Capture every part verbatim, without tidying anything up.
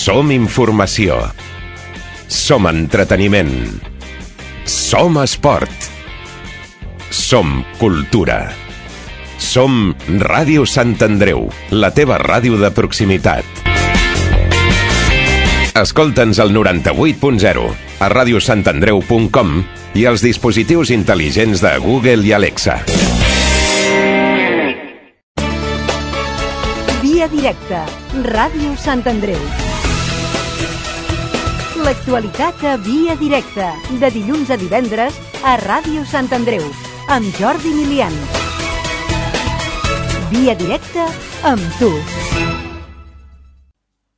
Som informació. Som entreteniment. Som esport. Som cultura. Som Ràdio Sant Andreu, la teva ràdio de proximitat. Escolta'ns al noranta-vuit punt zero, a ràdio sant andreu punt com i als dispositius intel·ligents de Google i Alexa. Via directa, Ràdio Sant Andreu. L'actualitat a Via directa, de dilluns a divendres a Ràdio Sant Andreu, amb Jordi Milian. Via directa amb tu.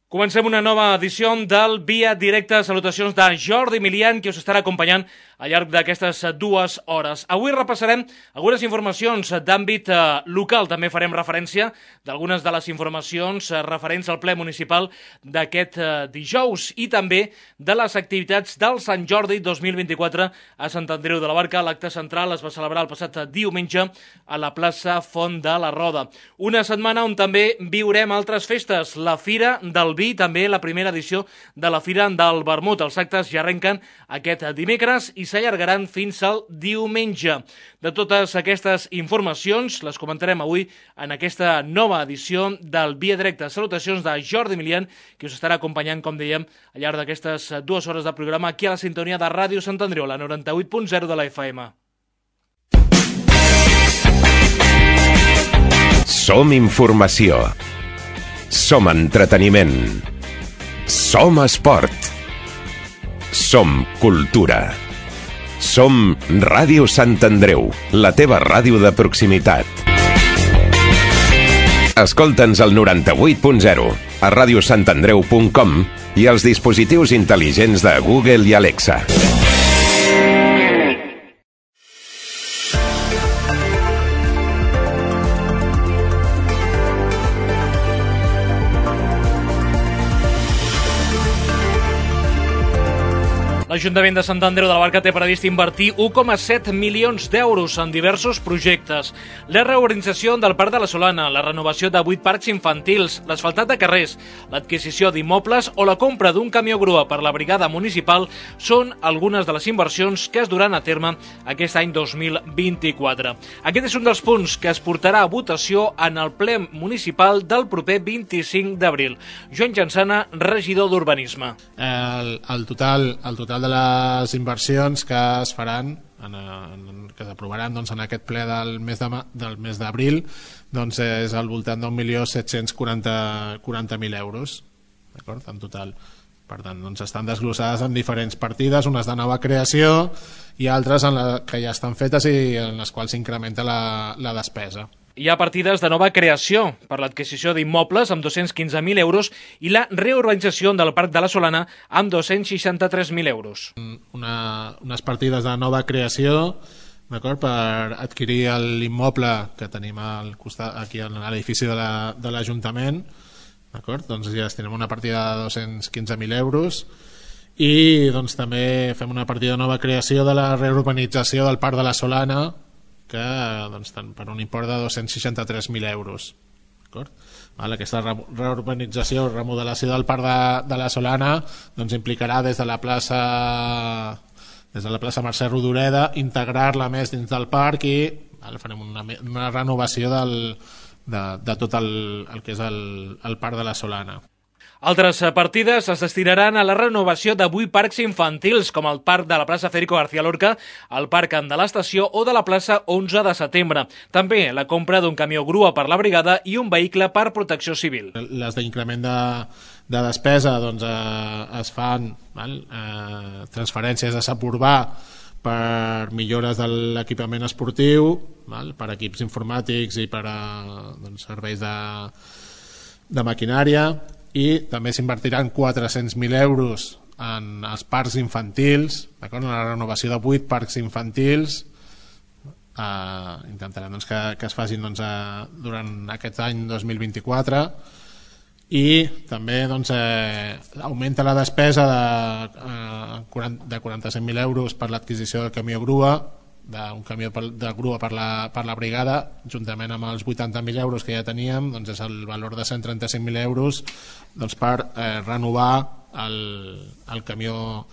Comencem una nova edició del Via Directa. Salutacions de Jordi Milian, que us estarà acompanyant al llarg d'aquestes dues hores. Avui repassarem algunes informacions d'àmbit local. També farem referència d'algunes de les informacions referents al ple municipal d'aquest dijous i també de les activitats del Sant Jordi dos mil vint-i-quatre a Sant Andreu de la Barca. L'acte central es va celebrar el passat diumenge a la plaça Font de la Roda. Una setmana on també viurem altres festes. La Fira del Vi, també la primera edició de la Fira del Vermut. Els actes ja arrenquen aquest dimecres i s'allargaran fins al diumenge. De totes aquestes informacions les comentarem avui en aquesta nova edició del Via Directa. Salutacions de Jordi Milian, que us estarà acompanyant, com dèiem, al llarg d'aquestes dues hores de programa aquí a la sintonia de Ràdio Sant Andreu, la noranta-vuit punt zero de la F M. Som informació. Som entreteniment. Som esport. Som cultura. Som Ràdio Sant Andreu, la teva ràdio de proximitat. Escolta'ns al noranta-vuit punt zero, a ràdio sant andreu punt com i als dispositius intel·ligents de Google i Alexa. L'Ajuntament de Sant Andreu de la Barca té previst invertir un coma set milions d'euros en diversos projectes. La reorganització del Parc de la Solana, la renovació de vuit parcs infantils, l'asfaltat de carrers, l'adquisició d'immobles o la compra d'un camió grua per la brigada municipal són algunes de les inversions que es duran a terme aquest any dos mil vint-i-quatre. Aquest és un dels punts que es portarà a votació en el ple municipal del proper vint-i-cinc d'abril. Joan Jansana, regidor d'Urbanisme. El, el total... El total de les inversions que es faran, en, en, que s'aprovaran doncs, en aquest ple del mes de, del mes d'abril, doncs és al voltant d'un milió set-cents quaranta mil euros, d'acord, en total. Per tant, doncs estan desglossades en diferents partides, unes de nova creació i altres en la, que ja estan fetes i en les quals s'incrementa la, la despesa. Hi ha partides de nova creació per l'adquisició d'immobles amb dos-cents quinze mil euros i la reurbanització del Parc de la Solana amb dos-cents seixanta-tres mil euros. Una, unes partides de nova creació, d'acord, per adquirir l'immoble que tenim al costat, aquí a l'edifici de l'Ajuntament, d'acord, doncs ja tenim una partida de dos-cents quinze mil euros i doncs també fem una partida de nova creació de la reurbanització del Parc de la Solana, que doncs, per un import de dos-cents seixanta-tres mil euros. Vale, aquesta reurbanització, remodelació del Parc de, de la Solana doncs, implicarà des de la plaça des de la plaça Mercè Rodoreda integrar-la més dins del parc i vale, farem una, una renovació del, de, de tot el, el que és el, el Parc de la Solana. Altres partides es destinaran a la renovació de vuit parcs infantils, com el parc de la plaça Federico García Lorca, el parc de l'Estació o de la plaça onze de setembre. També la compra d'un camió grua per la brigada i un vehicle per protecció civil. Les d'increment de, de despesa doncs, eh, es fan val? Eh, transferències a Sap Urbà per millores de l'equipament esportiu, val? Per equips informàtics i per a doncs, serveis de, de maquinària, i també s'invertiran quatre-cents mil euros en els parcs infantils, en la renovació de vuit parcs infantils. Eh, intentarem doncs, que, que es facin doncs, a, durant aquest any dos mil vint-i-quatre i també doncs, eh, augmenta la despesa de, eh, de quaranta-set mil euros per l'adquisició del camió grua, d'un camió de grua per la, per la brigada, juntament amb els vuitanta mil euros que ja teníem, doncs és el valor de cent trenta-cinc mil euros doncs per eh, renovar el, el, camió,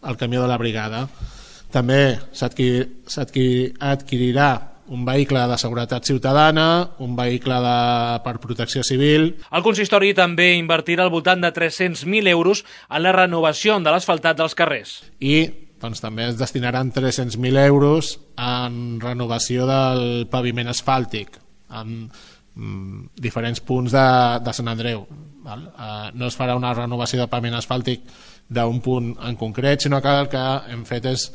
el camió de la brigada. També s'adquirirà un vehicle de seguretat ciutadana, un vehicle de, per protecció civil. El consistori també invertirà al voltant de tres-cents mil euros en la renovació de l'asfaltat dels carrers. I doncs, també es destinaran tres-cents mil euros en renovació del paviment asfàltic en mm, diferents punts de, de Sant Andreu. Val? Uh, no es farà una renovació de paviment asfàltic d'un punt en concret, sinó que el que hem fet és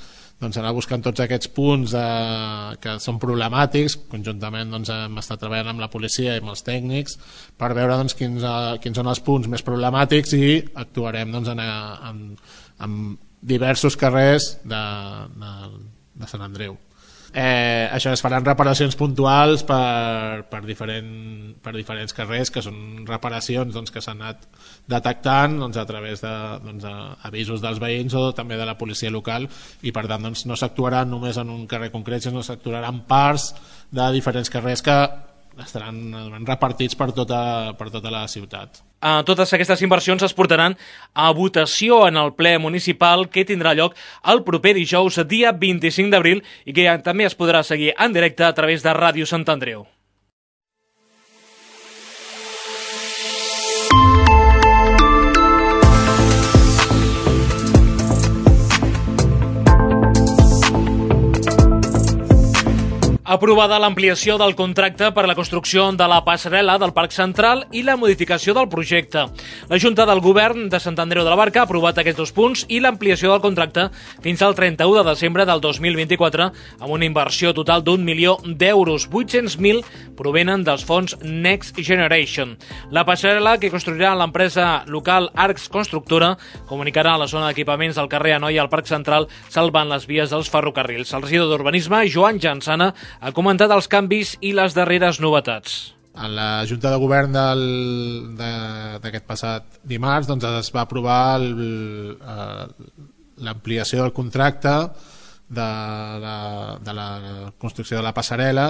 doncs, anar buscant tots aquests punts eh, que són problemàtics. Conjuntament doncs, hem estat treballant amb la policia i amb els tècnics per veure doncs, quins, uh, quins són els punts més problemàtics i actuarem doncs, en, en, en diversos carrers de, de, de Sant Andreu. Eh, això es faran reparacions puntuals per, per, diferent, per diferents carrers, que són reparacions doncs, que s'han anat detectant doncs, a través de doncs, avisos dels veïns o també de la policia local, i per tant doncs, no s'actuarà només en un carrer concret, sinó s'actuarà en parts de diferents carrers que estaran repartits per tota, per tota la ciutat. Uh, totes aquestes inversions es portaran a votació en el ple municipal que tindrà lloc el proper dijous, dia vint-i-cinc d'abril, i que també es podrà seguir en directe a través de Ràdio Sant Andreu. Aprovada l'ampliació del contracte per a la construcció de la passarel·la del Parc Central i la modificació del projecte. La Junta del Govern de Sant Andreu de la Barca ha aprovat aquests dos punts i l'ampliació del contracte fins al trenta-u de desembre del dos mil vint-i-quatre amb una inversió total d'un milió d'euros. vuit-cents mil provenen dels fons Next Generation. La passarel·la, que construirà l'empresa local Arcs Constructora, comunicarà a la zona d'equipaments del carrer Anoia al Parc Central, salvant les vies dels ferrocarrils. El regidor d'Urbanisme, Joan Jansana, ha comentat els canvis i les darreres novetats. En la Junta de Govern d'aquest passat dimarts doncs, es va aprovar l'ampliació del contracte de la, de la construcció de la passarel·la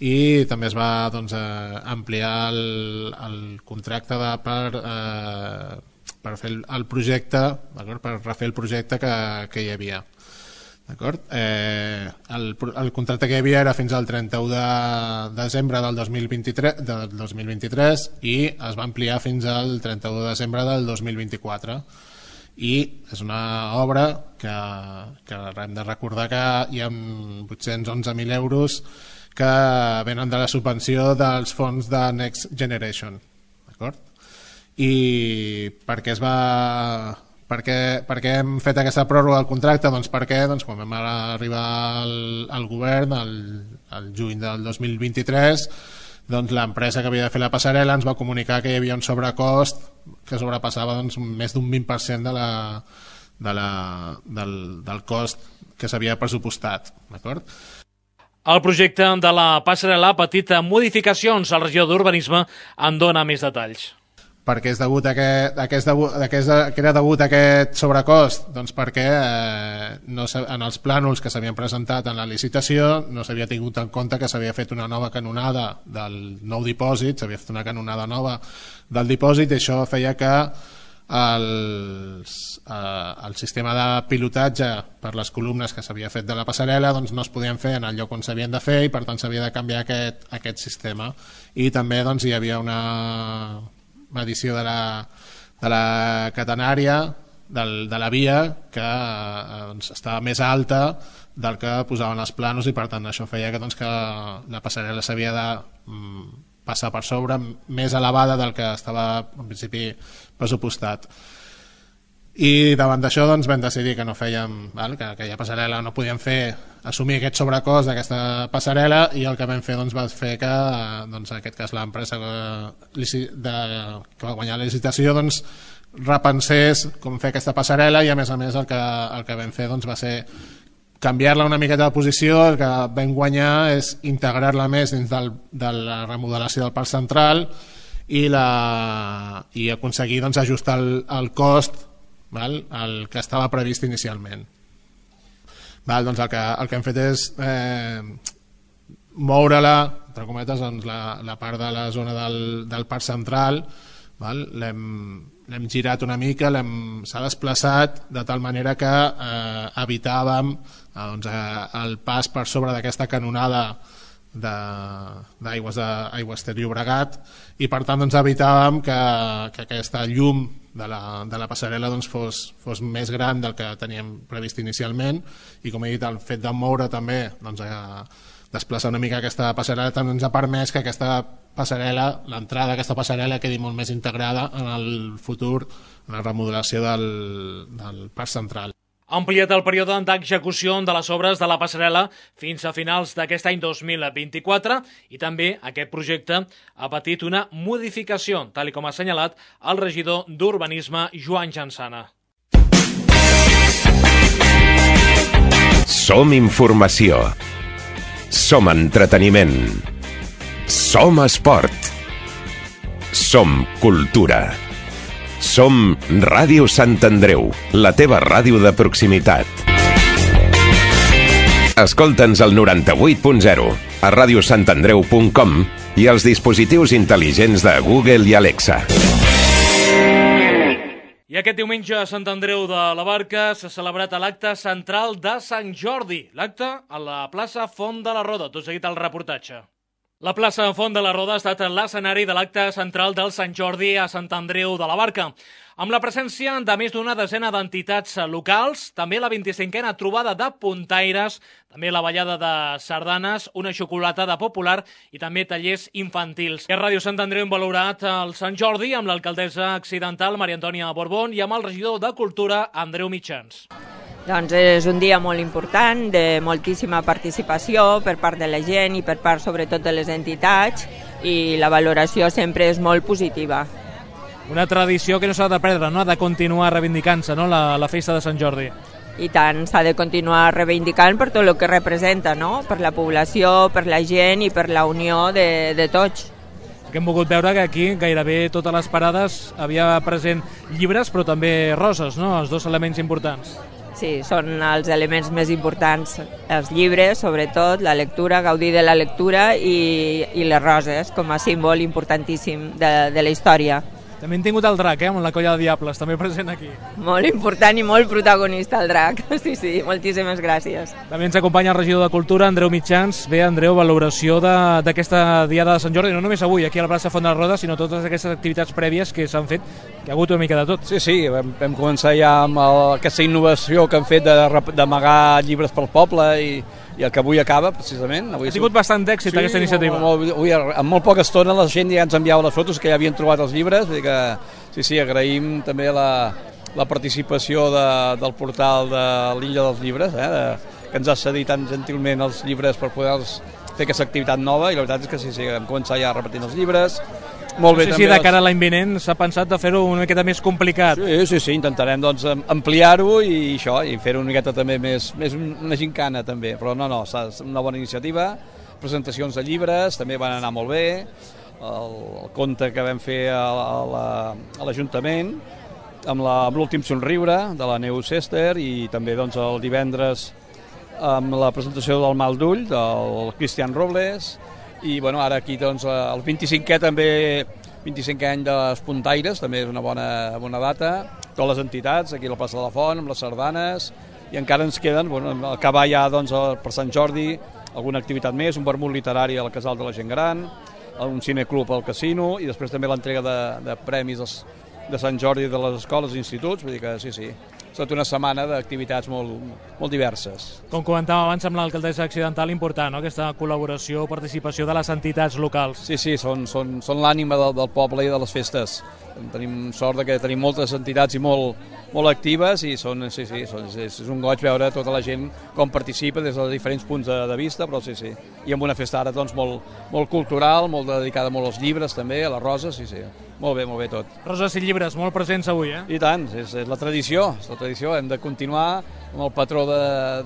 i també es va doncs, ampliar el, el contracte de, per, eh, per fer el, el projecte, per refer el projecte que, que hi havia. Eh, el, el contracte que hi havia era fins al trenta-u de desembre del dos mil vint-i-tres, del dos mil vint-i-tres i es va ampliar fins al trenta-u de desembre del dos mil vint-i-quatre, i és una obra que, que hem de recordar que hi ha vuit-cents onze mil euros que venen de la subvenció dels fons de Next Generation, d'acord? I per què es va... Per què, per què hem fet aquesta pròrroga del contracte? Doncs perquè doncs, quan vam arribar al, al govern el, el juny del dos mil vint-i-tres, doncs, l'empresa que havia de fer la passarel·la ens va comunicar que hi havia un sobrecost que sobrepassava doncs, més d'un vint per cent de la, de la, del, del cost que s'havia pressupostat, d'acord? El projecte de la passarel·la ha patit modificacions. El regidor d'Urbanisme en dona més detalls. Per què és degut a aquest, a aquest, a aquest, que era degut a aquest sobrecost? Doncs perquè eh, no, en els plànols que s'havien presentat en la licitació no s'havia tingut en compte que s'havia fet una nova canonada del nou dipòsit, s'havia fet una canonada nova del dipòsit, i això feia que els, eh, el sistema de pilotatge per les columnes que s'havia fet de la passarel·la doncs, no es podien fer en el lloc on s'havien de fer, i per tant s'havia de canviar aquest, aquest sistema. I també doncs, hi havia una medició de la, de la catenària del, de la via que eh, doncs, estava més alta del que posaven els planos, i per tant això feia que, doncs, que la passarel·la s'havia de mm, passar per sobre, més elevada del que estava en principi pressupostat. I davant d'això doncs, vam decidir que no fèiem, val? que aquella passarel·la no podíem fer assumir aquest sobrecost d'aquesta passarel·la, i el que vam fer doncs, va fer que doncs, en aquest cas l'empresa que, de, que va guanyar la licitació doncs, repensés com fer aquesta passarel·la, i a més a més el que, el que vam fer doncs, va ser canviar-la una miqueta de posició. El que vam guanyar és integrar-la més dins del, de la remodelació del Parc Central i, la, i aconseguir doncs, ajustar el, el cost val? El que estava previst inicialment. Val, doncs el que, el que hem fet és eh, moure-la, entre cometes, doncs la, la part de la zona del, del parc central, val? L'hem l'hem girat una mica, s'ha desplaçat de tal manera que eh, evitàvem eh, doncs, eh, el pas per sobre d'aquesta canonada d'aigües de, aigües ter Llobregat, i per tant doncs, evitàvem que, que aquesta llum de la, de la passarel·la doncs, fos, fos més gran del que teníem previst inicialment, i com he dit, el fet de moure també doncs, eh, desplaçar una mica aquesta passarel·la també ens ha permès que aquesta passarel·la, l'entrada d'aquesta passarel·la quedi molt més integrada en el futur, en la remodelació del, del parc central. Ha ampliat el període d'execució de les obres de la passarel·la fins a finals d'aquest any dos mil vint-i-quatre, i també aquest projecte ha patit una modificació, tal com ha assenyalat el regidor d'Urbanisme, Joan Jansana. Som informació. Som entreteniment. Som esport. Som cultura. Som Ràdio Sant Andreu, la teva ràdio de proximitat. Escolta'ns al noranta-vuit punt zero, a ràdio sant andreu punt com i als dispositius intel·ligents de Google i Alexa. I aquest diumenge a Sant Andreu de la Barca s'ha celebrat l'acte central de Sant Jordi. L'acte a la plaça Font de la Roda. Tot seguit el reportatge. La plaça Font de la Roda ha estat l'escenari de l'acte central del Sant Jordi a Sant Andreu de la Barca, amb la presència de més d'una desena d'entitats locals, també la vint-i-cinquena trobada de puntaires, també la ballada de sardanes, una xocolatada popular i també tallers infantils. I a Ràdio Sant Andreu hem valorat el Sant Jordi amb l'alcaldessa accidental Maria Antònia Borbón i amb el regidor de Cultura Andreu Mitjans. Doncs és un dia molt important, de moltíssima participació per part de la gent i per part sobretot de les entitats, i la valoració sempre és molt positiva. Una tradició que no s'ha de perdre, no? De continuar reivindicant-se, no? la, la festa de Sant Jordi. I tant, s'ha de continuar reivindicant per tot el que representa, no? Per la població, per la gent i per la unió de, de tots. Que hem volgut veure que aquí gairebé totes les parades havia present llibres però també roses, no? Els dos elements importants. Sí, són els elements més importants, els llibres, sobretot, la lectura, gaudir de la lectura i, i les roses com a símbol importantíssim de, de la història. També hem tingut el drac, eh, amb la colla de diables, també present aquí. Molt important i molt protagonista el drac, sí, sí, moltíssimes gràcies. També ens acompanya el regidor de Cultura, Andreu Mitjans. Bé, Andreu, valoració d'aquesta diada de Sant Jordi, no només avui aquí a la plaça Font de la Roda, sinó totes aquestes activitats prèvies que s'han fet, que ha hagut una mica de tot. Sí, sí, vam, vam començar ja amb el, aquesta innovació que han fet d'amagar llibres pel poble i, i el que avui acaba, precisament. Avui ha tingut som... bastant d'èxit sí, aquesta iniciativa. Molt, molt, avui, en molt poca estona la gent ja ens enviava les fotos que ja havien trobat els llibres, vull dir que sí, sí, agraïm també la, la participació de, del portal de l'Illa dels Llibres, eh, de, que ens ha cedit tan gentilment els llibres per poder fer aquesta activitat nova, i la veritat és que sí, sí, vam començar ja repetint els llibres. Molt bé, no sé si de cara a l'any vinent s'ha pensat de fer-ho una miqueta més complicat. Sí, sí, sí, intentarem doncs, ampliar-ho i això, i fer-ho una miqueta també més, més una gincana també, però no, no, és una bona iniciativa, presentacions de llibres, també van anar molt bé, el, el conte que vam fer a, a l'Ajuntament, amb l'últim somriure de la Neus Ester, i també doncs, el divendres amb la presentació del Mal d'Ull, del Cristian Robles, i bueno, ara aquí doncs, el vint-i-cinquè també, vint-i-cinquè any dels puntaires, també és una bona, bona data, totes les entitats, aquí a la plaça de la Font, amb les sardanes, i encara ens queden, bueno, acabar ja doncs, per Sant Jordi, alguna activitat més, un vermut literari al Casal de la Gent Gran, un cineclub al Casino, i després també l'entrega de, de premis dels, de Sant Jordi de les escoles i instituts, vull dir que sí, sí. Ha estat una setmana d'activitats molt, molt diverses. Com comentàvem abans amb l'alcaldessa accidental, important, no? Aquesta col·laboració, participació de les entitats locals. Sí, sí, són, són, són l'ànima del, del poble i de les festes. Tenim sort de que tenim moltes entitats i molt, molt actives, i són, sí, sí, són, és, és un goig veure tota la gent com participa des de diferents punts de, de vista, però sí, sí. I amb una festa ara doncs, molt, molt cultural, molt dedicada molt als llibres també, a les roses, sí, sí. Molt bé, molt bé tot. Roses i llibres, molt presents avui, eh? I tant, és, és la tradició, és la tradició. Hem de continuar amb el patró de,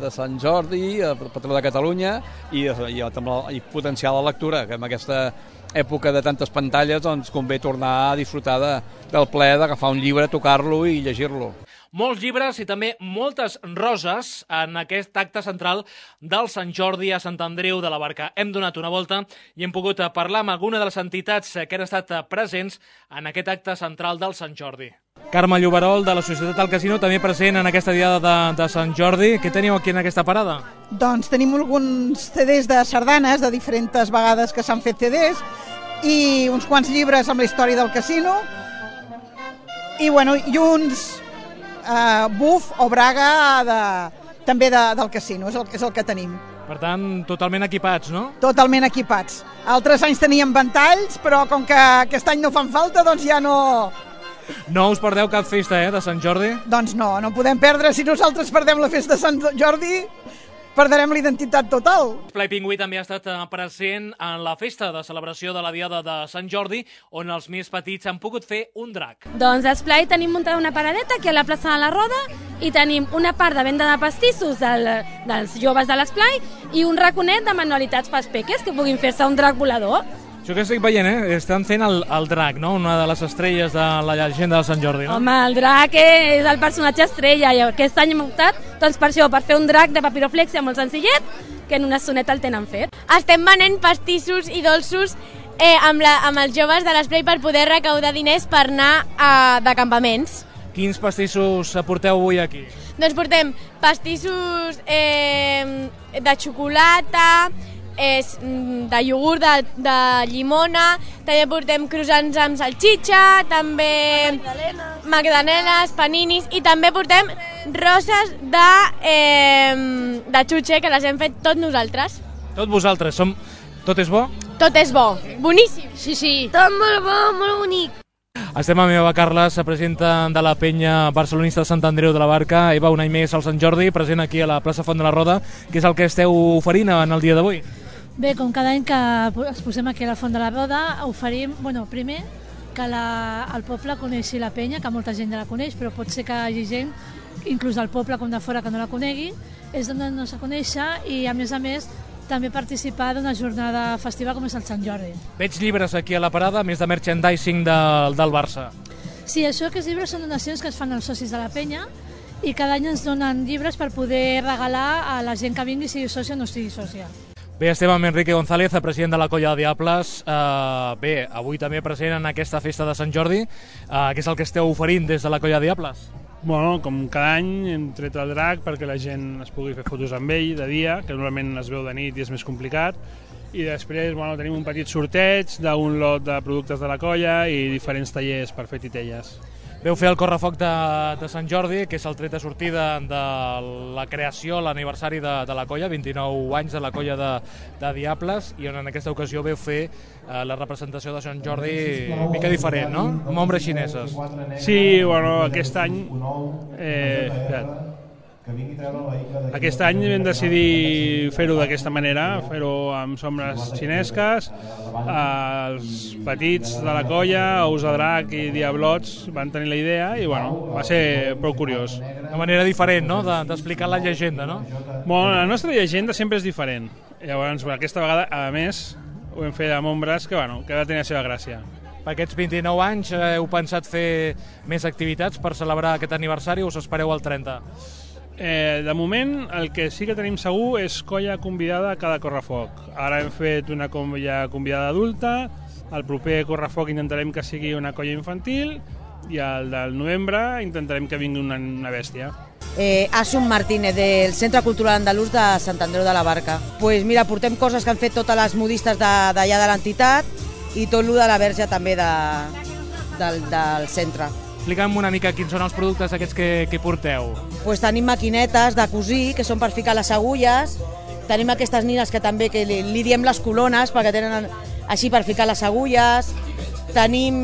de Sant Jordi, el patró de Catalunya, i, i, i potenciar la lectura, que en aquesta època de tantes pantalles doncs convé tornar a disfrutar de, del plaer d'agafar un llibre, tocar-lo i llegir-lo. molts llibres i també moltes roses en aquest acte central del Sant Jordi a Sant Andreu de la Barca. Hem donat una volta i hem pogut parlar amb alguna de les entitats que han estat presents en aquest acte central del Sant Jordi. Carme Lloberol, de la Societat del Casino, també present en aquesta diada de, de Sant Jordi. Què teniu aquí en aquesta parada? Doncs tenim alguns C Ds de sardanes, de diferents vegades que s'han fet C Ds, i uns quants llibres amb la història del casino, i, bueno, i uns uh, buf o braga de, també de, del casino, és el, és el que tenim. Per tant, totalment equipats, no? Totalment equipats. Altres anys teníem ventalls, però com que aquest any no fan falta, doncs ja no... No us perdeu cap festa, eh, de Sant Jordi? Doncs no, no podem perdre. Si nosaltres perdem la festa de Sant Jordi, perdrem l'identitat total. Esplai Pingüí també ha estat present en la festa de celebració de la Diada de Sant Jordi, on els més petits han pogut fer un drac. Doncs a Esplai tenim muntada una paradeta aquí a la plaça de la Roda i tenim una part de venda de pastissos del, dels joves de l'Esplai i un raconet de manualitats pels peques que puguin fer-se un drac volador. Això que estic veient, eh? Estan fent el, el drac, no? Una de les estrelles de la llegenda de Sant Jordi, no? Home, el drac és el personatge estrella i aquest any hem optat doncs per això, per fer un drac de papiroflexia molt senzillet, que en una soneta el tenen fet. Estem venent pastissos i dolços eh, amb, la, amb els joves de l'Esplai per poder recaudar diners per anar a, de campaments. Quins pastissos porteu avui aquí? Doncs portem pastissos eh, de xocolata, és de iogurt, de, de llimona, també portem croissants amb salxitxa, també magdalenes, magdalenes paninis, i també portem roses de, eh, de xutxe, que les hem fet tot nosaltres. Tot vosaltres, som... Tot és bo? Tot és bo, boníssim. Sí, sí. Tot molt bo, molt bonic. Estem amb Eva Carles, presidenta de la penya barcelonista de Sant Andreu de la Barca. Eva, un any més al Sant Jordi, present aquí a la plaça Font de la Roda. Què és el que esteu oferint en el dia d'avui? Bé, com cada any que es posem aquí a la Font de la Roda, oferim, bueno, primer, que la, el poble coneixi la penya, que molta gent ja la coneix, però pot ser que hi hagi gent, inclús del poble com de fora, que no la conegui, és donar-nos a conèixer i, a més a més, també participar d'una jornada festiva com és el Sant Jordi. Veig llibres aquí a la parada, més de merchandising del, del Barça. Sí, això, aquests llibres són donacions que es fan als socis de la penya i cada any ens donen llibres per poder regalar a la gent que vingui, sigui sòcia o no sigui sòcia. Bé, estem amb Enrique González, president de la Colla de Diables. Uh, bé, avui també present en aquesta festa de Sant Jordi. Uh, què és el que esteu oferint des de la Colla de Diables? Bueno, com cada any hem tret el drac perquè la gent es pugui fer fotos amb ell de dia, que normalment es veu de nit i és més complicat. I després, bueno, tenim un petit sorteig d'un lot de productes de la colla i diferents tallers per fer titelles. Veu fer el correfoc de, de Sant Jordi, que és el tret de sortida de la creació, l'aniversari de, de la colla, vint-i-nou anys de la colla de, de Diables, i on en aquesta ocasió veu fer eh, la representació de Sant Jordi mica diferent, no? Amb ombres xineses. Sí, bueno, aquest any... Eh, Aquest any vam decidir fer-ho d'aquesta manera, fer-ho amb sombres xinesques. Els petits de la colla, Ous de Drac i Diablots, van tenir la idea i bueno, va ser prou curiós. Una manera diferent, no?, d'explicar la llegenda, no? Bueno, la nostra llegenda sempre és diferent. Llavors, aquesta vegada, a més, ho hem fet amb ombres que, bueno, que va tenir la seva gràcia. Per aquests vint-i-nou anys heu pensat fer més activitats per celebrar aquest aniversari o us espereu al trenta? Eh, de moment, el que sí que tenim segur és colla convidada a cada correfoc. Ara hem fet una colla convidada adulta, el proper correfoc intentarem que sigui una colla infantil i el del novembre intentarem que vingui una, una bèstia. Eh, Asun Martínez, del Centre Cultural Andalús de Sant Andreu de la Barca. Pues mira, portem coses que han fet totes les modistes d'allà de, de l'entitat i tot el de la verge també de, del, del centre. Explica'm una mica quins són els productes aquests que, que porteu. Pues tenim maquinetes de cosir, que són per ficar les agulles, tenim aquestes nines que també que li, li diem les colones, perquè tenen així per ficar les agulles, tenim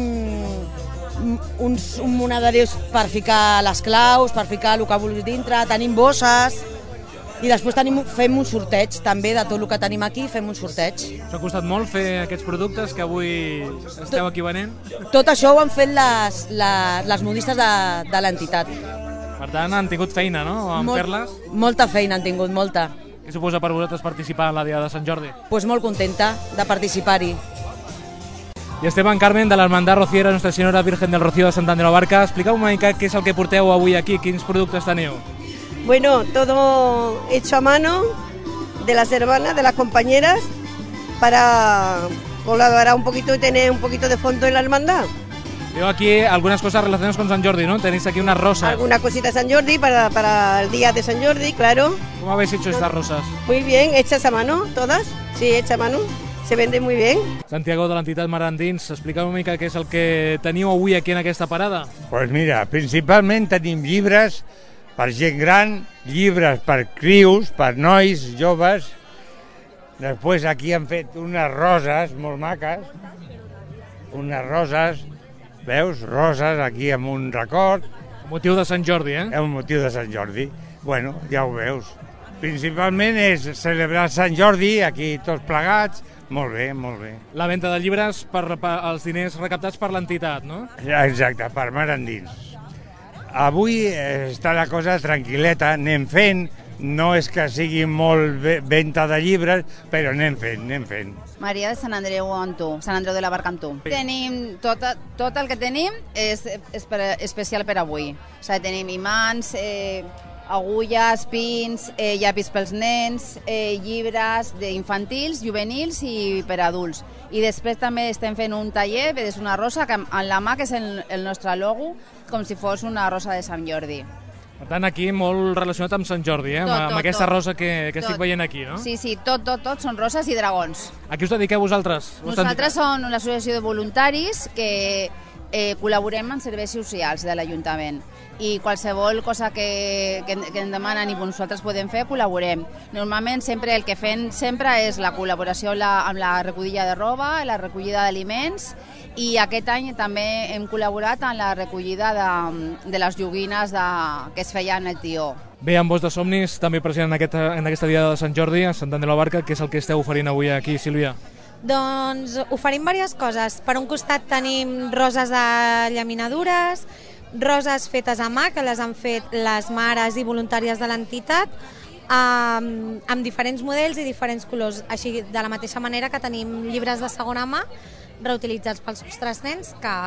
uns, un monederius per ficar les claus, per ficar el que vulguis dintre, tenim bosses, i després tenim, fem un sorteig també de tot el que tenim aquí, fem un sorteig. Us ha costat molt fer aquests productes que avui esteu aquí venent? Tot això ho han fet les, les, les modistes de, de l'entitat. Per tant, han tingut feina, no?, en Molt, fer-les? Molta feina han tingut, molta. Què suposa per vosaltres participar en la Diada de Sant Jordi? Pues molt contenta de participar-hi. I estem en Carmen de l'Hermandad Rociera Nuestra Senyora Virgen del Rocío de Sant Andreu de la Barca. Expliqueu una mica què és el que porteu avui aquí, quins productes teniu. Bueno, todo hecho a mano de las hermanas, de las compañeras, para colaborar un poquito y tener un poquito de fondo en la hermandad. Veo aquí algunas cosas relacionadas con San Jordi, ¿no? Tenéis aquí unas rosas. Alguna cosita de San Jordi para, para el día de San Jordi, claro. ¿Cómo habéis hecho estas rosas? Muy bien, hechas a mano, todas. Sí, hechas a mano. Se venden muy bien. Santiago, de l'entitat Mar Endins, explica'm una mica què és el que teniu avui aquí en aquesta parada. Pues mira, principalment tenim llibres per gent gran, llibres per crius, per nois, joves. Després aquí han fet unes roses molt maques, unes roses, veus, roses aquí amb un record. Motiu de Sant Jordi, eh? És un motiu de Sant Jordi. Bueno, ja ho veus. Principalment és celebrar Sant Jordi, aquí tots plegats. Molt bé, molt bé. La venda de llibres per, per els diners recaptats per l'entitat, no? Exacte, per Mar Endins. Avui està la cosa tranquil·leta, anem fent, no és que sigui molt venda de llibres, però anem fent, anem fent. Maria de Sant Andreu amb tu, Sant Andreu de la Barca amb tu. Tenim tot, tot el que tenim és, és per, especial per avui. O sigui, tenim imants, eh, agulles, pins, eh, llapis pels nens, eh, llibres infantils, juvenils i per adults. I després també estem fent un taller, és una rosa que en la mà, que és el, el nostre logo, com si fos una rosa de Sant Jordi. Per tant, aquí molt relacionat amb Sant Jordi, eh? Tot, amb tot, aquesta tot. rosa que, que Tot. estic veient aquí, no? Sí, sí, tot, tot, tot són roses i dragons. A qui us dediqueu vosaltres? Nosaltres som una associació de voluntaris que eh, col·laborem en serveis socials de l'Ajuntament i qualsevol cosa que, que, que ens demanen i nosaltres podem fer, col·laborem. Normalment sempre el que fem sempre és la col·laboració la, amb la recollida de roba, la recollida d'aliments, i aquest any també hem col·laborat en la recollida de, de les joguines de, que es feien el tió. Bé, amb Voz de Somnis, també present en aquesta, en aquesta diada de Sant Jordi, a Sant Andreu de la Barca, què és el que esteu oferint avui aquí, Sílvia? Doncs oferim diverses coses. Per un costat tenim roses de llaminadures, roses fetes a mà, que les han fet les mares i voluntàries de l'entitat, amb, amb diferents models i diferents colors, així de la mateixa manera que tenim llibres de segona mà reutilitzats pels nostres nens que,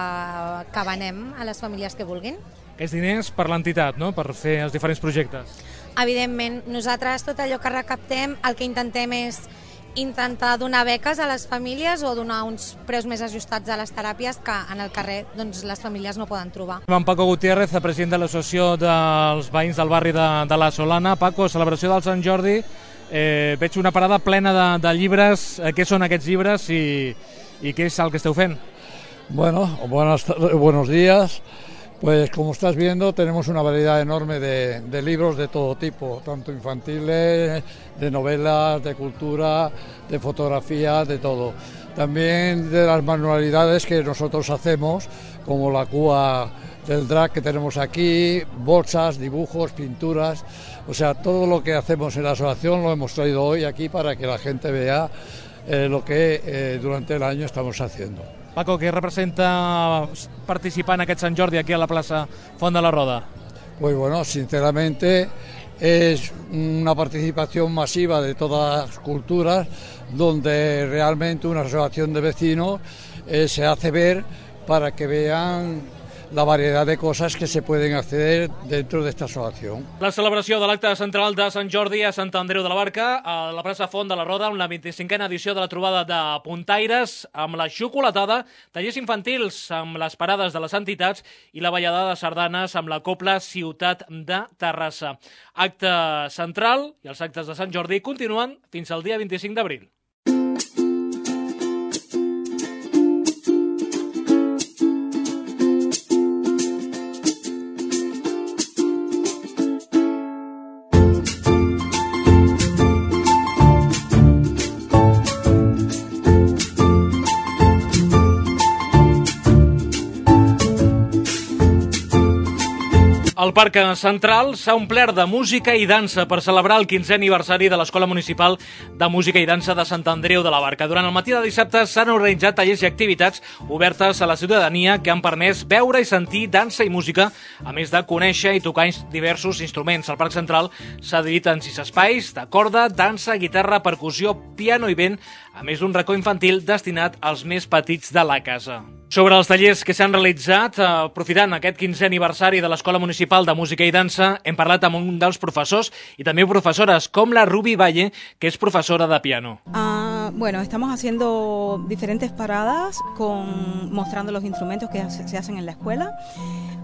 que venem a les famílies que vulguin. Aquests diners per l'entitat, no?, per fer els diferents projectes. Evidentment, nosaltres tot allò que recaptem el que intentem és intentar donar beques a les famílies o donar uns preus més ajustats a les teràpies que en el carrer doncs, les famílies no poden trobar. En Paco Gutiérrez, president de l'Associació dels Veïns del barri de, de la Solana. Paco, celebració del Sant Jordi, eh, veig una parada plena de, de llibres. Eh, què són aquests llibres i, y qué es el que esteu fent? Bueno, buenas, buenos días. Pues como estás viendo tenemos una variedad enorme de, de libros de todo tipo, tanto infantiles, de novelas, de cultura, de fotografía, de todo. También de las manualidades que nosotros hacemos, como la cúa del drag que tenemos aquí, bolsas, dibujos, pinturas, o sea, todo lo que hacemos en la asociación lo hemos traído hoy aquí para que la gente vea eh, lo que eh, durante el año estamos haciendo. Paco, què representa participar en aquest Sant Jordi aquí a la plaça Font de la Roda? Pues bueno, sinceramente es una participación masiva de todas las culturas donde realmente una asociación de vecinos eh, se hace ver para que vean la variedad de cosas que se pueden acceder dentro de esta asociación. La celebració de l'acte central de Sant Jordi a Sant Andreu de la Barca, a la plaça Font de la Roda, amb la vint-i-cinquena edició de la trobada de puntaires, amb la xocolatada, tallers infantils amb les parades de les entitats i la ballada de sardanes amb la Cobla Ciutat de Terrassa. Acte central i els actes de Sant Jordi continuen fins al dia vint-i-cinc d'abril. El Parc Central s'ha omplert de música i dansa per celebrar el quinzè aniversari de l'Escola Municipal de Música i Dansa de Sant Andreu de la Barca. Durant el matí de dissabte s'han organitzat tallers i activitats obertes a la ciutadania que han permès veure i sentir dansa i música, a més de conèixer i tocar diversos instruments. El Parc Central s'ha dividit en sis espais de corda, dansa, guitarra, percussió, piano i vent, a més d'un racó infantil destinat als més petits de la casa. Sobre els tallers que s'han realitzat, aprofitant aquest quinzè aniversari de l'Escola Municipal de Música i Dansa, hem parlat amb un dels professors i també professores, com la Ruby Valle, que es profesora de piano. Uh, bueno, estamos haciendo diferentes paradas con, mostrando los instrumentos que se hacen en la escuela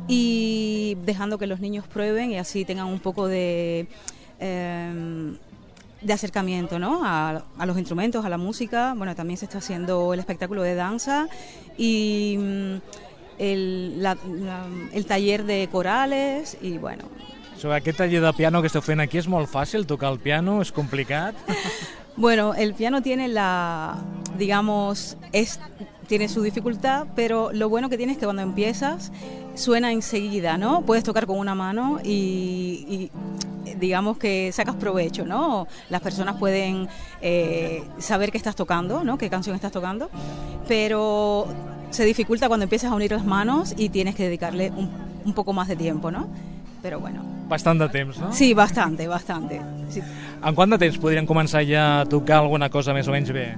y dejando que los niños prueben y así tengan un poco de... Eh, de acercamiento, ¿no? a, a los instrumentos, a la música. Bueno, también se está haciendo el espectáculo de danza y el, la, la, el taller de corales y bueno. Sobre aquest taller de piano que esteu fent aquí és molt fàcil tocar el piano, és complicat? Bueno, el piano tiene la, digamos, es, tiene su dificultad, pero lo bueno que tiene es que cuando empiezas suena enseguida, ¿no? Puedes tocar con una mano y, y digamos que sacas provecho, ¿no? Las personas pueden eh, saber qué estás tocando, ¿no? Qué canción estás tocando, pero se dificulta cuando empiezas a unir las manos y tienes que dedicarle un, un poco más de tiempo, ¿no? Però bueno. Bastant de temps, no? Sí, bastante, bastante. Sí. En quant de temps podrían començar ja a tocar alguna cosa més o menys bé?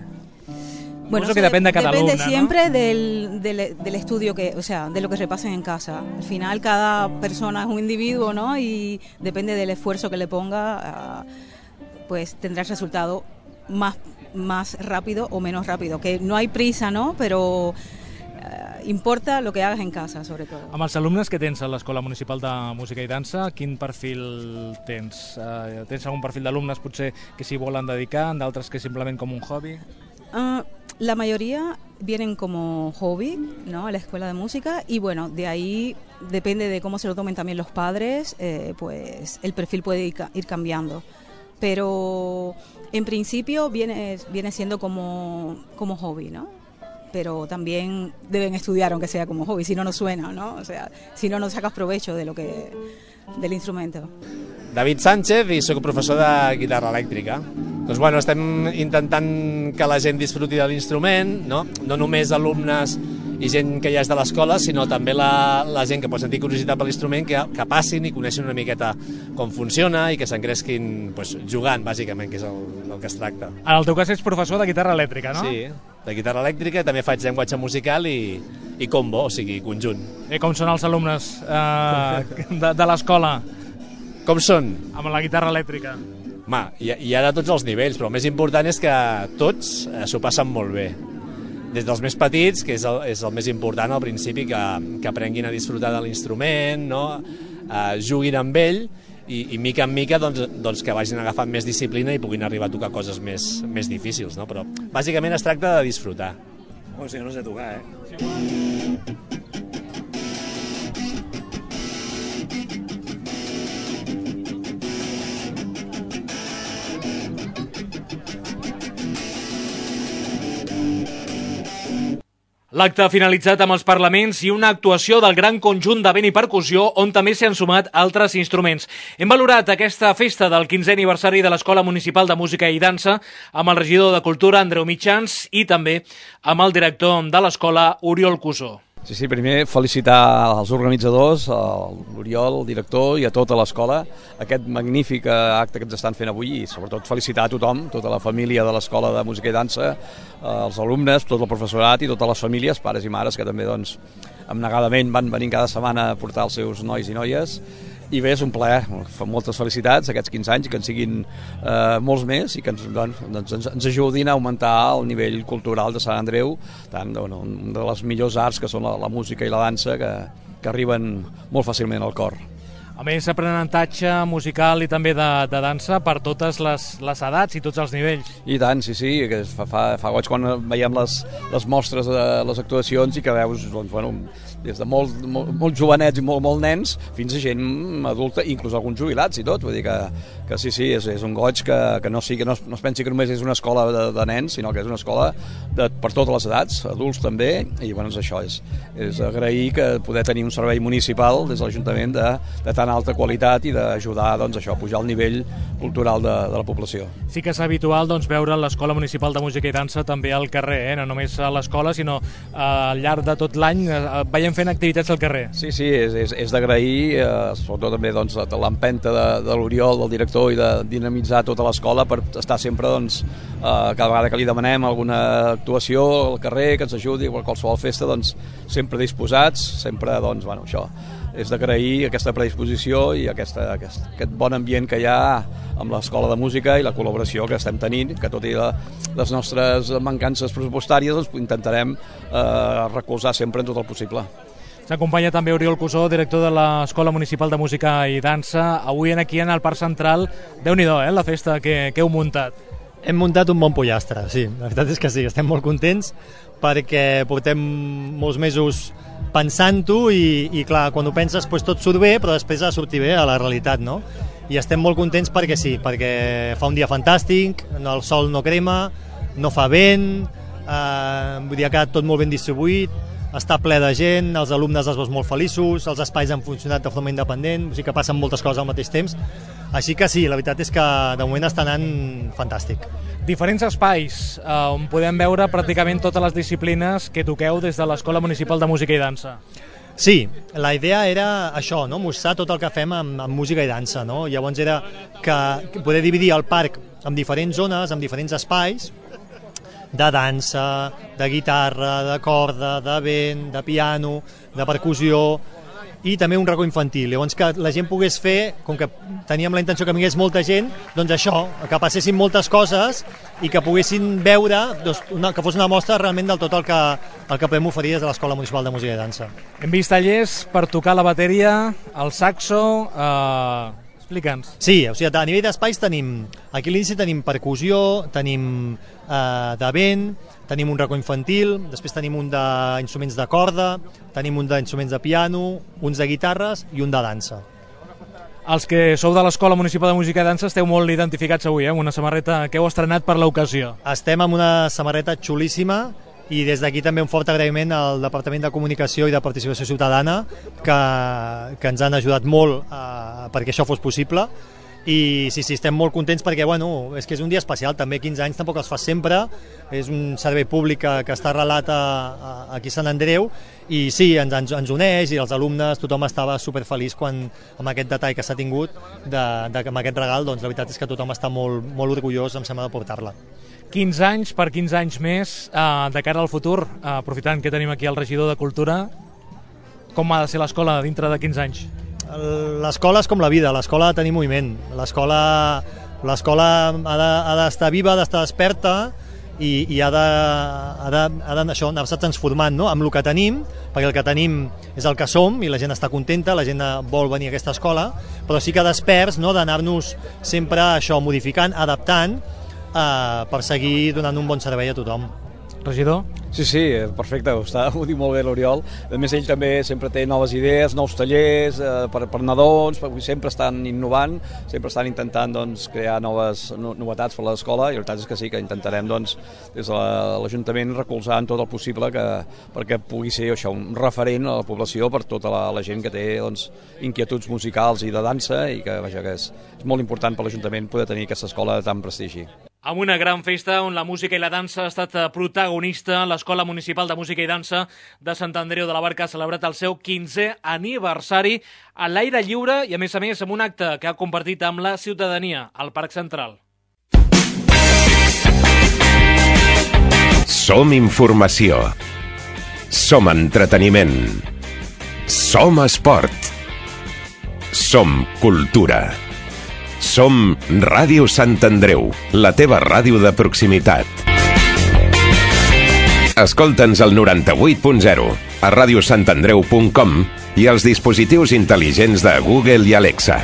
Bueno, eso que depende de cada depende alumna, siempre ¿no? del, del, del estudio, que, o sea, de lo que repasen en casa. Al final cada persona es un individuo, ¿no? Y depende del esfuerzo que le ponga, pues tendrá el resultado más, más rápido o menos rápido. Que no hay prisa, ¿no? Pero eh, importa lo que hagas en casa, sobre todo. Amb els alumnes que tens a l'Escola Municipal de Música i Dansa, quin perfil tens? Uh, tens algun perfil d'alumnes potser que s'hi volen dedicar, d'altres que simplement com un hobby? Uh, la mayoría vienen como hobby, ¿no? A la escuela de música y bueno, de ahí depende de cómo se lo tomen también los padres, eh, pues el perfil puede ir, ir cambiando. Pero en principio viene, viene siendo como, como hobby, ¿no? Pero también deben estudiar aunque sea como hobby, si no, no suena, ¿no? O sea, si no, no sacas provecho de lo que, del instrumento. David Sánchez i sóc professor de guitarra elèctrica. Doncs bueno, estem intentant que la gent disfruti de l'instrument, no? No només alumnes i gent que ja és de l'escola, sinó també la, la gent que pot sentir curiositat per l'instrument, que, que passin i coneixin una miqueta com funciona i que s'engresquin pues, jugant, bàsicament, que és el, el que es tracta. En el teu cas ets professor de guitarra elèctrica, no? Sí, de guitarra elèctrica, també faig llenguatge musical i, i combo, o sigui, conjunt. I com són els alumnes eh, de, de l'escola? Com són? Amb la guitarra elèctrica. Ma, hi, hi ha de tots els nivells, però el més important és que tots eh, s'ho passen molt bé. Des dels més petits, que és el, és el més important al principi, que, que aprenguin a disfrutar de l'instrument, no? eh, juguin amb ell i, i mica en mica doncs, doncs que vagin agafant més disciplina i puguin arribar a tocar coses més, més difícils. No? Però bàsicament es tracta de disfrutar. O sigui, no sé tocar, eh? L'acte ha finalitzat amb els parlaments i una actuació del gran conjunt de vent i percussió on també s'hi han sumat altres instruments. Hem valorat aquesta festa del quinzè aniversari de l'Escola Municipal de Música i Dansa amb el regidor de Cultura, Andreu Mitjans, i també amb el director de l'escola, Oriol Cusó. Sí, sí, primer felicitar als organitzadors, l'Oriol, el director i a tota l'escola, aquest magnífic acte que ens estan fent avui i sobretot felicitar a tothom, tota la família de l'Escola de Música i Dansa, els alumnes, tot el professorat i totes les famílies, pares i mares, que també doncs, abnegadament van venint cada setmana a portar els seus nois i noies. I bé, és un plaer, moltes felicitats aquests quinze anys, que en siguin eh, molts més i que ens, doncs, ens, ens ajudin a augmentar el nivell cultural de Sant Andreu, tant bueno, una de les millors arts que són la, la música i la dansa, que, que arriben molt fàcilment al cor. A més, aprenentatge musical i també de, de dansa per totes les, les edats i tots els nivells. I tant, sí, sí, que fa, fa, fa goig quan veiem les, les mostres de les actuacions i que veus, doncs, bueno, des de molt, molt, molt jovenets i molt, molt nens fins a gent adulta, inclús alguns jubilats i tot, vull dir que, que sí, sí, és, és un goig que, que, no, sigui, que no, no es pensi que només és una escola de, de nens, sinó que és una escola de, per totes les edats, adults també, i bueno, és això, és, és agrair que poder tenir un servei municipal des de l'Ajuntament de, de tan alta qualitat i d'ajudar doncs, això, a pujar el nivell cultural de, de la població. Sí que és habitual doncs, veure l'Escola Municipal de Música i Dansa també al carrer, eh? No només a l'escola, sinó eh, al llarg de tot l'any eh, veiem seguirem fent activitats al carrer. Sí, sí, és, és, és d'agrair, eh, sobretot també doncs, l'empenta de, de l'Oriol, del director, i de dinamitzar tota l'escola per estar sempre, doncs, eh, cada vegada que li demanem alguna actuació al carrer, que ens ajudi, o qualsevol festa, doncs, sempre disposats, sempre, doncs, bueno, això, és d'agrair aquesta predisposició i aquesta, aquest, aquest bon ambient que hi ha amb l'Escola de Música i la col·laboració que estem tenint, que tot i la, les nostres mancances pressupostàries doncs, intentarem eh, recolzar sempre en tot el possible. S'acompanya també Oriol Cusó, director de l'Escola Municipal de Música i Dansa. Avui aquí en el Parc Central, Déu-n'hi-do, eh, la festa que, que heu muntat. Hem muntat un bon pollastre, sí, la veritat és que sí, estem molt contents perquè portem molts mesos pensant-ho i, i clar, quan ho penses doncs tot surt bé, però després ha de sortir bé a la realitat, no? I estem molt contents perquè sí, perquè fa un dia fantàstic, el sol no crema, no fa vent, eh, vull dir, ha quedat tot molt ben distribuït, està ple de gent, els alumnes els veus molt feliços, els espais han funcionat de forma independent, o sigui que passen moltes coses al mateix temps, així que sí, la veritat és que de moment està anant fantàstic. Diferents espais eh, on podem veure pràcticament totes les disciplines que toqueu des de l'Escola Municipal de Música i Dansa. Sí, la idea era això, no? Mostrar tot el que fem amb, amb música i dansa, no? Llavors era que poder dividir el parc en diferents zones, en diferents espais, de dansa, de guitarra, de corda, de vent, de piano, de percussió, i també un racó infantil. Llavors que la gent pogués fer, com que teníem la intenció que vingués molta gent, doncs això, que passessin moltes coses i que poguessin veure, doncs, una, que fos una mostra realment del tot el que, el que podem oferir des de l'Escola Municipal de Música i Dansa. Hem vist tallers per tocar la bateria, el saxo... Eh... Explica'ns. Sí, o sigui, a nivell d'espais tenim, aquí a l'inici tenim percussió, tenim eh, de vent, tenim un racó infantil, després tenim un d'instruments de corda, tenim un d'instruments de piano, uns de guitarres i un de dansa. Els que sou de l'Escola Municipal de Música i Dansa esteu molt identificats avui, eh, amb una samarreta que heu estrenat per l'ocasió. Estem amb una samarreta xulíssima i des d'aquí també un fort agraïment al Departament de Comunicació i de Participació Ciutadana que, que ens han ajudat molt eh, perquè això fos possible i sí, sí, estem molt contents perquè bueno, és que és un dia especial, també quinze anys tampoc els fa sempre, és un servei públic que, que està arrelat a, a, aquí a Sant Andreu i sí, ens, ens, ens uneix i els alumnes, tothom estava superfeliç quan, amb aquest detall que s'ha tingut de, de, amb aquest regal, doncs la veritat és que tothom està molt, molt orgullós, em sembla, de portar-la. quinze anys per quinze anys més, eh, de cara al futur, eh, aprofitant que tenim aquí el regidor de Cultura, com ha de ser l'escola dintre de quinze anys? L'escola és com la vida, l'escola ha de tenir moviment, l'escola l'escola ha d'estar viva, ha d'estar desperta i, i ha de, ha de, ha de això, anar-se transformant, no? Amb el que tenim, perquè el que tenim és el que som i la gent està contenta, la gent vol venir a aquesta escola, però sí que desperts, no? D'anar-nos sempre això modificant, adaptant, Uh, per seguir donant un bon servei a tothom. Regidor? Sí, sí, perfecte, ho, està, ho diu molt bé l'Oriol. A més, ell també sempre té noves idees, nous tallers eh, per, per nadons, sempre estan innovant, sempre estan intentant doncs, crear noves no, novetats per a l'escola i la veritat és que sí, que intentarem doncs, des de l'Ajuntament recolzar en tot el possible que, perquè pugui ser això, un referent a la població per tota la, la gent que té doncs, inquietuds musicals i de dansa i que, vaja, que és, és molt important per l'Ajuntament poder tenir aquesta escola de tant prestigi. Amb una gran festa on la música i la dansa ha estat protagonista, l'Escola Municipal de Música i Dansa de Sant Andreu de la Barca ha celebrat el seu quinzè aniversari a l'aire lliure i, a més a més, amb un acte que ha compartit amb la ciutadania al Parc Central. Som informació. Som entreteniment. Som esport. Som cultura. Som Ràdio Sant Andreu, la teva ràdio de proximitat. Escolta'ns al noranta-vuit punt zero, a ràdio sant andreu punt com i als dispositius intel·ligents de Google i Alexa.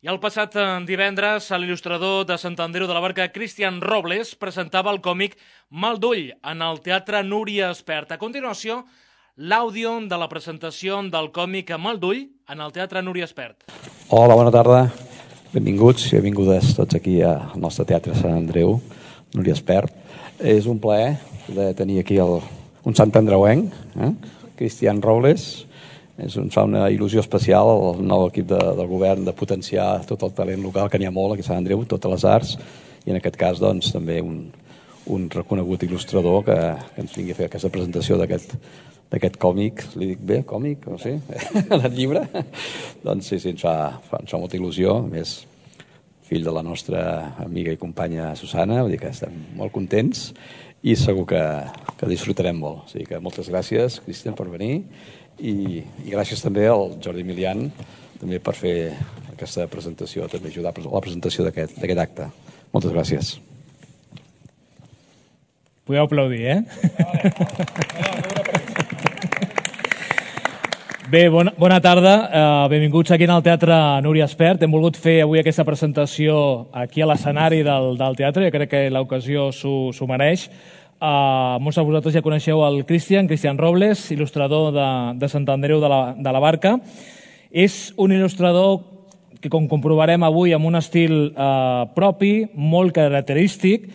I el passat divendres, l'il·lustrador de Sant Andreu de la Barca, Cristian Robles, presentava el còmic Mal d'ull en el Teatre Núria Espert. A continuació, l'àudio de la presentació del còmic Mal d'ull en el Teatre Núria Espert. Hola, bona tarda. Benvinguts i benvingudes tots aquí al nostre Teatre Sant Andreu, Núria Espert. És un plaer de tenir aquí el, un sant andreuenc, eh? Cristian Robles. És un, fa una il·lusió especial al nou equip de, del govern de potenciar tot el talent local, que n'hi ha molt aquí a Sant Andreu, totes les arts, i en aquest cas doncs, també un, un reconegut il·lustrador que, que ens vingui a fer aquesta presentació d'aquest d'aquest còmic, li dic bé, còmic, o sí, el llibre, doncs sí, sí, ens fa, fa, ens fa molta il·lusió, a més, fill de la nostra amiga i companya Susana, vull dir que estem molt contents i segur que, que disfrutarem molt. O sigui que moltes gràcies, Cristian, per venir i, i gràcies també al Jordi Milian també per fer aquesta presentació, també ajudar a la presentació d'aquest acte. Moltes gràcies. Podeu aplaudir, eh? Bé, bona, bona tarda. Uh, benvinguts aquí al Teatre Núria Espert. Hem volgut fer avui aquesta presentació aquí a l'escenari del, del teatre. Jo crec que l'ocasió s'ho mereix. Uh, molts de vosaltres ja coneixeu el Cristian, Cristian Robles, il·lustrador de, de Sant Andreu de la, de la Barca. És un il·lustrador que, com comprovarem avui, amb un estil uh, propi, molt característic.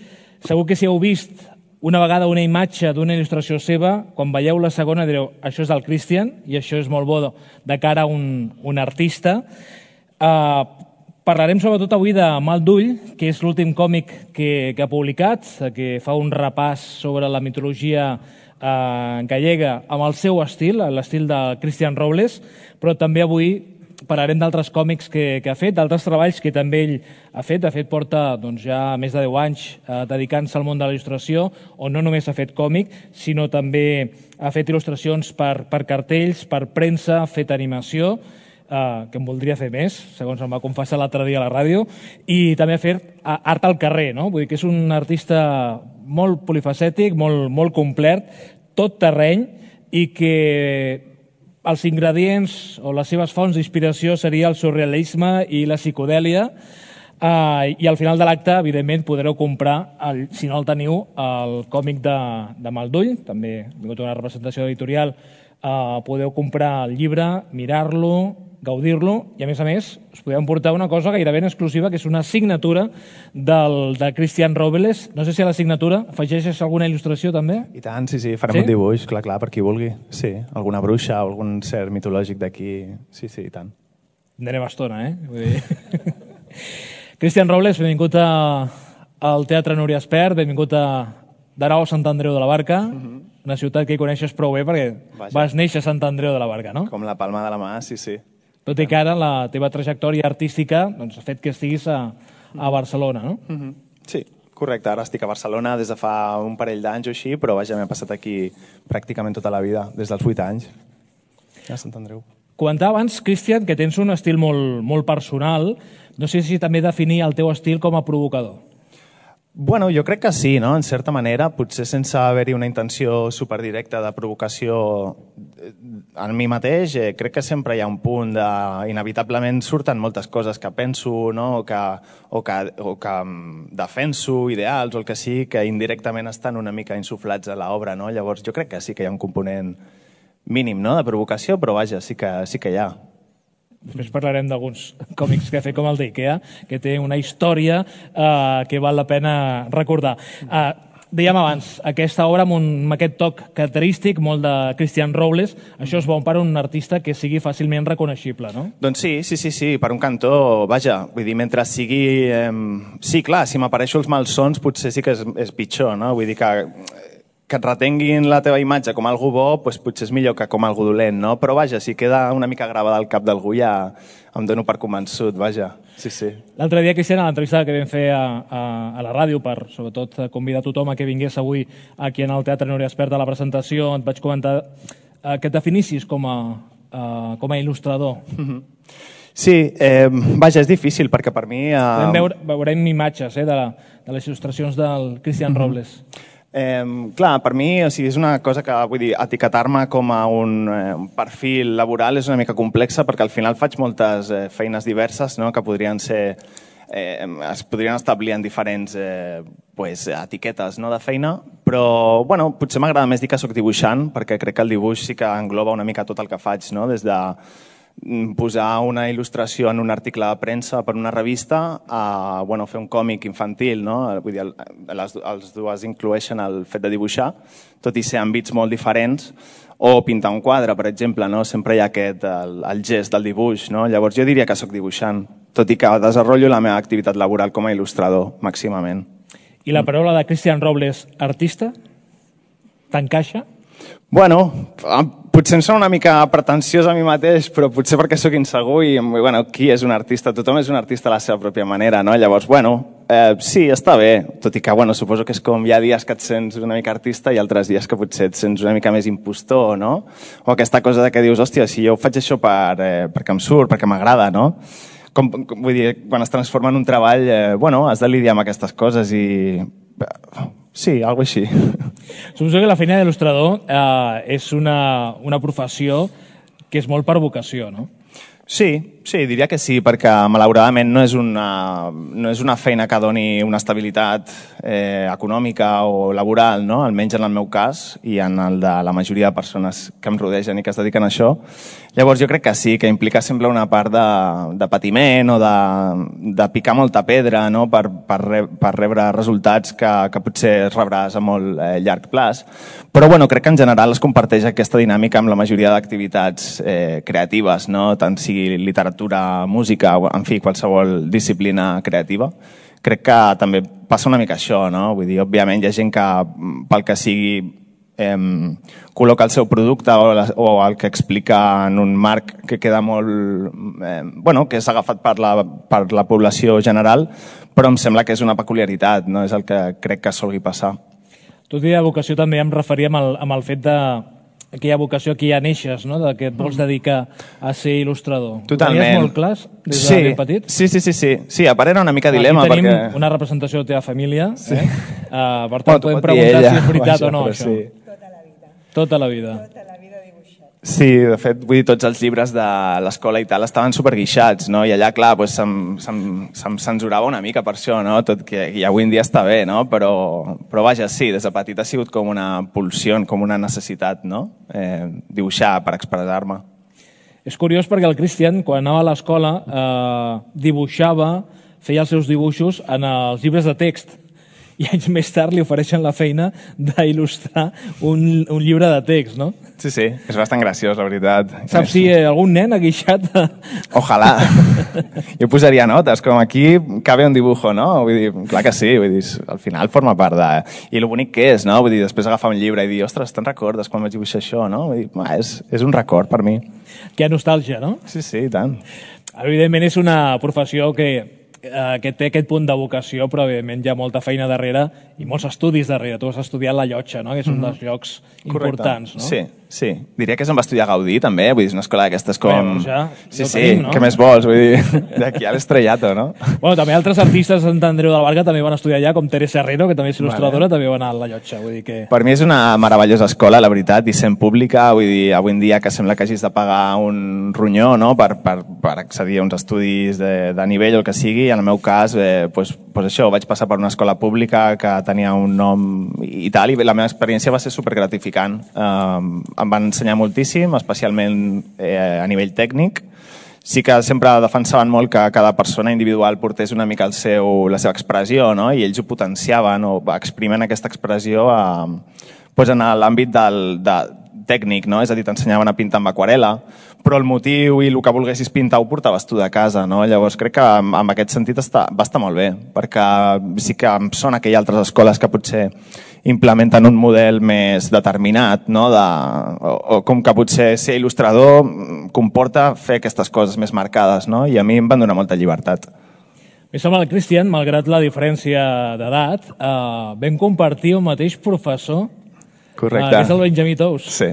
Segur que si heu vist una vegada una imatge d'una il·lustració seva, quan veieu la segona direu, això és del Cristian i això és molt bo de cara a un, un artista. Uh, parlarem sobretot avui de Mal d'Ull, que és l'últim còmic que, que ha publicat, que fa un repàs sobre la mitologia uh, gallega amb el seu estil, l'estil de Cristian Robles, però també avui parlarem d'altres còmics que, que ha fet, d'altres treballs que també ell ha fet. De fet, porta doncs, ja més de deu anys eh, dedicant-se al món de la il·lustració, on no només ha fet còmic, sinó també ha fet il·lustracions per, per cartells, per premsa, ha fet animació, eh, que em voldria fer més, segons em va confessar l'altre dia a la ràdio, i també ha fet art al carrer, no? Vull dir que és un artista molt polifacètic, molt, molt complet, tot terreny, i que els ingredients o les seves fonts d'inspiració seria el surrealisme i la psicodèlia, eh, i al final de l'acte, evidentment, podreu comprar, el, si no el teniu, el còmic de, de Mal d'Ull, també ha vingut una representació editorial, eh, podeu comprar el llibre, mirar-lo, gaudir-lo, i a més a més us podeu portar una cosa gairebé exclusiva, que és una signatura del, de Cristian Robles. No sé si a la signatura afegeixes alguna il·lustració també? I tant, sí, sí, farem sí? un dibuix, clar, clar, per qui vulgui. Sí, alguna bruixa o algun ser mitològic d'aquí, sí, sí, i tant. Tindrem estona, eh? Vull dir... Cristian Robles, benvingut a, al Teatre Núria Espert, benvingut a de nou a Sant Andreu de la Barca, uh-huh. una ciutat que hi coneixes prou bé perquè Vaja. vas néixer a Sant Andreu de la Barca, no? Com la palma de la mà, sí, sí. Tot i que ara la teva trajectòria artística doncs, ha fet que estiguis a, a Barcelona, no? Uh-huh. Sí, correcte. Ara estic a Barcelona des de fa un parell d'anys o així, però vaja, m'he passat aquí pràcticament tota la vida, des dels vuit anys, a Sant Andreu. Comentava abans, Cristian, que tens un estil molt, molt personal. No sé si també definir el teu estil com a provocador. Bueno, jo crec que sí, no? En certa manera, potser sense haver-hi una intenció superdirecta de provocació en mi mateix, eh, crec que sempre hi ha un punt de... Inevitablement surten moltes coses que penso, no? o, que, o, que, o que defenso, ideals o el que sí, que indirectament estan una mica insuflats a l'obra, no? Llavors jo crec que sí que hi ha un component mínim, no?, de provocació, però vaja, sí que, sí que hi ha. Després parlarem d'alguns còmics que ha fet com el d'Ikea, que té una història eh, que val la pena recordar. Eh, dèiem abans, aquesta obra amb, un, amb aquest toc característic, molt de Cristian Robles, això és bon per a un artista que sigui fàcilment reconeixible, no? Doncs sí, sí, sí, sí, per un cantó, vaja, vull dir, mentre sigui... Eh, sí, clar, si m'apareixo els malsons potser sí que és, és pitjor, no? Vull dir que... que et retenguin la teva imatge com algú bo, doncs potser és millor que com algú dolent, no? Però vaja, si queda una mica gravada al cap d'algú ja em dono per convençut, vaja. Sí, sí. L'altre dia, Cristian, a l'entrevista que vam fer a, a, a la ràdio per, sobretot, convidar tothom a que vingués avui aquí en el Teatre Núria Espert a la presentació, et vaig comentar eh, que et definissis com a, eh, com a il·lustrador. Mm-hmm. Sí, eh, vaja, és difícil, perquè per mi... Eh... Veure, veurem imatges eh, de, la, de les il·lustracions del Cristian mm-hmm. Robles. Eh, clar, per mi o sigui, és una cosa que, vull dir, etiquetar-me com a un, eh, un perfil laboral és una mica complexa perquè al final faig moltes eh, feines diverses, no?, que podrien ser, eh, es podrien establir en diferents eh, pues, etiquetes, no?, de feina, però bueno, potser m'agrada més dir que soc dibuixant perquè crec que el dibuix sí que engloba una mica tot el que faig, no?, des de posar una il·lustració en un article de premsa per una revista a bueno, fer un còmic infantil, no? Vull dir, les, els dues incloeixen el fet de dibuixar, tot i ser àmbits molt diferents, o pintar un quadre, per exemple, no? Sempre hi ha aquest, el, el gest del dibuix, no? Llavors jo diria que sóc dibuixant, tot i que desenvolupo la meva activitat laboral com a il·lustrador, màximament. I la paraula de Cristian Robles, artista, t'encaixa? Bueno, potser em sona una mica pretensiós a mi mateix, però potser perquè sóc insegur i, bueno, qui és un artista? Tothom és un artista a la seva pròpia manera, no? Llavors, bueno, eh, sí, està bé, tot i que, bueno, suposo que és com hi ha dies que et sents una mica artista i altres dies que potser et sents una mica més impostor, no? O aquesta cosa de que dius, hòstia, si jo faig això per, eh, perquè em surt, perquè m'agrada, no? Com, com, vull dir, quan es transforma en un treball, eh, bueno, has de lidiar amb aquestes coses i... Sí, alguna cosa així. Suposo que la feina d'il·lustrador eh, és una, una professió que és molt per vocació, no? Sí, sí, diria que sí, perquè malauradament no és una, no és una feina que doni una estabilitat eh, econòmica o laboral, no? Almenys en el meu cas i en el de la majoria de persones que em rodegen i que es dediquen a això. Llavors jo crec que sí, que implica sempre una part de, de patiment o de, de picar molta pedra, no? per, per, re, per rebre resultats que, que potser rebràs a molt eh, llarg plaç. Però bueno, crec que en general es comparteix aquesta dinàmica amb la majoria d'activitats eh, creatives, no? Tant sigui literatura, música, en fi, qualsevol disciplina creativa. Crec que també passa una mica això, no? Vull dir, òbviament hi ha gent que pel que sigui eh, col·loca el seu producte o, la, o el que explica en un marc que queda molt... Eh, bueno, que és agafat per la, per la població general, però em sembla que és una peculiaritat, no? És el que crec que solgui passar. Tot i de vocació també em referia amb el, amb el fet de aquella vocació que ja neixes, no? De que et vols dedicar a ser il·lustrador. Totalment. Ho tenies molt clar des de sí. ben petit? Sí, sí, sí, sí. Sí, a part era una mica dilema. Aquí tenim perquè... una representació de la teva família. Sí. Eh? Uh, per tant, bueno, podem preguntar si és veritat vaja, o no, això. Sí. Tota la vida. Sí, de fet, vull dir, tots els llibres de l'escola i tal estaven superguixats, no? I allà, clar, doncs, se'm, se'm, se'm censurava una mica per això, no? Tot que i avui en dia està bé, no? Però, però vaja, sí, des de petit ha sigut com una pulsió, com una necessitat, no? Eh, dibuixar per expressar-me. És curiós perquè el Cristian, quan anava a l'escola, eh, dibuixava, feia els seus dibuixos en els llibres de text. I anys més tard li ofereixen la feina d'il·lustrar un, un llibre de text, no? Sí, sí, és bastant graciós, la veritat. Saps si algun nen ha guixat? Ojalà. Jo posaria notes, com aquí cabe un dibujo, no? Vull dir, clar que sí, vull dir, al final forma part de... I lo bonic que és, no? Vull dir, després agafar un llibre i dir, ostres, te'n recordes quan vaig dibuixar això, no? Vull dir, és, és un record per mi. Que nostàlgia, no? Sí, sí, tant. Evidentment és una professió que... que té aquest punt de vocació, però evidentment hi ha molta feina darrere i molts estudis darrere. Tu has estudiat la Llotja, no? Que és un dels llocs importants, no? Sí, sí. Diria que se'n va estudiar Gaudí, també. Vull dir, és una escola d'aquestes com... Bé, ja, sí, ja sí, tenim, no? Què més vols? Vull dir, d'aquí a l'estrellato, no? Bueno, també altres artistes de Sant Andreu de la Barca també van estudiar allà, com Teresa Herrero, que també és il·lustradora, vale. També van anar a la Llotja. Vull dir que... Per mi és una meravellosa escola, la veritat, i sent pública, vull dir, avui en dia que sembla que hagis de pagar un ronyó, no?, per, per, per accedir a uns estudis de, de nivell o el que sigui, i en el meu cas, eh, pues, pues això, vaig passar per una escola pública que tenia un nom i tal, i la meva experiència va ser supergratificant. Eh, em van ensenyar moltíssim, especialment eh, a nivell tècnic. Sí que sempre defensaven molt que cada persona individual portés una mica el seu, la seva expressió, no? I ells ho potenciaven o exprimen aquesta expressió a, pues en l'àmbit del, de, tècnic, no? És a dir, t'ensenyaven a pintar amb aquarela, però el motiu i el que volguessis pintar ho portaves tu de casa, no? Llavors crec que en, en aquest sentit està, va estar molt bé, perquè sí que em sona que hi ha altres escoles que potser implementen un model més determinat, no? De, o, o com que potser ser il·lustrador comporta fer aquestes coses més marcades, no? I a mi em van donar molta llibertat. Mi sembla el Cristian, malgrat la diferència d'edat, eh, vam compartir un mateix professor. Correcte. Eh, que és el Benjamí Tous. Sí.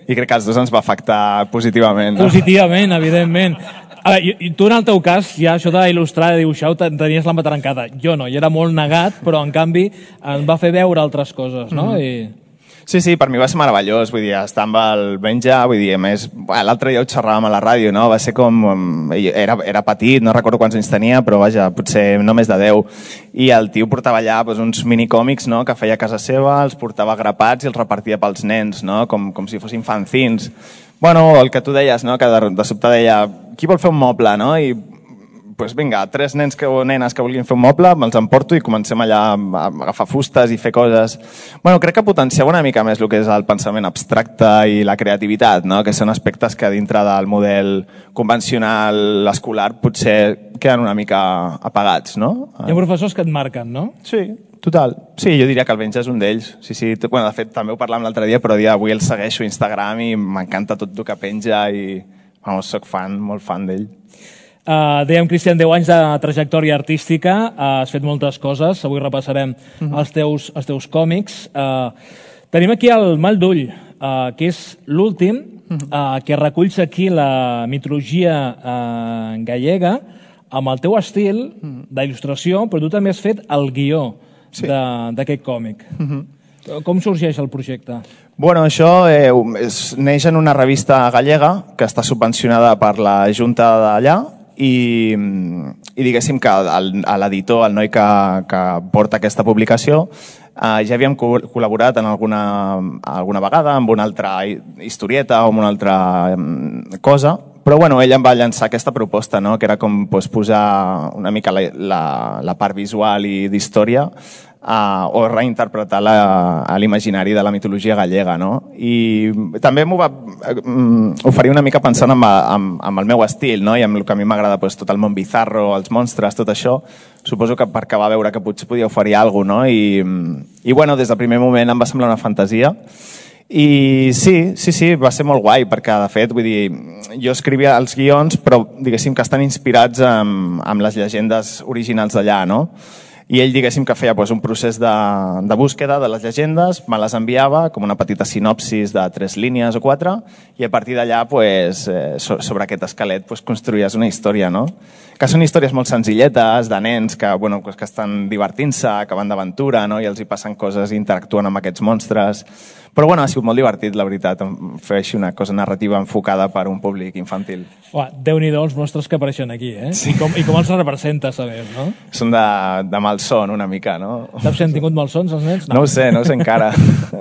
I crec que als dos ens va afectar positivament. No? Positivament, evidentment. A veure, i, i tu en el teu cas, ja això d'il·lustrar, de dibuixar, tenies la matrancada. Jo no, jo era molt negat, però en canvi em va fer veure altres coses, no? Mm. I... Sí, sí, per mi va ser meravellós, vull dir, estar amb el Benja, vull dir, a més, l'altre dia ho xerràvem a la ràdio, no? Va ser com... Era, era petit, no recordo quants anys tenia, però vaja, potser no més de deu. I el tio portava allà doncs, uns minicòmics, no?, que feia a casa seva, els portava grapats i els repartia pels nens, no?, com, com si fossin fanzins. Bueno, el que tu deies, no?, que de, de sobte deia, qui vol fer un moble, no?, i pues vinga, tres nens que, o nenes que vulguin fer un moble, me'ls emporto i comencem allà a agafar fustes i fer coses. Bueno, crec que potenciava una mica més el que és el pensament abstracte i la creativitat, no? Que són aspectes que dintre del model convencional escolar potser queden una mica apagats, no? Hi ha professors que et marquen, no? Sí, total. Sí, jo diria que el Benja és un d'ells. Sí, sí. Bueno, de fet, també ho parlàvem l'altre dia, però dia avui el segueixo a Instagram i m'encanta tot el que penja i, vamos, soc fan, molt fan d'ell. Uh, dèiem, Cristian, deu anys de trajectòria artística, uh, has fet moltes coses, avui repassarem uh-huh. els, teus, els teus còmics. Uh, tenim aquí el Mal d'ull, uh, que és l'últim, uh-huh. uh, que reculls aquí la mitologia uh, gallega amb el teu estil uh-huh. d'il·lustració, però tu també has fet el guió sí. d'aquest còmic. Uh-huh. Com sorgeix el projecte? Bueno, això eh, és, neix en una revista gallega que està subvencionada per la Junta d'allà i, i diguéssim que l'editor, el noi que, que porta aquesta publicació, eh, ja havíem co col·laborat en alguna, alguna vegada amb una altra historieta o amb una altra cosa, però bueno, ell em va llançar aquesta proposta, no? Que era com pues, posar una mica la, la, la part visual i d'història Uh, o reinterpretar l'imaginari de la mitologia gallega, no? I també m'ho va um, oferir una mica pensant amb, amb, amb el meu estil, no? I amb el que a mi m'agrada, pues, tot el món bizarro, els monstres, tot això. Suposo que perquè va veure que potser podia oferir alguna cosa, no? I, i bueno, des del primer moment em va semblar una fantasia. I sí, sí, sí, va ser molt guai, perquè de fet, vull dir, jo escrivia els guions, però diguéssim que estan inspirats amb, amb les llegendes originals d'allà, no? I ell, diguéssim, que feia pues, un procés de, de búsqueda de les llegendes, me les enviava com una petita sinopsis de tres línies o quatre, i a partir d'allà, pues, eh, sobre aquest esquelet, pues, construïes una història, no? Que són històries molt senzilletes, de nens que, bueno, que estan divertint-se, que van d'aventura, no? I els hi passen coses i interactuen amb aquests monstres. Però bueno, ha sigut molt divertit, la veritat, fer així una cosa narrativa enfocada per un públic infantil. Uah, Déu-n'hi-do els monstres que apareixen aquí, eh? Sí. I, com, I com els representes, a més, no? Són de, de malson, una mica, no? Saps si han tingut malsons, els nens? No, no ho sé, no ho sé encara.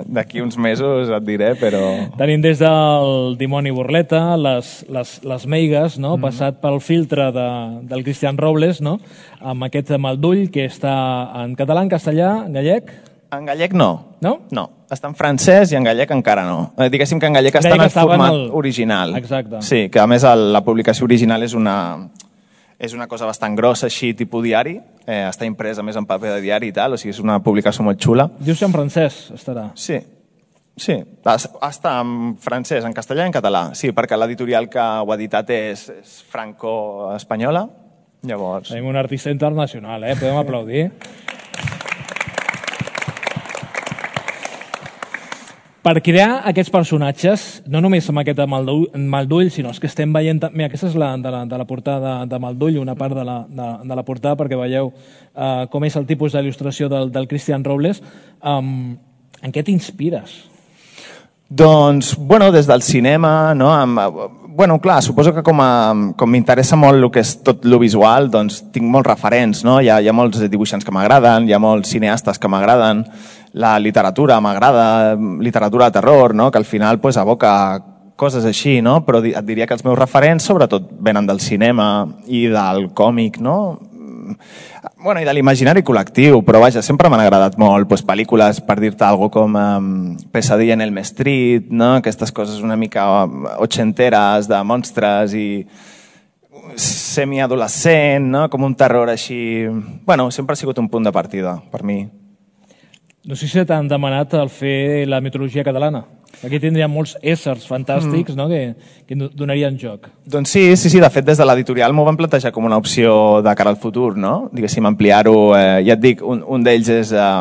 D'aquí uns mesos et diré, però... Tenim des del Dimoni Burleta, les, les, les meigues, no? Mm. Passat pel filtre de, del Cristian Robles, no? Amb aquest Mal d'ull, que està en català, en castellà, en gallec... En gallec no. No? No. Està en francès i en gallec encara no. Eh, diguéssim que en gallec està en el format el... original. Exacte. Sí, que a més el, la publicació original és una, és una cosa bastant grossa, així, tipus diari. Eh, està impresa més en paper de diari i tal, o sigui, és una publicació molt xula. Dius que en francès estarà? Sí. Sí, està en francès, en castellà i en català. Sí, perquè l'editorial que ho ha editat és, és franco-espanyola. Llavors... Tenim un artista internacional, eh? Podem aplaudir. Per crear aquests personatges, no només amb aquest Mal d'ull, sinó els que estem veient... Mira, aquesta és la, de, la, de la portada de Mal d'ull, una part de la, de, de la portada, perquè veieu uh, com és el tipus d'il·lustració del, del Cristian Robles. Um, en què t'inspires? Doncs, bueno, des del cinema, no? Amb, bueno, clar, suposo que com, a, com m'interessa molt el que és tot lo visual, doncs tinc molts referents, no? Hi ha, hi ha molts dibuixants que m'agraden, hi ha molts cineastes que m'agraden, la literatura m'agrada, literatura de terror, no? Que al final pues, aboca coses així, no? Però et diria que els meus referents sobretot venen del cinema i del còmic, no? Bueno, i de l'imaginari col·lectiu, però vaja, sempre m'han agradat molt pues, pel·lícules, per dir-te alguna cosa com um, Pesadilla en Elm Street, no? Aquestes coses una mica ochenteres de monstres i semiadolescent, no? Com un terror així... Bueno, sempre ha sigut un punt de partida per mi. No sé si t'han demanat el fer la mitologia catalana. Aquí tindríem molts éssers fantàstics, mm. no? que, que donarien joc. Doncs sí, sí, sí, de fet des de l'editorial m'ho van plantejar com una opció de cara al futur, no? Diguéssim, ampliar-ho. Eh, ja et dic, un, un d'ells és eh,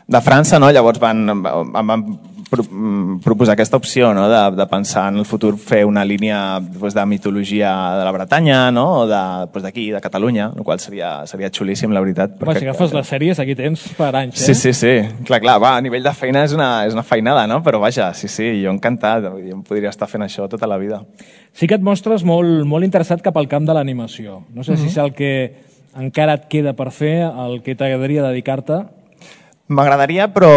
de França, no? Llavors van, van proposar aquesta opció, no? de, de pensar en el futur fer una línia pues, de mitologia de la Bretanya, no? O d'aquí, de, pues, de Catalunya, el qual seria, seria xulíssim, la veritat. Home, si agafes les sèries, aquí tens per anys, eh? Sí, sí, sí. Clar, clar, va, a nivell de feina és una, és una feinada, no? Però vaja, sí, sí, jo encantat. Jo em podria estar fent això tota la vida. Sí que et mostres molt, molt interessat cap al camp de l'animació. No sé mm-hmm. si és el que encara et queda per fer, el que t'agradaria dedicar-te. M'agradaria, però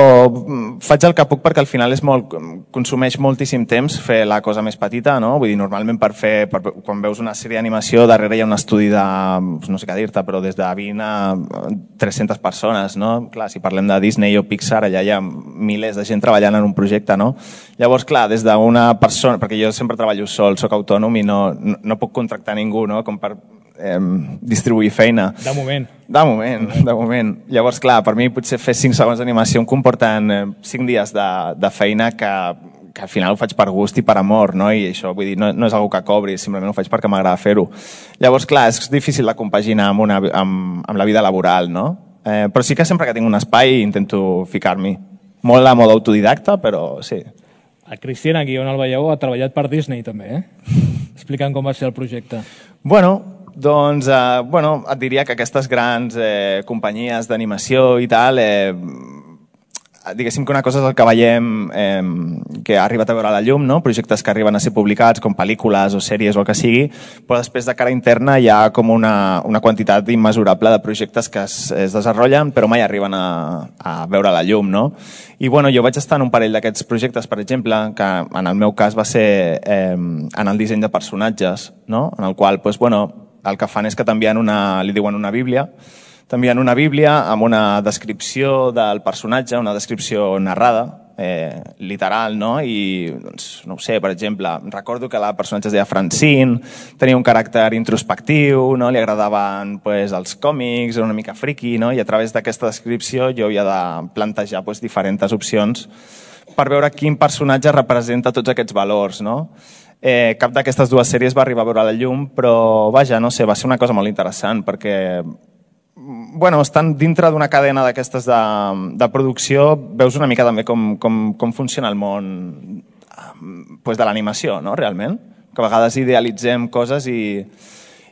faig el que puc perquè al final és molt, consumeix moltíssim temps fer la cosa més petita, no? Vull dir, normalment per fer, per, quan veus una sèrie d'animació, darrere hi ha un estudi de, no sé què dir-te, però des de vint a tres-centes persones, no? Clar, si parlem de Disney o Pixar, allà hi ha milers de gent treballant en un projecte, no? Llavors, clar, des d'una persona, perquè jo sempre treballo sol, soc autònom i no, no, no puc contractar ningú, no? Com per eh, distribuir feina. De moment. De moment, de moment. Llavors, clar, per mi potser fer cinc segons d'animació em comporten eh, cinc dies de, de feina que, que al final ho faig per gust i per amor, no? I això, vull dir, no, no és algo que cobri, simplement ho faig perquè m'agrada fer-ho. Llavors, clar, és difícil de compaginar amb, una, amb, amb la vida laboral, no? Eh, però sí que sempre que tinc un espai intento ficar-m'hi. Molt a mode autodidacta, però sí. El Cristian, aquí on el veieu, ha treballat per Disney també, eh? Explica'm com va ser el projecte. Bueno, doncs, eh, bueno, et diria que aquestes grans eh, companyies d'animació i tal, eh, diguéssim que una cosa és el que veiem eh, que ha arribat a veure la llum, no? Projectes que arriben a ser publicats com pel·lícules o sèries o el que sigui, però després de cara interna hi ha com una, una quantitat immesurable de projectes que es, es desenvolupen però mai arriben a, a veure la llum, no? I bueno, jo vaig estar en un parell d'aquests projectes, per exemple, que en el meu cas va ser eh, en el disseny de personatges, no? En el qual, doncs, bueno, el que fan és que t'envien una, li diuen una bíblia, t'envien una bíblia amb una descripció del personatge, una descripció narrada, eh, literal, no? I, doncs, no ho sé, per exemple, recordo que la personatge es deia Francine, tenia un caràcter introspectiu, no? Li agradaven pues, els còmics, era una mica friki, no? I a través d'aquesta descripció jo havia de plantejar pues, diferents opcions per veure quin personatge representa tots aquests valors, no? Eh, cap d'aquestes dues sèries va arribar a veure la llum, però vaja, no sé, va ser una cosa molt interessant perquè bueno, estan dintre d'una cadena d'aquestes de, de producció, veus una mica també com, com, com funciona el món pues, de l'animació, no? Realment. Que a vegades idealitzem coses i,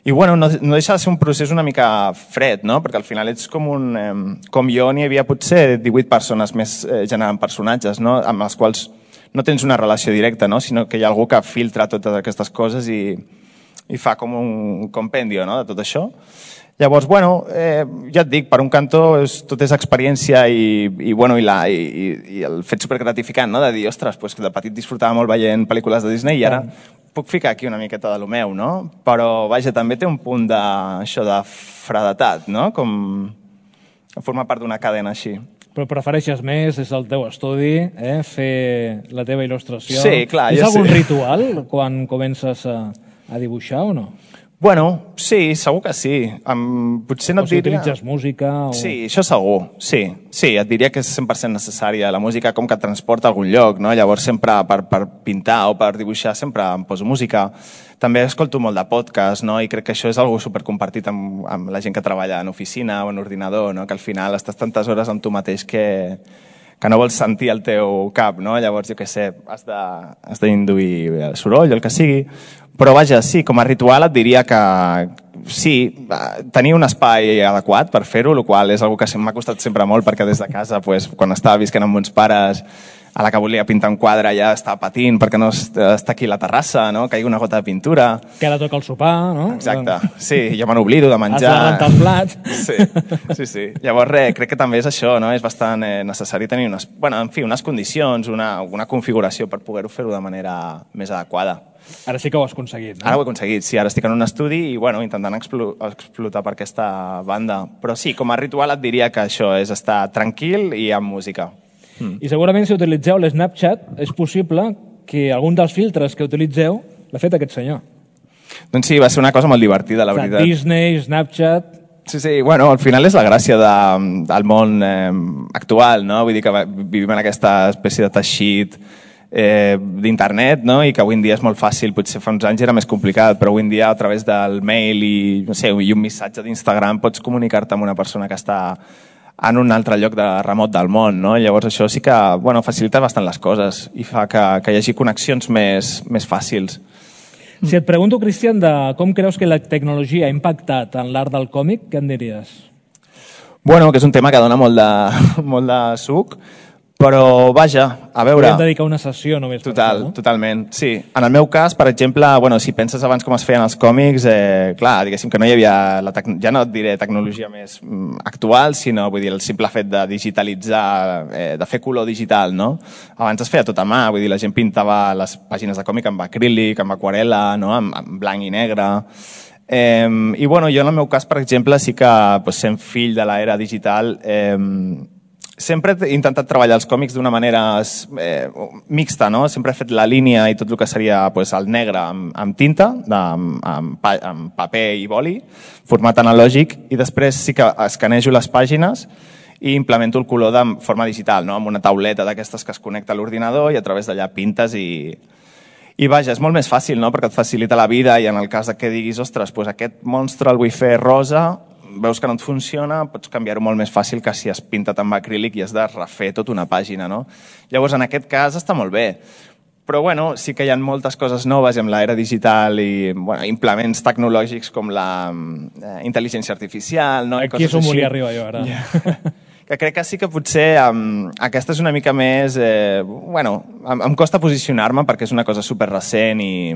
i bueno, no, no deixa de ser un procés una mica fred, no? Perquè al final ets com un... Eh, com jo, n'hi havia potser divuit persones més eh, generant personatges, no? Amb les quals no tens una relació directa, no? Sinó que hi ha algú que filtra totes aquestes coses i, i fa com un compendio, no? De tot això. Llavors, bueno, eh, ja et dic, per un cantó és, tot és experiència i, i, bueno, i, la, i, i el fet supergratificant, no? De dir, ostres, pues, que de petit disfrutava molt veient pel·lícules de Disney i ara puc ficar aquí una miqueta de lo meu, no? Però, vaja, també té un punt de, això de fredetat, no? Com formar part d'una cadena així. Però prefereixes més, és el teu estudi, eh? Fer la teva il·lustració. Sí, clar. És algun sí. ritual quan comences a, a dibuixar o no? Bueno, sí, segur que sí. Um, potser no o et si diria... utilitzes música o... Sí, això segur, sí. Sí, et diria que és cent per cent necessària. La música com que et transporta a algun lloc, no? Llavors sempre per, per pintar o per dibuixar sempre em poso música. També escolto molt de podcast, no? I crec que això és algo supercompartit amb, amb la gent que treballa en oficina o en ordinador, no? Que al final estàs tantes hores amb tu mateix que, que no vols sentir el teu cap, no? Llavors, jo què sé, has de, has d'induir el soroll, el que sigui. Però vaja, sí, com a ritual et diria que sí, tenir un espai adequat per fer-ho, el qual és una cosa que m'ha costat sempre molt perquè des de casa, pues, quan estava visquent amb meus pares, a la que volia pintar un quadre ja estava patint perquè no està aquí la terrassa, no? Caigui una gota de pintura. Que ara toca el sopar, no? Exacte, sí, jo me n'oblido de menjar. Has de rentar el plat. Sí, sí, sí. Llavors, res, crec que també és això, no? És bastant eh, necessari tenir unes, bueno, en fi, unes condicions, una, una configuració per poder-ho fer-ho de manera més adequada. Ara sí que ho has aconseguit, no? Ara ho he aconseguit, sí. Ara estic en un estudi i, bueno, intentant explo explotar per aquesta banda. Però sí, com a ritual et diria que això és estar tranquil i amb música. Mm. I segurament si utilitzeu l'Snapchat és possible que algun dels filtres que utilitzeu l'ha fet aquest senyor. Doncs sí, va ser una cosa molt divertida, la o sigui, veritat. Disney, Snapchat... Sí, sí, bueno, al final és la gràcia de, del món eh, actual, no? Vull dir que vivim en aquesta espècie de teixit eh, d'internet, no? I que avui en dia és molt fàcil, potser fa uns anys era més complicat, però avui en dia a través del mail i, no sé, i un missatge d'Instagram pots comunicar-te amb una persona que està en un altre lloc de remot del món, no? Llavors això sí que, bueno, facilita bastant les coses i fa que, que hi hagi connexions més, més fàcils. Si et pregunto, Cristian, de com creus que la tecnologia ha impactat en l'art del còmic, què em diries? Bueno, que és un tema que dona molt de, molt de suc, Però, vaja, a veure... Podem dedicar una sessió només. Total, no? Totalment, sí. En el meu cas, per exemple, bueno, si penses abans com es feien els còmics, eh, clar, diguéssim que no hi havia, la tec... ja no et diré tecnologia més actual, sinó vull dir, el simple fet de digitalitzar, eh, de fer color digital, no? Abans es feia tot a mà, vull dir, la gent pintava les pàgines de còmic amb acrílic, amb aquarela, no? amb, amb blanc i negre... Eh, I bueno, jo en el meu cas, per exemple, sí que pues, sent fill de l'era digital, eh, sempre he intentat treballar els còmics d'una manera eh, mixta, no? Sempre he fet la línia i tot el que seria pues, el negre amb, amb tinta, de, amb, amb, amb paper i boli, format analògic, i després sí que escanejo les pàgines i implemento el color de forma digital, no? Amb una tauleta d'aquestes que es connecta a l'ordinador i a través d'allà pintes i... I vaja, és molt més fàcil, no? Perquè et facilita la vida i en el cas que diguis, ostres, pues aquest monstre el vull fer rosa, veus que no et funciona, pots canviar-ho molt més fàcil que si has pintat amb acrílic i has de refer tota una pàgina, no? Llavors, en aquest cas està molt bé. Però, bueno, sí que hi ha moltes coses noves amb l'era digital i bueno, implements tecnològics com la eh, intel·ligència artificial, no? Aquí és on volia arribar jo, ara. Yeah. Que crec que sí que potser um, aquesta és una mica més... Eh, bueno, em, em costa posicionar-me perquè és una cosa super recent i,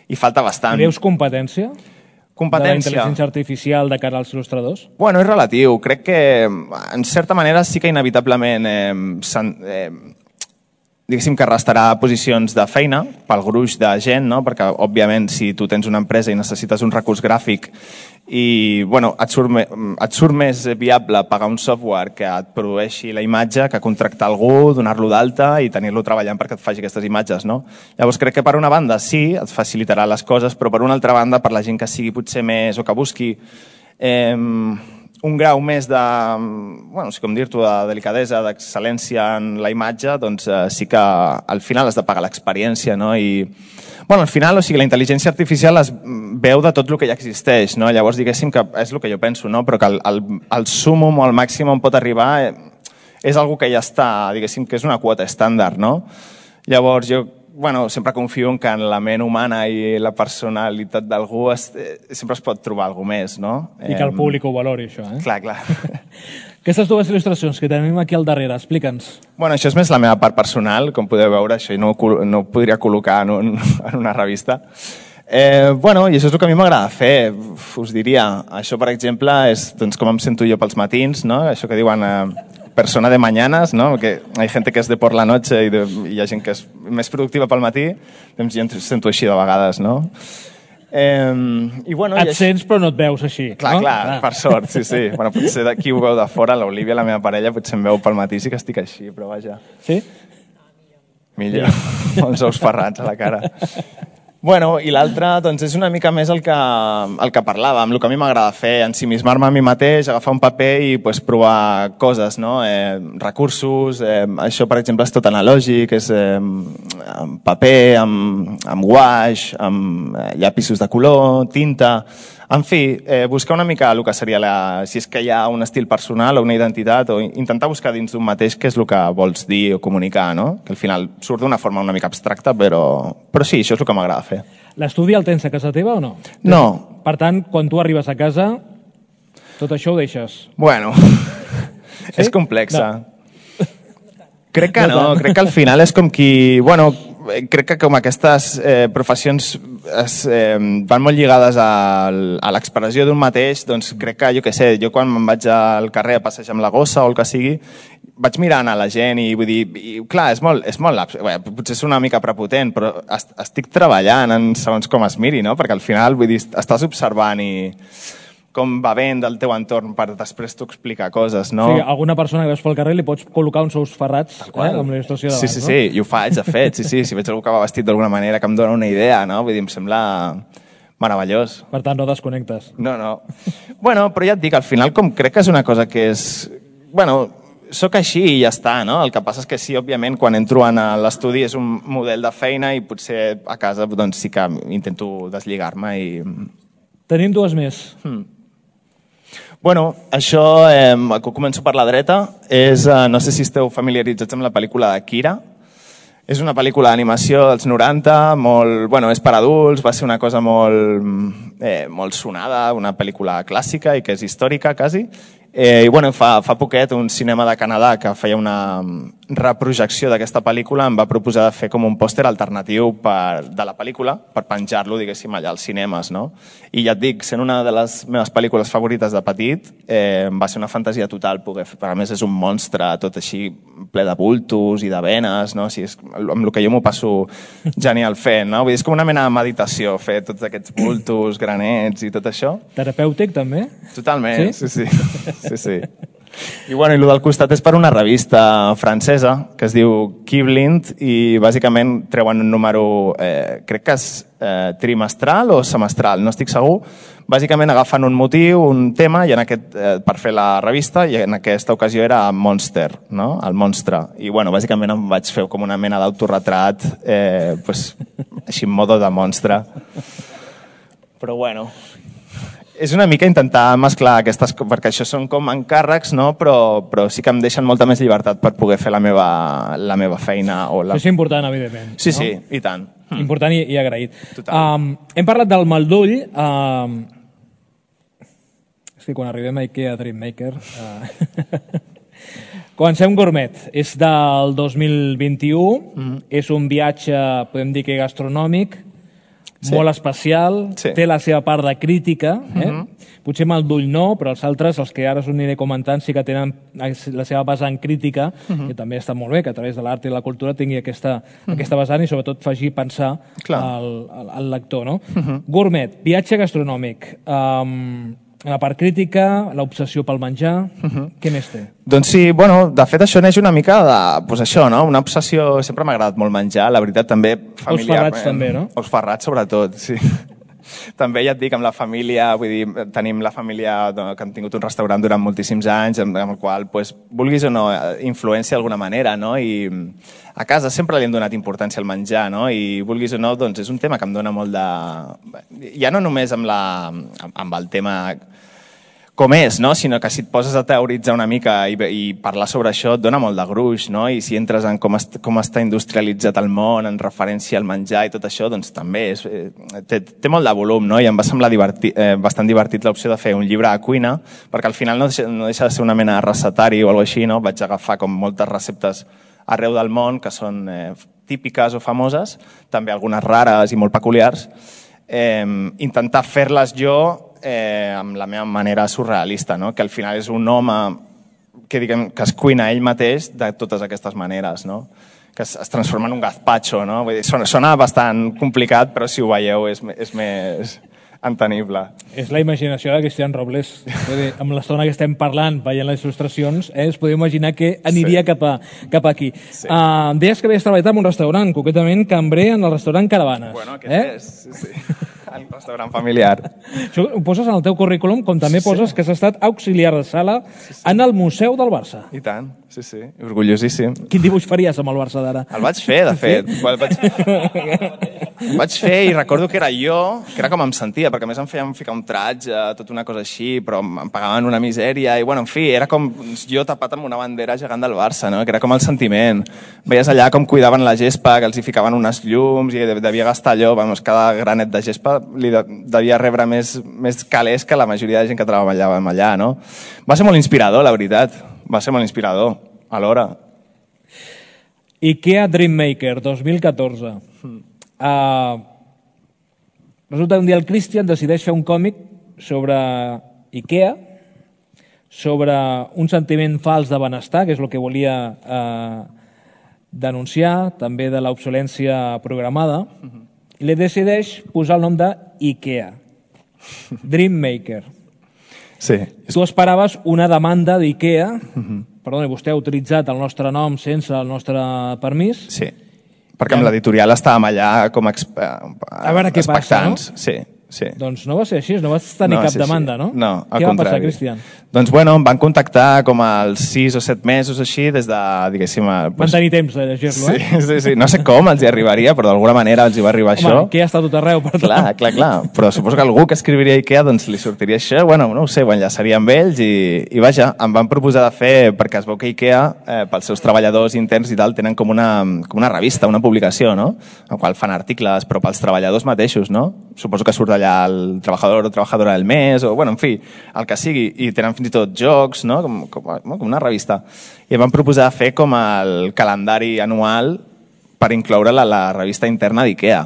i falta bastant. Creus competència? Competència. De la intel·ligència artificial de cara als il·lustradors? Bueno, és relatiu. Crec que, en certa manera, sí que inevitablement eh, eh, diguéssim que restarà posicions de feina pel gruix de gent, no? Perquè, òbviament, si tu tens una empresa i necessites un recurs gràfic i bueno, et, surt me, et surt més viable pagar un software que et produeixi la imatge que contractar algú, donar-lo d'alta i tenir-lo treballant perquè et faci aquestes imatges, no? Llavors crec que per una banda sí, et facilitarà les coses, però per una altra banda, per la gent que sigui potser més o que busqui eh, un grau més de, bueno, no sé com dir-t'ho, de delicadesa, d'excel·lència en la imatge, doncs eh, sí que al final has de pagar l'experiència, no? I bueno, al final, o sigui, la intel·ligència artificial es veu de tot el que ja existeix, no? Llavors, diguéssim que és el que jo penso, no? Però que el, el, el súmum o el màxim on pot arribar és algo que ja està, diguéssim, que és una quota estàndard, no? Llavors, jo, bueno, sempre confio en que en la ment humana i la personalitat d'algú es, sempre es pot trobar alguna més, no? I que el públic ho valori, això, eh? Clar, clar. Aquestes dues il·lustracions que tenim aquí al darrere, explica'ns. Bueno, això és més la meva part personal, com podeu veure, això no, no ho podria col·locar en, un, en una revista. Eh, bueno, i això és el que a mi m'agrada fer, us diria. Això, per exemple, és doncs, com em sento jo pels matins, no? Això que diuen eh, persona de mañanas, no? Que hi ha gent que és de por la noche i, de, i hi ha gent que és més productiva pel matí, doncs jo em sento així de vegades, no? Eh, i bueno, et i això... sents però no et veus així, clar, no? Clar, clar, per sort, sí, sí. Bueno, potser d'aquí ho veu de fora, l'Olivia, la meva parella, potser em veu pel matí, sí que estic així, però vaja. Sí? Millor, els ous ferrats a la cara. Bueno, i l'altre, doncs, és una mica més el que, el que parlàvem, el que a mi m'agrada fer, ensimismar-me a mi mateix, agafar un paper i pues, provar coses, no? Eh, recursos, eh, això, per exemple, és tot analògic, és eh, amb paper, amb, amb guaix, amb eh, llapisos de color, tinta... En fi, eh, buscar una mica el que seria la, si és que hi ha un estil personal o una identitat, o intentar buscar dins d'un mateix què és el que vols dir o comunicar, no? Que al final surt d'una forma una mica abstracta, però, però sí, això és el que m'agrada fer. L'estudi el tens a casa teva o no? No. Per tant, quan tu arribes a casa, tot això ho deixes? Bueno, sí? És complexa. No. Crec que no, crec que al final és com qui... Bueno, crec que com aquestes eh, professions es, eh, van molt lligades a, a l'expressió d'un mateix, doncs crec que, jo què sé, jo quan me'n vaig al carrer a passejar amb la gossa o el que sigui, vaig mirant a la gent i vull dir, i, clar, és molt, és molt bé, potser és una mica prepotent, però est, estic treballant en segons com es miri, no? Perquè al final, vull dir, estàs observant i com va bé del teu entorn per després tu explicar coses, no? Sí, alguna persona que veus pel carrer li pots col·locar uns ous ferrats eh, amb la il·lustració davant, sí, sí, no? Sí, i ho faig, de fet, sí, sí, si veig algú que va vestit d'alguna manera que em dona una idea, no? Vull dir, em sembla meravellós. Per tant, no desconnectes. No, no. Bueno, però ja et dic, al final com crec que és una cosa que és... Bueno, sóc així i ja està, no? El que passa és que sí, òbviament, quan entro a l'estudi és un model de feina i potser a casa doncs sí que intento deslligar-me i... Tenim dues més. Hmm. Bueno, això, eh, començo per la dreta, és, eh, no sé si esteu familiaritzats amb la pel·lícula de Kira. És una pel·lícula d'animació dels noranta, molt, bueno, és per adults, va ser una cosa molt, eh, molt sonada, una pel·lícula clàssica i que és històrica, quasi. Eh, I bueno, fa, fa poquet un cinema de Canadà que feia una reprojecció d'aquesta pel·lícula em va proposar de fer com un pòster alternatiu per, de la pel·lícula per penjar-lo, diguéssim, allà als cinemes, no? I ja et dic, sent una de les meves pel·lícules favorites de petit, eh, va ser una fantasia total poder fer. A més, és un monstre tot així ple de bultos i de venes, no? O sigui, és amb el que jo m'ho passo genial fent, no? Vull dir, és com una mena de meditació fer tots aquests bultos, granets i tot això. Terapèutic, també? Totalment, sí, sí. sí. Sí, sí. I bueno, i el del costat és per una revista francesa que es diu Kibblind i bàsicament treuen un número, eh, crec que és eh, trimestral o semestral, no estic segur. Bàsicament agafen un motiu, un tema, i en aquest, eh, per fer la revista, i en aquesta ocasió era Monster, no? El monstre. I bueno, bàsicament em vaig fer com una mena d'autorretrat, eh, pues, així en modo de monstre. Però bueno... És una mica intentar mesclar aquestes coses, perquè això són com encàrrecs, no? però, però sí que em deixen molta més llibertat per poder fer la meva, la meva feina. O la... Això és important, evidentment. Sí, no? sí, i tant. Important i, i agraït. Um, hem parlat del Maldull. Um, és que quan arribem a Ikea Dreammaker... Uh... Comencem Gourmet. És del dos mil vint-i-u. Mm-hmm. És un viatge, podem dir que gastronòmic, sí. Molt especial, sí. Té la seva part de crítica, eh? Mm-hmm. Potser Maldull no, però els altres, els que ara us aniré comentant, sí que tenen la seva vessant crítica, mm-hmm. que també està molt bé, que a través de l'art i la cultura tingui aquesta, mm-hmm. aquesta vessant i sobretot faci pensar al, al, al lector. No? Mm-hmm. Gourmet, viatge gastronòmic, um, la part crítica, l'obsessió pel menjar, uh-huh. Què més té? Doncs sí, bueno, de fet això neix una mica de, pues això, no? Una obsessió, sempre m'ha agradat molt menjar, la veritat també familiar. Ous ferrats també, no? Ous ferrats sobretot, sí. També ja et dic, amb la família, vull dir, tenim la família que han tingut un restaurant durant moltíssims anys, amb el qual, pues, vulguis o no, influència d'alguna manera, no? I a casa sempre li hem donat importància al menjar, no? I vulguis o no, doncs és un tema que em dona molt de... Ja no només amb, la... amb el tema com és, no? Sinó que si et poses a teoritzar una mica i, i parlar sobre això et dona molt de gruix, no? I si entres en com, est com està industrialitzat el món en referència al menjar i tot això, doncs també és, eh, té, té molt de volum, no? I em va semblar divertit, eh, bastant divertit l'opció de fer un llibre de cuina, perquè al final no deixa, no deixa de ser una mena de recetari o alguna cosa així, no? Vaig agafar com moltes receptes arreu del món que són eh, típiques o famoses, també algunes rares i molt peculiars, eh, intentar fer-les jo Eh, amb la meva manera surrealista, no? Que al final és un home que, diguem, que es cuina ell mateix de totes aquestes maneres, no? Que es, es transforma en un gazpacho, no? Vull dir, sona, sona bastant complicat, però si ho veieu és, és més entenible. És la imaginació de Cristian Robles. Vull dir, amb l'estona que estem parlant, veient les il·lustracions, eh, es podeu imaginar que aniria sí. cap, a, cap aquí. Sí. Uh, deies que havies treballat en un restaurant, concretament cambrer en el restaurant Caravanes. Bueno, aquest eh? és, sí, sí. El restaurant familiar. Això ho poses en el teu currículum, com també sí, poses sí. que has estat auxiliar de sala sí, sí. en el Museu del Barça. I tant, sí, sí, orgullosíssim. Quin dibuix faries amb el Barça d'ara? El vaig fer, de fet. Sí? El, vaig... el vaig fer i recordo que era jo, que era com em sentia, perquè a més em feien ficar un tratge, tota una cosa així, però em pagaven una misèria, i bueno, en fi, era com jo tapat amb una bandera gegant del Barça, no? Que era com el sentiment. Veies allà com cuidaven la gespa, que els hi ficaven unes llums, i devia gastar allò, vamos, cada granet de gespa li devia rebre més, més calés que la majoria de gent que treballava allà, no? Va ser molt inspirador, la veritat. Va ser molt inspirador, alhora. Ikea Dreammaker, dos mil catorze. Mm. Uh, resulta que un dia el Christian decideix fer un còmic sobre Ikea, sobre un sentiment fals de benestar, que és el que volia uh, denunciar, també de l'obsolència programada, mm-hmm. i li decideix posar el nom de Ikea. Dreammaker. Sí. Tu esperaves una demanda d'Ikea, mm-hmm. perdona, vostè ha utilitzat el nostre nom sense el nostre permís. Sí, perquè amb l'editorial estàvem allà com exp... a veure què passa, no? Sí, sí. Doncs no va ser així, no vas tenir no, cap sí, demanda, sí. no? No, al què contrari. va passar, Cristian? Doncs bueno, em van contactar com als sis o set mesos així, des de, diguéssim... Pues... Van tenir temps de llegir-lo, sí, eh? Sí, sí, no sé com els hi arribaria, però d'alguna manera els hi va arribar Home, això. Home, que ja està tot arreu, per tant. Clar, clar, clar, però suposo que algú que escriviria Ikea doncs li sortiria això, bueno, no ho sé, ho enllaçaria amb ells i, i vaja, em van proposar de fer, perquè es veu que Ikea, eh, pels seus treballadors interns i tal, tenen com una, com una revista, una publicació, no? En qual fan articles, però pels treballadors mateixos, no? suposo que surt allà el treballador o treballadora del mes, o, bueno, en fi, el que sigui, i tenen fins i tot jocs, no? com, com, com una revista. I em van proposar fer com el calendari anual per incloure-la a la revista interna d'IKEA.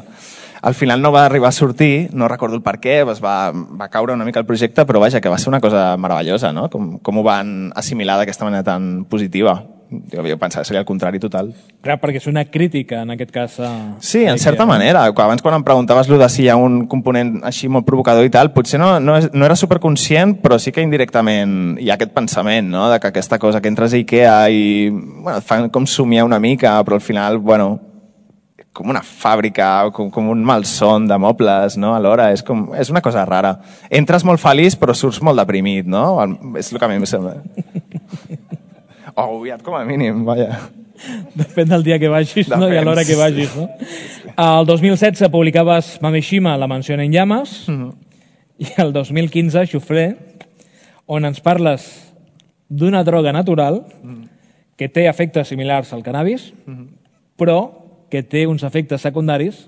Al final no va arribar a sortir, no recordo el per què, es va, va caure una mica el projecte, però vaja, que va ser una cosa meravellosa, no? Com, com ho van assimilar d'aquesta manera tan positiva. Jo, jo pensava que seria el contrari total. Clar, perquè és una crítica, en aquest cas. A... Sí, en certa manera. Abans, quan em preguntaves lo de si hi ha un component així molt provocador i tal, potser no, no, no era superconscient, però sí que indirectament hi ha aquest pensament, no? De que aquesta cosa que entres a IKEA i bueno, et fan com somiar una mica, però al final, bueno, com una fàbrica, com, com un malson de mobles, no? Alhora, és, com, és una cosa rara. Entres molt feliç, però surts molt deprimit, no? És el que a mi em sembla. O agobiat, com a mínim, vaja. Depèn del dia que vagis, no? I a l'hora que vagis, no? El dos mil setze publicaves Mameshima, la mansió en llames, mm-hmm. i el dos mil quinze, Xufré, on ens parles d'una droga natural mm-hmm. que té efectes similars al cannabis, mm-hmm. però que té uns efectes secundaris,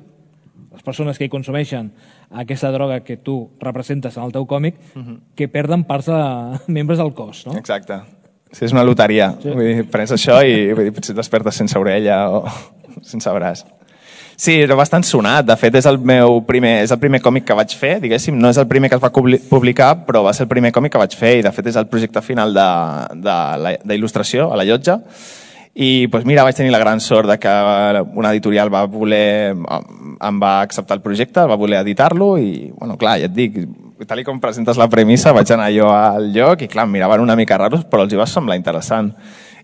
les persones que hi consumeixen aquesta droga que tu representes en el teu còmic, uh-huh. que perden parts de membres del cos, no? Exacte. Sí, és una loteria. Sí. Vull dir, prens això i vull dir, potser despertes sense orella o sense braç. Sí, era bastant sonat. De fet, és el meu primer, és el primer còmic que vaig fer, diguéssim. No és el primer que es va publicar, però va ser el primer còmic que vaig fer i, de fet, és el projecte final d'il·lustració a la Llotja. I doncs mira, vaig tenir la gran sort de que una editorial va voler, em va acceptar el projecte, va voler editar-lo i, bueno, clar, ja et dic, tal com presentes la premissa, vaig anar jo al lloc i, clar, em miraven una mica raros, però els hi va semblar interessant.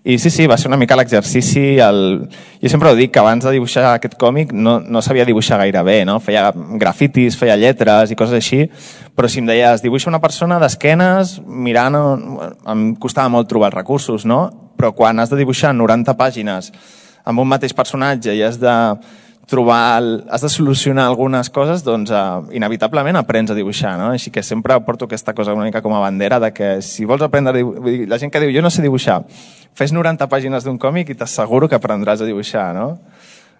I sí, sí, va ser una mica l'exercici. El... Jo sempre ho dic, que abans de dibuixar aquest còmic no, no sabia dibuixar gaire bé, no? Feia grafitis, feia lletres i coses així, però si em deies, dibuixa una persona d'esquenes, mirant... Em costava molt trobar els recursos, no? Però quan has de dibuixar noranta pàgines amb un mateix personatge i has de trobar, has de solucionar algunes coses, doncs uh, inevitablement aprens a dibuixar, no? Així que sempre porto aquesta cosa una mica com a bandera de que si vols aprendre a dibuixar, la gent que diu jo no sé dibuixar, fes noranta pàgines d'un còmic i t'asseguro que aprendràs a dibuixar, no?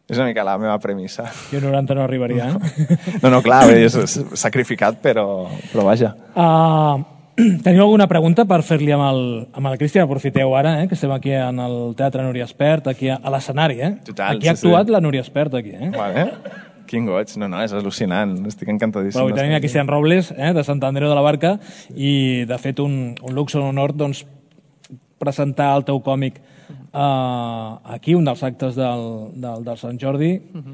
És una mica la meva premissa. Jo noranta no arribaria, eh? No, no, clar, és sacrificat, però, però vaja. Uh, teniu alguna pregunta per fer-li amb el, amb el Cristian? Aprofiteu ara, eh, que estem aquí en el Teatre Núria Espert, aquí a, a l'escenari, eh? Total, aquí ha sí, actuat sí. la Núria Espert, aquí, eh? Vale. Quin goig, no, no, és al·lucinant, estic encantadíssim. Però avui tenim a Cristian Robles, eh, de Sant Andreu de la Barca, i de fet un, un luxe, un honor, doncs, presentar el teu còmic uh, aquí, un dels actes del, del, del Sant Jordi. Uh-huh.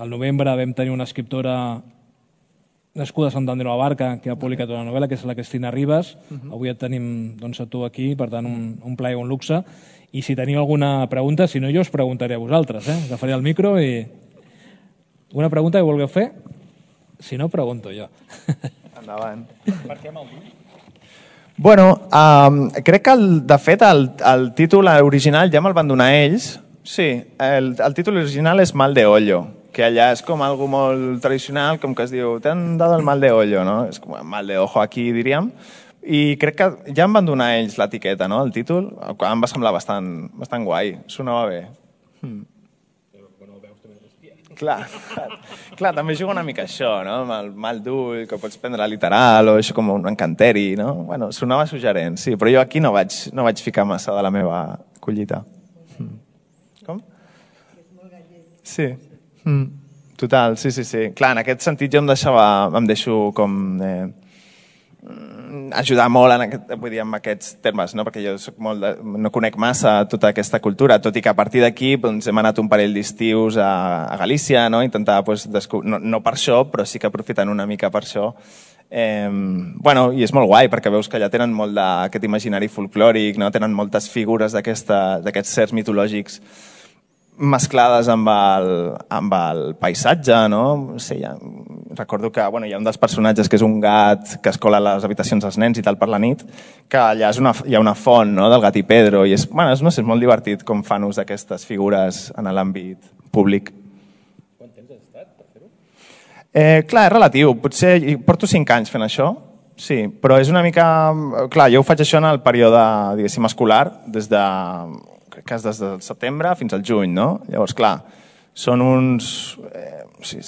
Al novembre vam tenir una escriptora nascuda a Sant Andreu de la Barca que ha publicat una novel·la, que és la Cristina Ribas. Uh-huh. Avui et tenim doncs, a tu aquí, per tant, un, un plaer i un luxe. I si teniu alguna pregunta, si no, jo us preguntaré a vosaltres. Eh? Agafaré el micro i... Una pregunta que vulgueu fer? Si no, pregunto jo. Endavant. Per què amb el vi? Bueno, um, crec que, el, de fet, el, el títol original ja me'l van donar ells. Sí, el, el títol original és Mal de Ollo, que allà és com algo molt tradicional, com que es diu, t'han dado el mal de ollo, no? És com mal de ojo aquí, diríem. I crec que ja em van donar ells l'etiqueta, no?, el títol. Em va semblar bastant, bastant guai, sonava bé. Hmm. Clar, clar, clar, també juga una mica això, no? Amb el mal d'ull, que pots prendre literal, o això com un encanteri, no? Bueno, sonava suggerent, sí, però jo aquí no vaig, no vaig ficar massa de la meva collita. Mm. Com? Sí. Mm. Total, sí, sí, sí. Clar, en aquest sentit jo em deixava, em deixo com... Eh, ajudar molt en, aquest, vull dir, en aquests termes, no? Perquè jo soc molt de, no conec massa tota aquesta cultura, tot i que a partir d'aquí doncs, hem anat un parell d'estius a, a Galícia, no? Intentar, doncs, no, no per això, però sí que aprofitant una mica per això. Eh, bueno, i és molt guai, perquè veus que allà tenen molt d'aquest imaginari folclòric, no? Tenen moltes figures d'aquests certs mitològics mesclades amb el, amb el paisatge, no? Sí, ja, recordo que bueno, hi ha un dels personatges que és un gat que es cola a les habitacions dels nens i tal per la nit, que allà és una, hi ha una font, no?, del gat i Pedro, i és, bueno, és, no sé, és molt divertit com fan ús d'aquestes figures en l'àmbit públic. Quant temps has estat per fer-ho? Eh, clar, és relatiu. Potser porto cinc anys fent això, sí, però és una mica... Clar, jo ho faig això en el període, diguéssim, escolar, des de... que és des del setembre fins al juny, no? Llavors, clar, són uns... Eh, sí,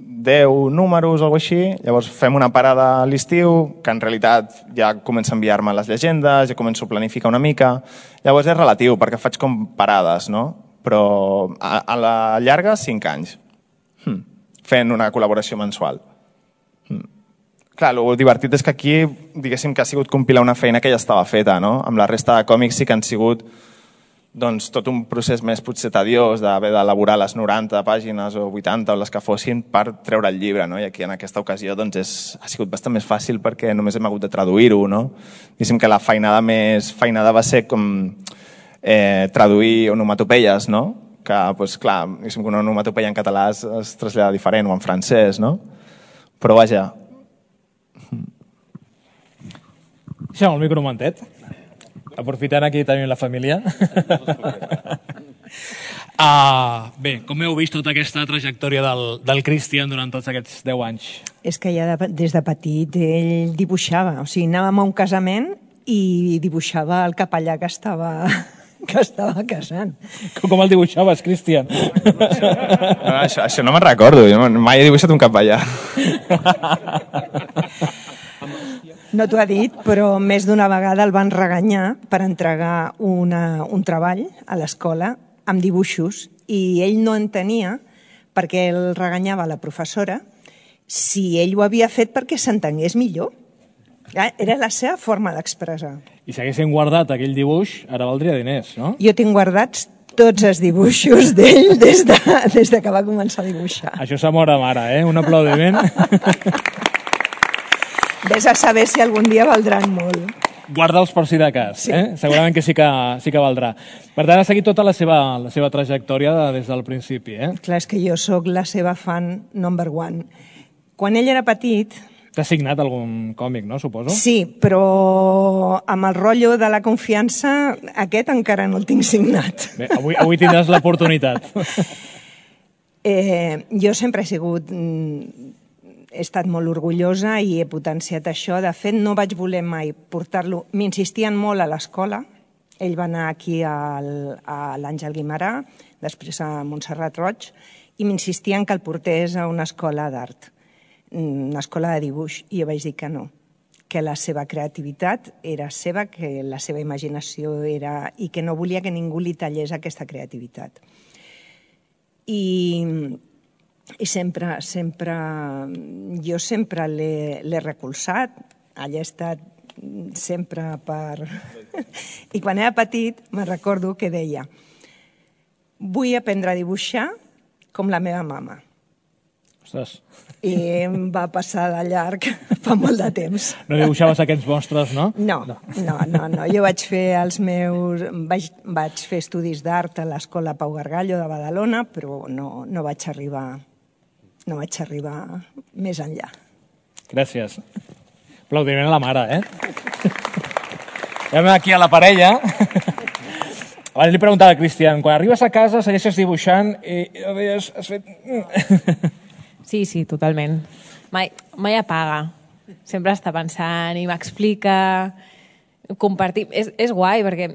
deu números o alguna cosa així, llavors fem una parada a l'estiu, que en realitat ja comença a enviar-me les llegendes, ja començo a planificar una mica, llavors és relatiu, perquè faig com parades, no? Però a, a la llarga, cinc anys, hm. fent una col·laboració mensual. Hm. Clar, el divertit és que aquí, diguéssim que ha sigut compilar una feina que ja estava feta, no? Amb la resta de còmics sí que han sigut doncs, tot un procés més potser tediós d'haver d'elaborar les noranta pàgines o vuitanta o les que fossin per treure el llibre, no? I aquí en aquesta ocasió doncs, és, ha sigut bastant més fàcil perquè només hem hagut de traduir-ho, no? Diguéssim que la feinada més feinada va ser com eh, traduir onomatopeies, no? Que, doncs, clar, diguéssim que una onomatopeia en català es, es trasllada diferent o en francès, no? Però vaja. Deixa'm el micro un momentet. Aprofitant aquí tenim la família. uh, bé, com heu vist tota aquesta trajectòria del, del Cristian durant tots aquests deu anys? És que ja de, des de petit ell dibuixava, o sigui, anàvem a un casament i dibuixava el capellà que estava, que estava casant. Com, com el dibuixaves, Cristian? No, això, això no me'n recordo, jo mai he dibuixat un capellà. No t'ho ha dit, però més d'una vegada el van reganyar per entregar una, un treball a l'escola amb dibuixos i ell no entenia perquè el reganyava la professora si ell ho havia fet perquè s'entengués millor. Era la seva forma d'expressar. I si haguessin guardat aquell dibuix, ara valdria diners, no? Jo tinc guardats tots els dibuixos d'ell des, de, des de que va començar a dibuixar. Això s'amor amb ara, eh? Un aplaudiment. Ves a saber si algun dia valdran molt. Guarda'ls per si de cas, sí. eh? Segurament que sí que, sí que valdrà. Per tant, ha seguit tota la seva, la seva trajectòria des del principi, eh? Clar, és que jo sóc la seva fan number one. Quan ell era petit... T'ha signat algun còmic, no, suposo? Sí, però amb el rotllo de la confiança, aquest encara no el tinc signat. Bé, avui, avui tindràs l'oportunitat. eh, jo sempre he sigut... He estat molt orgullosa i he potenciat això. De fet, no vaig voler mai portar-lo. M'insistien molt a l'escola. Ell va anar aquí al, a l'Àngel Guimerà, després a Montserrat Roig, i m'insistien que el portés a una escola d'art, una escola de dibuix, i jo vaig dir que no, que la seva creativitat era seva, que la seva imaginació era... i que no volia que ningú li tallés aquesta creativitat. I... I sempre, sempre, jo sempre l'he recolzat, allà he estat sempre per... I quan era petit me'n recordo que deia vull aprendre a dibuixar com la meva mama. Ostres. I em va passar de llarg fa molt de temps. No dibuixaves aquests monstres, no? No, no, no, no. Jo vaig fer els meus... Vaig, vaig fer estudis d'art a l'Escola Pau Gargallo de Badalona, però no, no vaig arribar... no vaig arribar més enllà. Gràcies. Aplaudiment a la mare, eh? Anem aquí a la parella. Abans li preguntava a Cristian, quan arribes a casa segueixes dibuixant i has, has fet... Sí, sí, totalment. Mai, mai apaga. Sempre està pensant i m'explica, compartir... És, és guai perquè,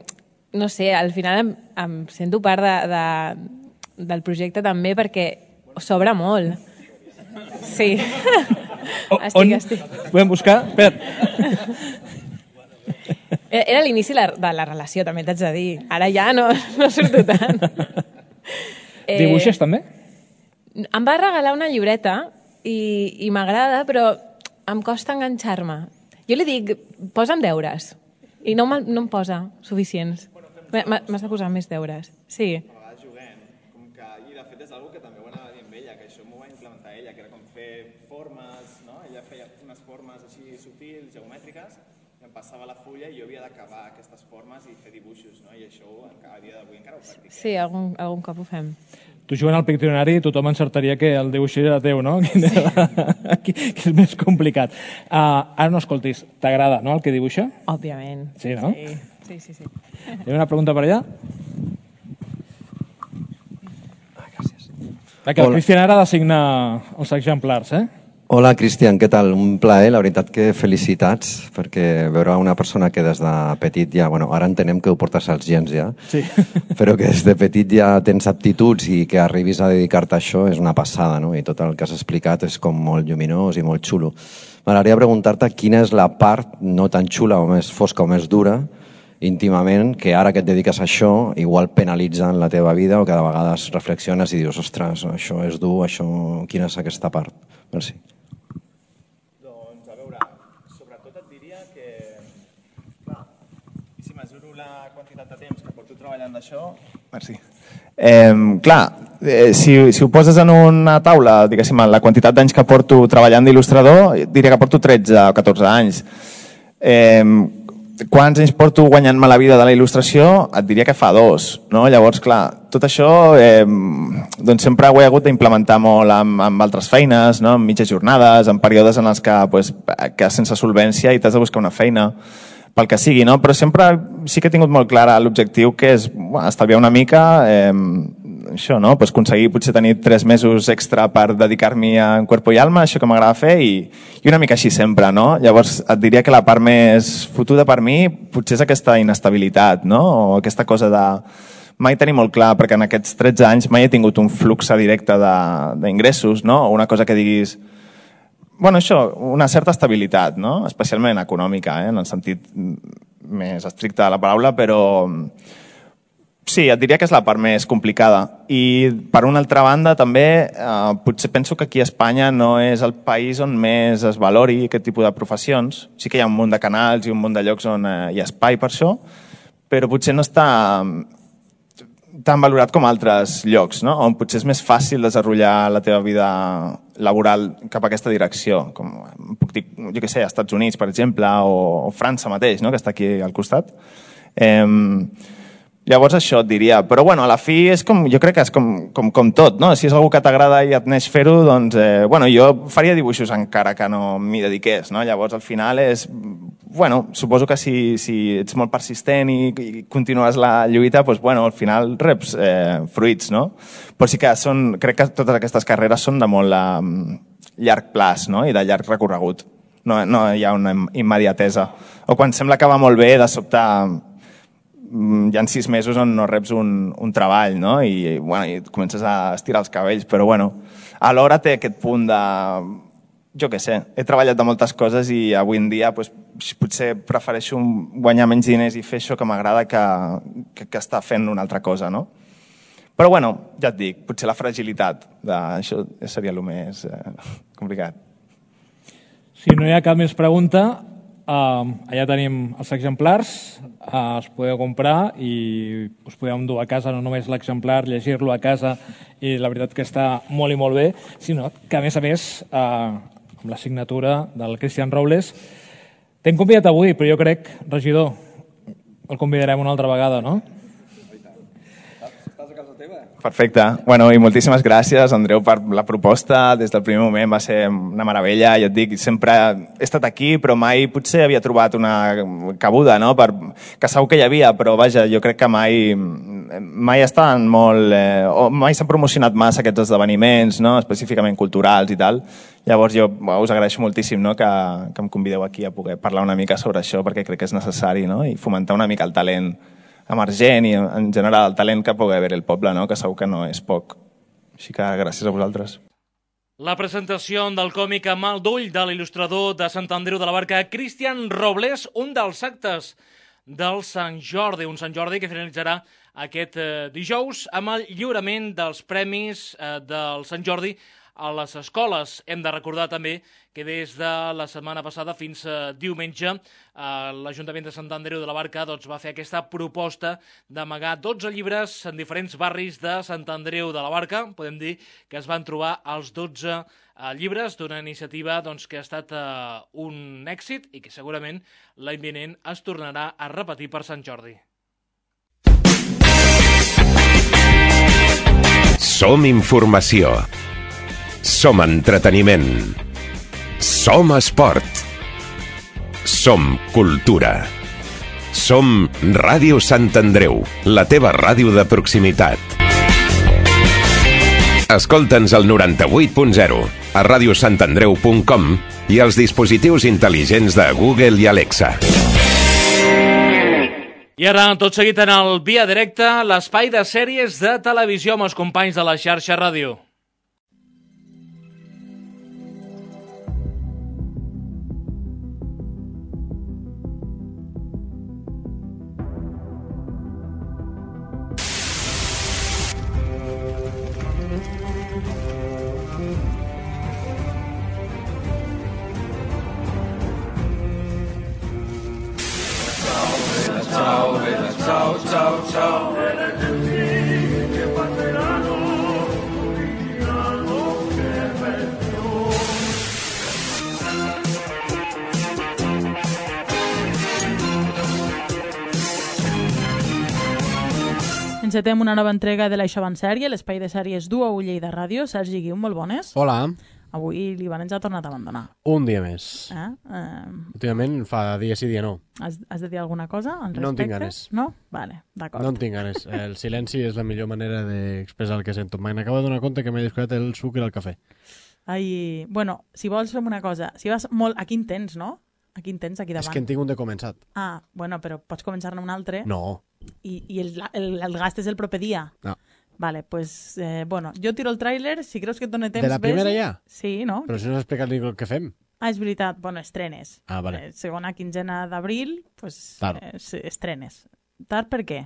no sé, al final em, em sento part de, de, del projecte també perquè s'obre molt. Sí. Estic, On? estic. Podem buscar? Espera't. Era l'inici de la relació, també t'haig de dir. Ara ja no, no surto tant. Dibuixes, també? Em va regalar una llibreta i, i m'agrada, però em costa enganxar-me. Jo li dic, posa'm deures. I no, no em posa suficients. M'has de posar més deures. Sí. Passava la fulla i jo havia d'acabar aquestes formes i fer dibuixos, no? I això a dia d'avui encara ho practiquem. Sí, algun, algun cop ho fem. Tu jugant al Piccionari tothom encertaria que el dibuix era teu, no? Que és més complicat. Uh, ara no escoltis, t'agrada, no, el que dibuixa? Òbviament. Sí, no? Sí, sí, sí. Hi ha una pregunta per allà? Ah, gràcies. Que el Cristian ara ha de signar els exemplars, eh? Hola, Cristian, què tal? Un plaer, la veritat que felicitats, perquè veure una persona que des de petit ja, bueno, ara entenem que ho portes als gens ja, sí. però que des de petit ja tens aptituds i que arribis a dedicar-te a això és una passada, no? I tot el que has explicat és com molt lluminós i molt xulo. M'agradaria preguntar-te quina és la part no tan xula o més fosca o més dura íntimament, que ara que et dediques a això igual penalitza en la teva vida o que de vegades reflexiones i dius, ostres, això és dur, això... quina és aquesta part? Merci. Treballant d'això. Merci. Eh, clar, eh, si, si ho poses en una taula, diguéssim, la quantitat d'anys que porto treballant d'il·lustrador, diria que porto tretze o catorze anys. Eh, quants anys porto guanyant-me la vida de la il·lustració? Et diria que fa dos. No? Llavors, clar, tot això eh, doncs sempre ho he hagut d'implementar molt amb, amb altres feines, no? En mitges jornades, en períodes en els que, pues, que sense solvència i t'has de buscar una feina pel que sigui, no? Però sempre sí que he tingut molt clar l'objectiu, que és bueno, estalviar una mica, eh, això, no? Pues aconseguir potser tenir tres mesos extra per dedicar-m'hi en cuerpo i alma, això que m'agrada fer, i, i una mica així sempre, no? Llavors et diria que la part més fotuda per mi potser és aquesta inestabilitat, no? O aquesta cosa de mai tenir molt clar, perquè en aquests tretze anys mai he tingut un flux directe d'ingressos, no? O una cosa que diguis... Bueno, això, una certa estabilitat, no? Especialment econòmica, eh? En el sentit més estricte de la paraula, però sí, et diria que és la part més complicada. I per una altra banda, també, eh, potser penso que aquí a Espanya no és el país on més es valori aquest tipus de professions. Sí que hi ha un munt de canals i un munt de llocs on eh, hi ha espai per això, però potser no està tan valorat com altres llocs, no? On potser és més fàcil desenvolupar la teva vida laboral cap a aquesta direcció, com puc dir, jo què sé, als Estats Units, per exemple, o, o França mateix, no? Que està aquí al costat. Eh, llavors això et diria, però bueno, a la fi és com, jo crec que és com, com, com tot, no? Si és algú que t'agrada i et neix fer-ho, doncs, eh, bueno, jo faria dibuixos encara que no m'hi dediqués, no? Llavors al final és, bueno, suposo que si, si ets molt persistent i, i continues la lluita, doncs, bueno, al final reps eh, fruits, no? Però sí que són, crec que totes aquestes carreres són de molt eh, llarg plaç, no? I de llarg recorregut. No, no hi ha una immediatesa. O quan sembla que va molt bé, de sobte hi ha sis mesos on no reps un, un treball, no? I, bueno, i comences a estirar els cabells, però bueno, alhora té aquest punt de... Jo què sé, he treballat de moltes coses i avui en dia pues, potser prefereixo guanyar menys diners i fer això que m'agrada que, que, que estar fent una altra cosa, no? Però bueno, ja et dic, potser la fragilitat d'això seria el més eh, complicat. Si no hi ha cap més pregunta, eh, allà tenim els exemplars, eh, els podeu comprar i us podeu endur a casa, no només l'exemplar, llegir-lo a casa, i la veritat que està molt i molt bé, sinó que a més a més... Eh, amb la signatura del Cristian Robles. T'hem convidat avui, però jo crec, regidor, el convidarem una altra vegada, no? Perfecte. Bueno, i moltíssimes gràcies, Andreu, per la proposta. Des del primer moment va ser una meravella. Ja et dic, sempre he estat aquí, però mai potser havia trobat una cabuda, no? Per... que segur que hi havia, però vaja, jo crec que mai mai estan molt... Eh, o mai s'han promocionat massa aquests esdeveniments, no? Específicament culturals i tal. Llavors jo bueno, us agraeixo moltíssim, no? que, que em convideu aquí a poder parlar una mica sobre això, perquè crec que és necessari, no? I fomentar una mica el talent emergent i en general el talent que pugui haver el poble, no? Que segur que no és poc. Així que gràcies a vosaltres. La presentació del còmic amb el d'ull de l'il·lustrador de Sant Andreu de la Barca, Cristian Robles, un dels actes del Sant Jordi, un Sant Jordi que finalitzarà aquest eh, dijous amb el lliurament dels premis eh, del Sant Jordi a les escoles. Hem de recordar també que des de la setmana passada fins a diumenge eh, l'Ajuntament de Sant Andreu de la Barca doncs, va fer aquesta proposta d'amagar dotze llibres en diferents barris de Sant Andreu de la Barca. Podem dir que es van trobar els dotze eh, llibres d'una iniciativa doncs, que ha estat eh, un èxit i que segurament l'any vinent es tornarà a repetir per Sant Jordi. Som informació. Som entreteniment. Som esport. Som cultura. Som Ràdio Sant Andreu, la teva ràdio de proximitat. Escolta'ns al noranta-vuit punt zero. a radio sant andreu punt com i als dispositius intel·ligents de Google i Alexa. I ara, tot seguit en el Via Directa, l'espai de sèries de televisió amb els companys de la xarxa ràdio. Encetem una nova entrega de l'Això van sèrie, l'espai de sèries du a Ullell de Ràdio. Sergi Guiu, molt bones. Hola. Avui l'Ivan ens ha tornat a abandonar. Un dia més. Eh? Eh... Últimament fa dia sí, dia no. Has, has de dir alguna cosa al respecte? No en tinc ganes. No? Vale, d'acord. No en tinc ganes. El silenci és la millor manera d'expressar el que sento. M'acabo de donar compte que m'he descuidat el sucre al cafè. Ai, bueno, si vols fem una cosa. Si vas molt... Aquí en tens, no? Aquí en tens, aquí davant. És que en tinc un de començat. Ah, bueno, però pots començar-ne un altre. No. I, i el, el, el gast és el proper dia. No. Vale, pues, eh, bueno, jo tiro el tràiler, si creus que et dona temps... De la primera ves... ja? Sí, no? Però si no has explicat ni el que fem. Ah, és veritat, bueno, estrenes. Ah, vale. Eh, segona quinzena d'abril, pues, Tard. eh, estrenes. Tard per què?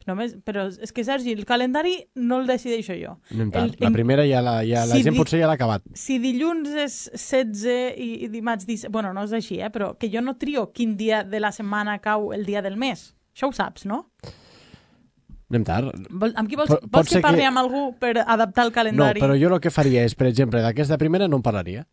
Només, però és que, Sergi, el calendari no el decideixo jo. Anem tard. El, la primera ja la, ja, la si gent di... potser ja l'ha acabat. Si dilluns és setze i, i dimarts disset... Bueno, no és així, eh? Però que jo no trio quin dia de la setmana cau el dia del mes. Això ho saps, no? Anem tard. Vol, amb qui vols, Pot, vols que parli que... amb algú per adaptar el No, calendari? però jo el que faria és, per exemple, d'aquesta primera no en parlaria.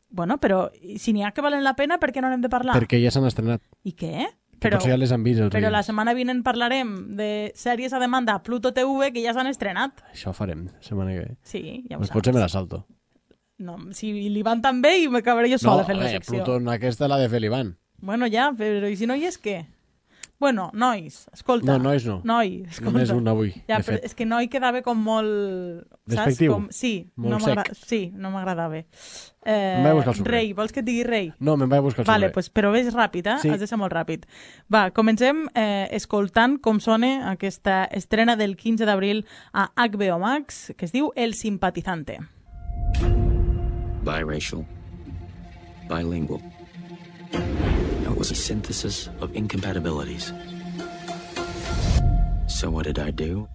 Bueno, però si n'hi ha que valen la pena, per què no n'hem de parlar? Perquè ja s'han estrenat. I què? Que Però, potser ja les han vist els però la oients. setmana vinent parlarem de sèries a demanda a Pluto T V que ja s'han estrenat. Això ho farem, la setmana que ve. Sí, ja ho pues saps. potser me la salto. No, si li van tan bé i m'acabaré jo sola no, fent la eh, secció. Pluton aquesta l'ha de fer l'Ivan. Bueno, ja, però i si no hi és què? Bueno, nois, escolta. No, nois no. Noi, escolta. Només un avui, ja, de però fet. és que noi quedava com molt... Despectiu? Com... Sí, Molt no sec. m'agrada- sí, no m'agradava. Eh, Em vaig a buscar el sucre. Rei, vols que et digui rei? No, me'n vaig a buscar el Vale, sucre. pues, però ves ràpid, eh? Sí. Has de ser molt ràpid. Va, comencem eh, escoltant com sona aquesta estrena del quinze d'abril a H B O Max, que es diu El Simpatizante. Biracial, bilingual. It was a synthesis of incompatibilities. So what did I do?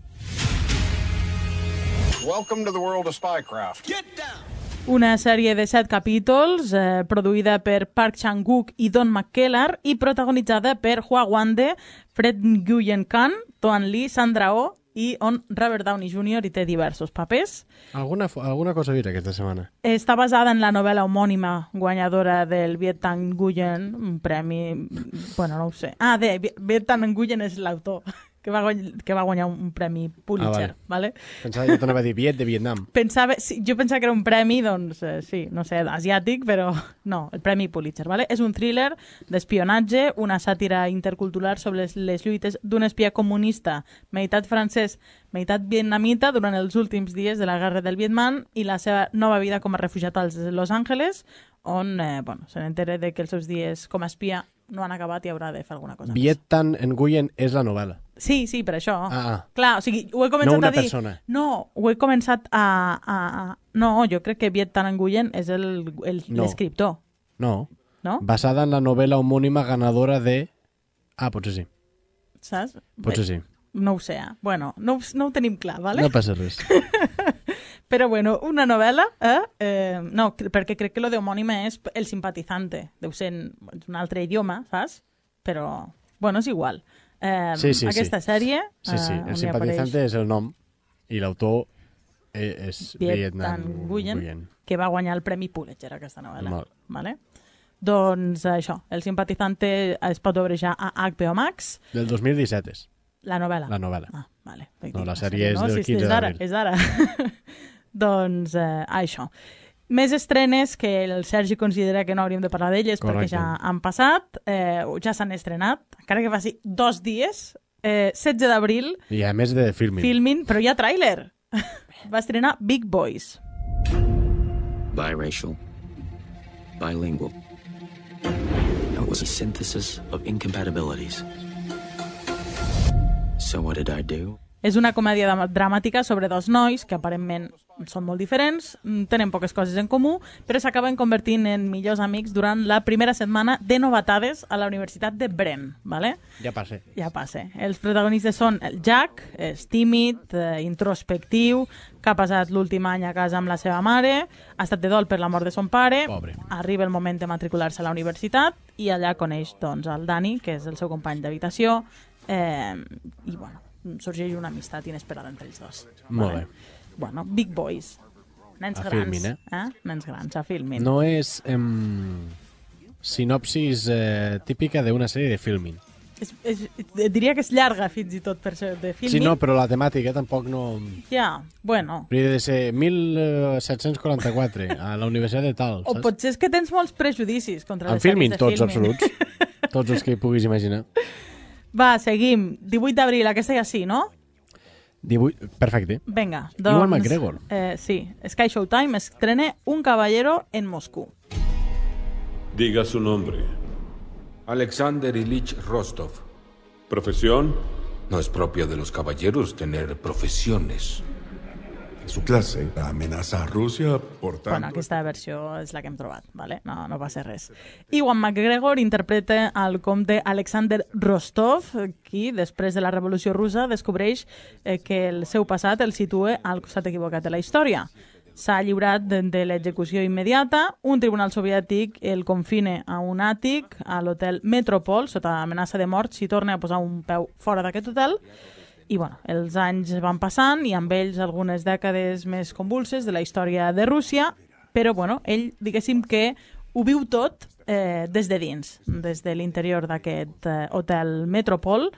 Welcome to the world of spycraft. Get down! Una sèrie de set capítols eh, produïda per Park Chan-wook i Don McKellar i protagonitzada per Hua Wande, Fred Nguyen Khan, Toan Lee, Sandra Oh i on Robert Downey júnior hi té diversos papers. Alguna, alguna cosa vist aquesta setmana? Està basada en la novel·la homònima guanyadora del Viet Thanh Nguyen, un premi... Bueno, no ho sé. Ah, de Viet Thanh Nguyen és l'autor, que, va guany... que va guanyar un premi Pulitzer. Ah, vale. Pensava que t'anava a dir Viet de Vietnam. Pensava, sí, jo pensava que era un premi, doncs, eh, sí, no sé, asiàtic, però no, el premi Pulitzer. Vale? És un thriller d'espionatge, una sàtira intercultural sobre les, les lluites d'un espià comunista, meitat francès, meitat vietnamita, durant els últims dies de la guerra del Vietnam i la seva nova vida com a refugiat als Los Angeles, on eh, bueno, se n'entera de que els seus dies com a espia no han acabat i haurà de fer alguna cosa Viet Thanh Nguyen és la novel·la. Sí, sí, per això. Ah, ah. Clar, o sigui, ho he començat No una a dir... persona. No, ho he començat a... a, a... No, jo crec que Viet Thanh Nguyen és l'escriptor. No. no. No? Basada en la novel·la homònima ganadora de... Ah, potser sí. Saps? Potser sí. No ho sé, eh? Bueno, no, ho- no ho tenim clar, vale? No passa res. Però bueno, una novel·la, eh? eh no, cre- perquè crec que lo de homònima és el simpatizante. Deu ser en un altre idioma, saps? Però, bueno, és igual. Eh, Sí, sí, aquesta sí. sèrie... Sí, sí. eh, El on hi simpatitzante apareix és el nom i l'autor eh, és Viet Viet Thanh Thanh Nguyen, Nguyen. que va guanyar el Premi Pulitzer, aquesta novel·la. Molt. Vale? Doncs això, El simpatizante es pot veure ja a H B O Max. Del dos mil disset és. La novel·la. La novel·la. Ah, vale. No, la sèrie és no, del si quinze és d'ara, d'abril. és d'ara. Doncs eh, això. Més estrenes que el Sergi considera que no hauríem de parlar d'elles perquè Correcte. ja han passat, eh, o ja s'han estrenat, encara que faci dos dies, eh, setze d'abril, I a més de filming. filming, però hi ha tràiler. Va estrenar Big Boys. biracial, bilingual. It was a synthesis of incompatibilities. So what did I do? És una comèdia dramàtica sobre dos nois que aparentment són molt diferents, tenen poques coses en comú, però s'acaben convertint en millors amics durant la primera setmana de novatades a la Universitat de Bren, ¿vale? Ja passa. Ja passa. Els protagonistes són el Jack, és tímid, eh, introspectiu, que ha passat l'últim any a casa amb la seva mare, ha estat de dol per la mort de son pare, Pobre. arriba el moment de matricular-se a la universitat i allà coneix doncs, el Dani, que és el seu company d'habitació, eh, i bueno, sorgeix una amistat inesperada entre ells dos. Molt Vale. Bueno, Big Boys. Nens A grans. Filmin, eh? eh? Nens grans, a Filmin. No és em, sinopsis eh, típica d'una sèrie de Filmin. És, és, diria que és llarga, fins i tot, per ser de Filmin. Sí, no, però la temàtica tampoc no... Ja, bueno. Hauria de ser mil set-cents quaranta-quatre a la Universitat de tal, O saps? potser és que tens molts prejudicis contra En les sèries Filmin, de tots Filmin. absoluts. Tots els que puguis imaginar. Va, seguim. divuit d'abril, aquesta ja sí, no? divuit... Perfecte. Vinga, doncs... Ewan McGregor. Eh, sí, Sky Showtime estrena Un caballero en Moscú. Diga su nombre. Alexander Ilich Rostov. ¿Profesión? No es propio de los caballeros tener profesiones. Su clase amenaza a Rusia, por tanto... Bueno, aquesta versió és la que hem trobat, vale? no, no passa res. Ewan McGregor interpreta el comte Alexander Rostov, qui, després de la Revolució Russa, descobreix eh, que el seu passat el situa al costat equivocat de la història. S'ha lliurat de, de l'execució immediata, un tribunal soviètic el confine a un àtic a l'hotel Metropol, sota amenaça de mort si torna a posar un peu fora d'aquest hotel. I bueno, els anys van passant i amb ells algunes dècades més convulses de la història de Rússia, però bueno, ell, diguéssim que ho viu tot eh, des de dins, des de l'interior d'aquest eh, hotel Metropol,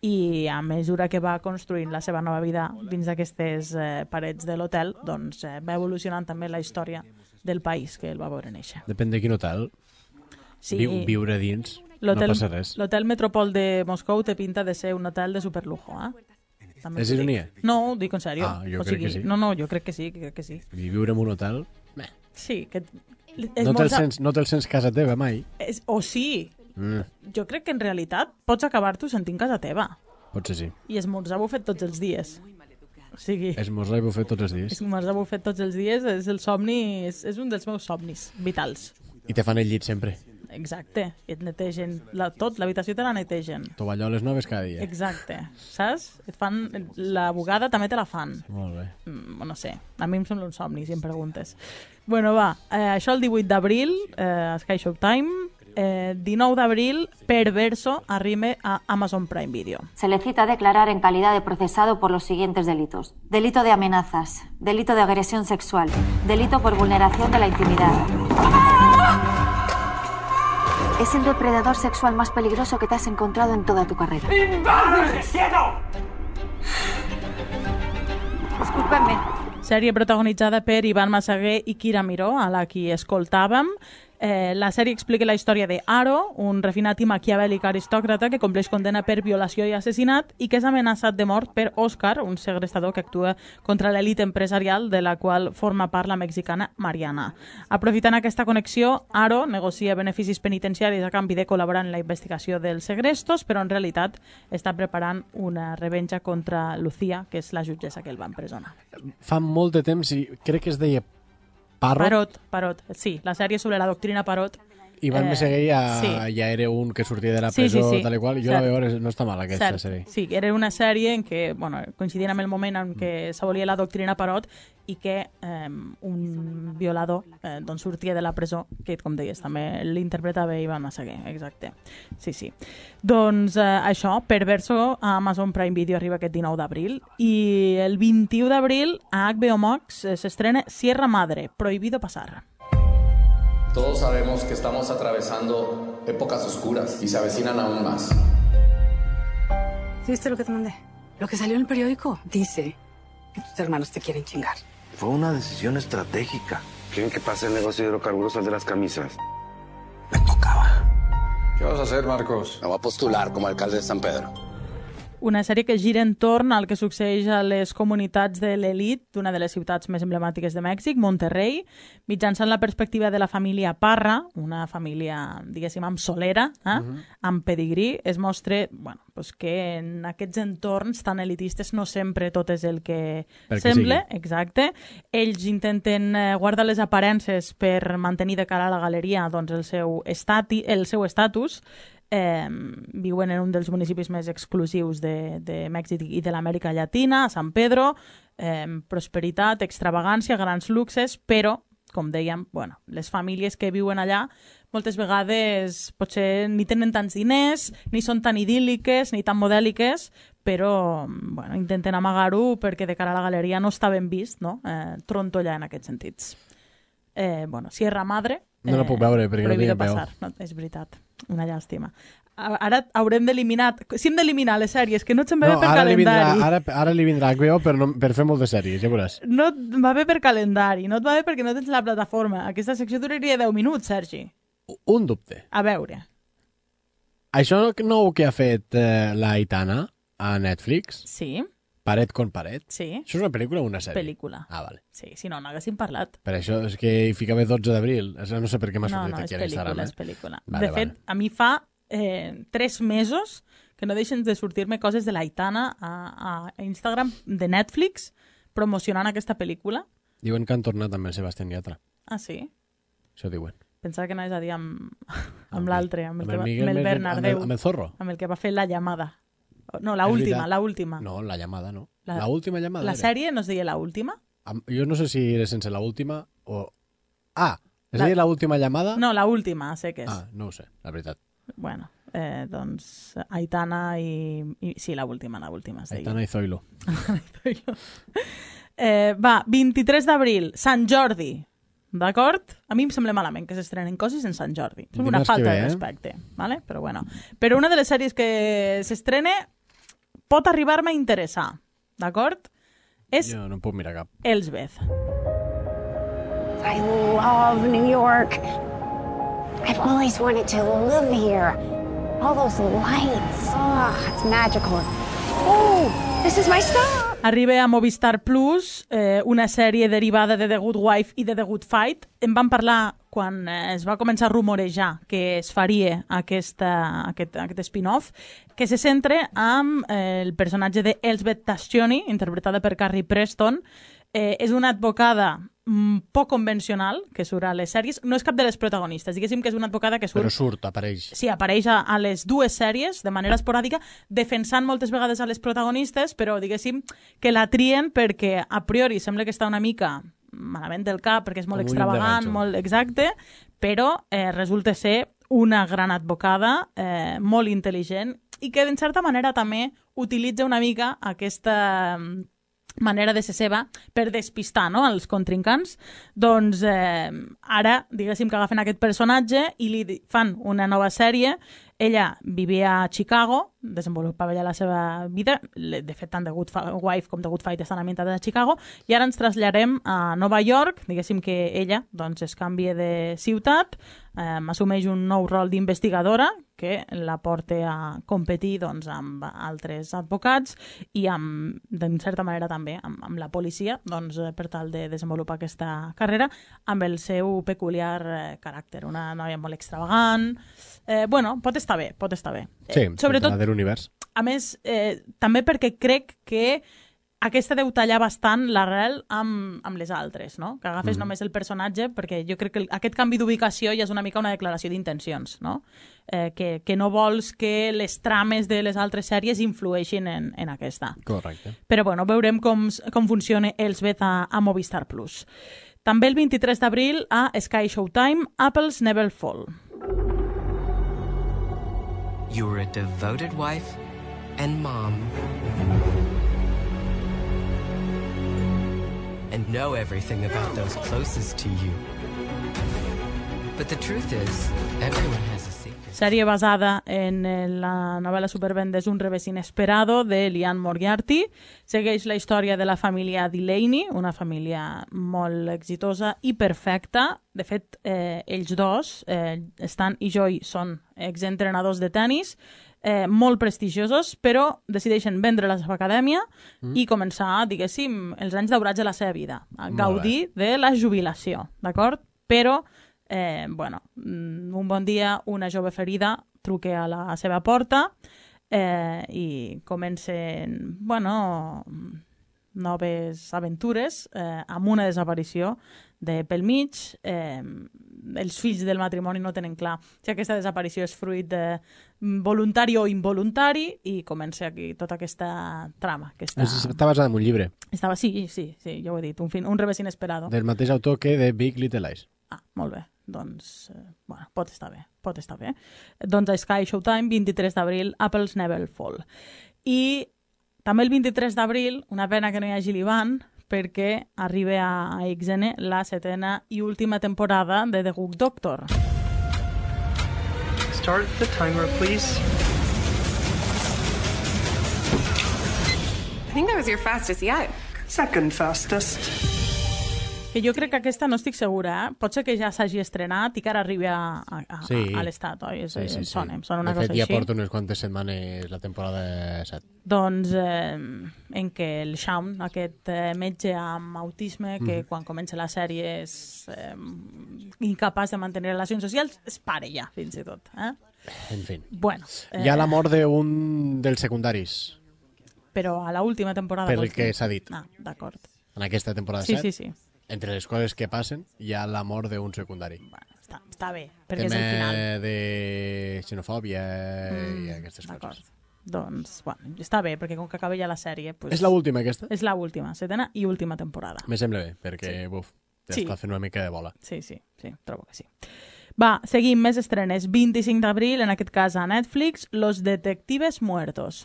i a mesura que va construint la seva nova vida dins d'aquestes eh, parets de l'hotel, doncs eh, va evolucionant també la història del país que el va veure néixer. Depèn de quin hotel. Sí. Viu, viure dins no passa res. L'hotel Metropol de Moscou té pinta de ser un hotel de superlujo, eh? També És ironia? No, ho dic en sèrio. Ah, jo o crec sigui, que sí. No, no, jo crec que sí, crec que sí. I viure en un hotel... Bé. Sí, que... No te'l sents, no te sents casa teva mai. És, o sí. Mm, Jo crec que en realitat pots acabar-t'ho sentint casa teva. potser sí. I esmorzar bufet tots els dies. O sigui... Esmorzar i bufet tots els dies. Esmorzar bufet tots els dies és el somni, és, és un dels meus somnis vitals. I te fan el llit sempre. Exacte. I et netegen la, tot, l'habitació te la netegen. Tovalloles noves cada dia. Exacte. Saps? Et fan... La bugada també te la fan. Molt bé. Mm, no sé. A mi em sembla un somni, si em preguntes. Bueno, va. Eh, això el divuit d'abril, eh, Sky Showtime. Eh, dinou d'abril, Perverso arriba a Amazon Prime Video. Se le cita a declarar en calidad de procesado por los siguientes delitos. Delito de amenazas, delito de agresión sexual, delito por vulneración de la intimidad. Es el depredador sexual más peligroso que te has encontrado en toda tu carrera. Discúlpenme. Sèrie protagonitzada per Ivan Massaguer i Kira Miró, a la qui escoltàvem. Eh, la sèrie explica la història de Aro, un refinat i maquiavèlic aristòcrata que compleix condena per violació i assassinat i que és amenaçat de mort per Òscar, un segrestador que actua contra l'elit empresarial de la qual forma part la mexicana Mariana. Aprofitant aquesta connexió, Aro negocia beneficis penitenciaris a canvi de col·laborar en la investigació dels segrestos, però en realitat està preparant una revenja contra Lucía, que és la jutgessa que el va empresonar. Fa molt de temps i crec que es deia Parrot. Parot, Parot, sí, la sèrie sobre la doctrina Parot. Ivan eh, Massaguer ja, sí. ja era un que sortia de la Sí, presó, sí, sí. tal i qual. Jo Cert. la veure, no està mal aquesta Cert. sèrie. Sí, era una sèrie en què, bueno, coincidint amb el moment en què s'abolia la doctrina Parot i que eh, un violador eh, doncs sortia de la presó, que, com deies, també l'interpretava Ivan Massaguer, exacte. Sí, sí. Doncs eh, això, Perverso, a Amazon Prime Video arriba aquest dinou d'abril i el vint-i-u d'abril a H B O Max eh, s'estrena Sierra Madre, Prohibido Pasar. Todos sabemos que estamos atravesando épocas oscuras y se avecinan aún más. ¿Viste lo que te mandé? Lo que salió en el periódico. Dice que tus hermanos te quieren chingar. Fue una decisión estratégica. ¿Quieren que pase el negocio de hidrocarburos al de las camisas? ¿Qué vas a hacer, Marcos? Me voy a postular como alcalde de San Pedro. una sèrie que gira entorn al que succeeix a les comunitats de l'elit d'una de les ciutats més emblemàtiques de Mèxic, Monterrey, mitjançant la perspectiva de la família Parra, una família, diguéssim, amb solera, eh? uh-huh. amb pedigrí. Es mostra bueno, pues que en aquests entorns tan elitistes no sempre tot és el que Perquè sembla. Sigui. Exacte. Ells intenten guardar les aparences per mantenir de cara a la galeria doncs, el seu estati, el seu estatus. Eh, viuen en un dels municipis més exclusius de, de Mèxic i de l'Amèrica Llatina, a San Pedro, eh, prosperitat, extravagància, grans luxes, però, com dèiem, bueno, les famílies que viuen allà moltes vegades potser ni tenen tants diners, ni són tan idíl·liques, ni tan modèliques, però bueno, intenten amagar-ho perquè de cara a la galeria no està ben vist, no? eh, trontollar en aquests sentits. Eh, bueno, Sierra Madre... Eh, no la puc veure perquè no tinc peu. No, és veritat, una llàstima. Ara haurem d'eliminar... Si hem d'eliminar les sèries que no et se'n va no, bé per ara calendari... Vindrà, ara, ara li vindrà H B O per, no, per fer moltes sèries, ja veuràs. No et va bé per calendari, no et va bé perquè no tens la plataforma. Aquesta secció duraria deu minuts, Sergi. Un dubte. A veure. Això nou que ha fet eh, la Aitana a Netflix... Sí. Paret con paret. Sí. Això és una pel·lícula o una sèrie? Pel·lícula. Ah, vale. Sí, si no, no haguéssim parlat. Per això és que hi ficava dotze d'abril. No sé per què m'ha sortit no, no, aquí a l'Instagram. No, no, és pel·lícula, és pel·lícula. Vale, de fet, vale. a mi fa eh, tres mesos que no deixen de sortir-me coses de l'Aitana a, a Instagram de Netflix promocionant aquesta pel·lícula. Diuen que han tornat amb el Sebastián Yatra. Ah, sí? Això diuen. Pensava que anaves a dir amb, amb l'altre, amb, el, amb, el, que va, amb el Bernardeu. Amb el, amb el Zorro? Amb el que va fer La Llamada. No, la última, la última. No, La Llamada no. La, la última llamada La era. sèrie no es deia La Última? Jo no sé si era sense La Última o... Ah, es la... deia La Última Llamada? No, La Última, sé que és. Ah, no ho sé, la veritat. Bueno, eh, doncs Aitana i... i... Sí, La Última, La Última es deia. Aitana i Zoilo. eh, va, vint-i-tres d'abril, Sant Jordi. D'acord? A mi em sembla malament que s'estrenen coses en Sant Jordi. És una falta ve, de respecte. Eh? Vale? Però bueno. Però una de les sèries que s'estrena pot arribar-me a interessar. D'acord? És jo no puc mirar cap. Elsbeth. I love New York. I've always wanted to live here. All those lights. Oh, it's magical. Oh, this is my stop. Arriba a Movistar Plus, eh, una sèrie derivada de The Good Wife i de The Good Fight. En vam parlar quan eh, es va començar a rumorejar que es faria aquesta, aquest, aquest spin-off, que se centra amb eh, el personatge de Elsbeth Tascioni, interpretada per Carrie Preston. Eh, és una advocada mm, poc convencional que surt a les sèries. No és cap de les protagonistes, diguéssim que és una advocada que surt... Però surt, apareix. Sí, apareix a, a les dues sèries de manera esporàdica, defensant moltes vegades a les protagonistes, però diguéssim que la trien perquè a priori sembla que està una mica malament del cap, perquè és molt Com extravagant, molt exacte, però eh, resulta ser una gran advocada, eh, molt intel·ligent, i que en certa manera també utilitza una mica aquesta manera de ser seva per despistar, no?, els contrincants. Doncs eh, ara, diguéssim que agafen aquest personatge i li fan una nova sèrie. Ella vivia a Chicago, desenvolupava ja la seva vida, de fet tant The Good Wife com The Good Fight estan ambientades a Chicago, i ara ens traslladem a Nova York, diguéssim que ella doncs, es canvia de ciutat, eh, assumeix un nou rol d'investigadora que la porta a competir doncs, amb altres advocats i amb, d'en certa manera també amb, amb la policia, doncs, per tal de desenvolupar aquesta carrera amb el seu peculiar eh, caràcter, una noia molt extravagant. Eh, bueno, pot estar bé, pot estar bé. Sí, eh, sobretot de l'univers. A més, eh, també perquè crec que aquesta deu tallar bastant l'arrel amb, amb les altres, no? Que agafes mm. només el personatge, perquè jo crec que el, aquest canvi d'ubicació ja és una mica una declaració d'intencions, no? Eh, que, que no vols que les trames de les altres sèries influeixin en, en aquesta. Correcte. Però bueno, veurem com, com funciona Elsbeth a, a Movistar Plus. També el vint-i-tres d'abril a Sky Showtime, Apples Never Fall. You were a devoted wife and mom. And know everything about those closest to you. But the truth is, everyone has a secret. Sèrie basada en la novel·la supervendes Un revés inesperado de Liane Moriarty. Segueix la història de la família Delaney, una família molt exitosa i perfecta. De fet, eh, ells dos, eh, Stan i Joy, són exentrenadors de tennis, eh, molt prestigiosos, però decideixen vendre la seva acadèmia mm. i començar, diguéssim, els anys daurats de la seva vida, a gaudir de la jubilació, d'acord? Però Eh, bueno, un bon dia una jove ferida truca a la seva porta eh, i comencen, bueno, noves aventures eh, amb una desaparició de pel mig. Eh, els fills del matrimoni no tenen clar si aquesta desaparició és fruit de voluntari o involuntari i comença aquí tota aquesta trama. Aquesta... Està basada en un llibre. Estava, sí, sí, sí, ja ho he dit, un, fin, un revés inesperado. Del mateix autor que de Big Little Lies. Ah, molt bé. Doncs, eh, bueno, pot estar bé, pot estar bé. Doncs a Sky Showtime, vint-i-tres d'abril, Apples Never Fall. I també el vint-i-tres d'abril, una pena que no hi hagi l'Ivan, perquè arriba a X N la setena i última temporada de The Good Doctor. Start the timer, please. I think that was your fastest yet. Second fastest. Que jo crec que aquesta no estic segura, eh? Pot ser que ja s'hagi estrenat i que ara arribi a, a, a, sí. a l'estat, oi? És, sí, sí, em sona, sí. Em sona una de fet, cosa ja així. porta unes quantes setmanes la temporada set. Doncs eh, en què el Shaun, aquest eh, metge amb autisme, que mm. quan comença la sèrie és eh, incapaç de mantenir relacions socials, es pare ja, fins i tot. Eh? En fi. Bueno, eh, hi ha la mort d'un dels secundaris. Però a l'última temporada... Per el que s'ha dit. Ah, d'acord. En aquesta temporada sí, set. Sí, sí. Entre les coses que passen, hi ha la mort d'un secundari. Bueno, està, està bé, perquè tema és el final. De xenofòbia mm, i aquestes coses. Doncs, bueno, està bé, perquè com que acaba ja la sèrie... Pues, és l'última, aquesta? És l'última, setena i última temporada. Me sembla bé, perquè, sí. buf, ja sí. està fent una mica de bola. Sí, sí, sí, trobo que sí. Va, seguim, més estrenes. vint-i-cinc d'abril, en aquest cas a Netflix, Los Detectives Muertos.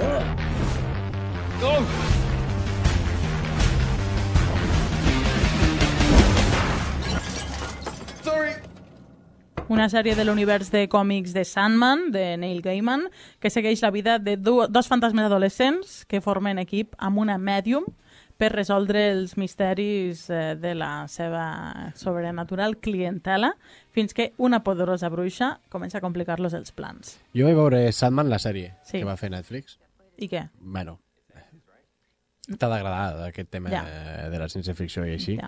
Oh! Oh! Una sèrie de l'univers de còmics de Sandman, de Neil Gaiman, que segueix la vida de do, dos fantasmes adolescents que formen equip amb una mèdium per resoldre els misteris eh, de la seva sobrenatural clientela, fins que una poderosa bruixa comença a complicar-los els plans. Jo vaig veure Sandman, la sèrie sí. que va fer Netflix. I què? Bueno, t'ha d'agradar aquest tema ja. de la ciència-ficció i així. Ja.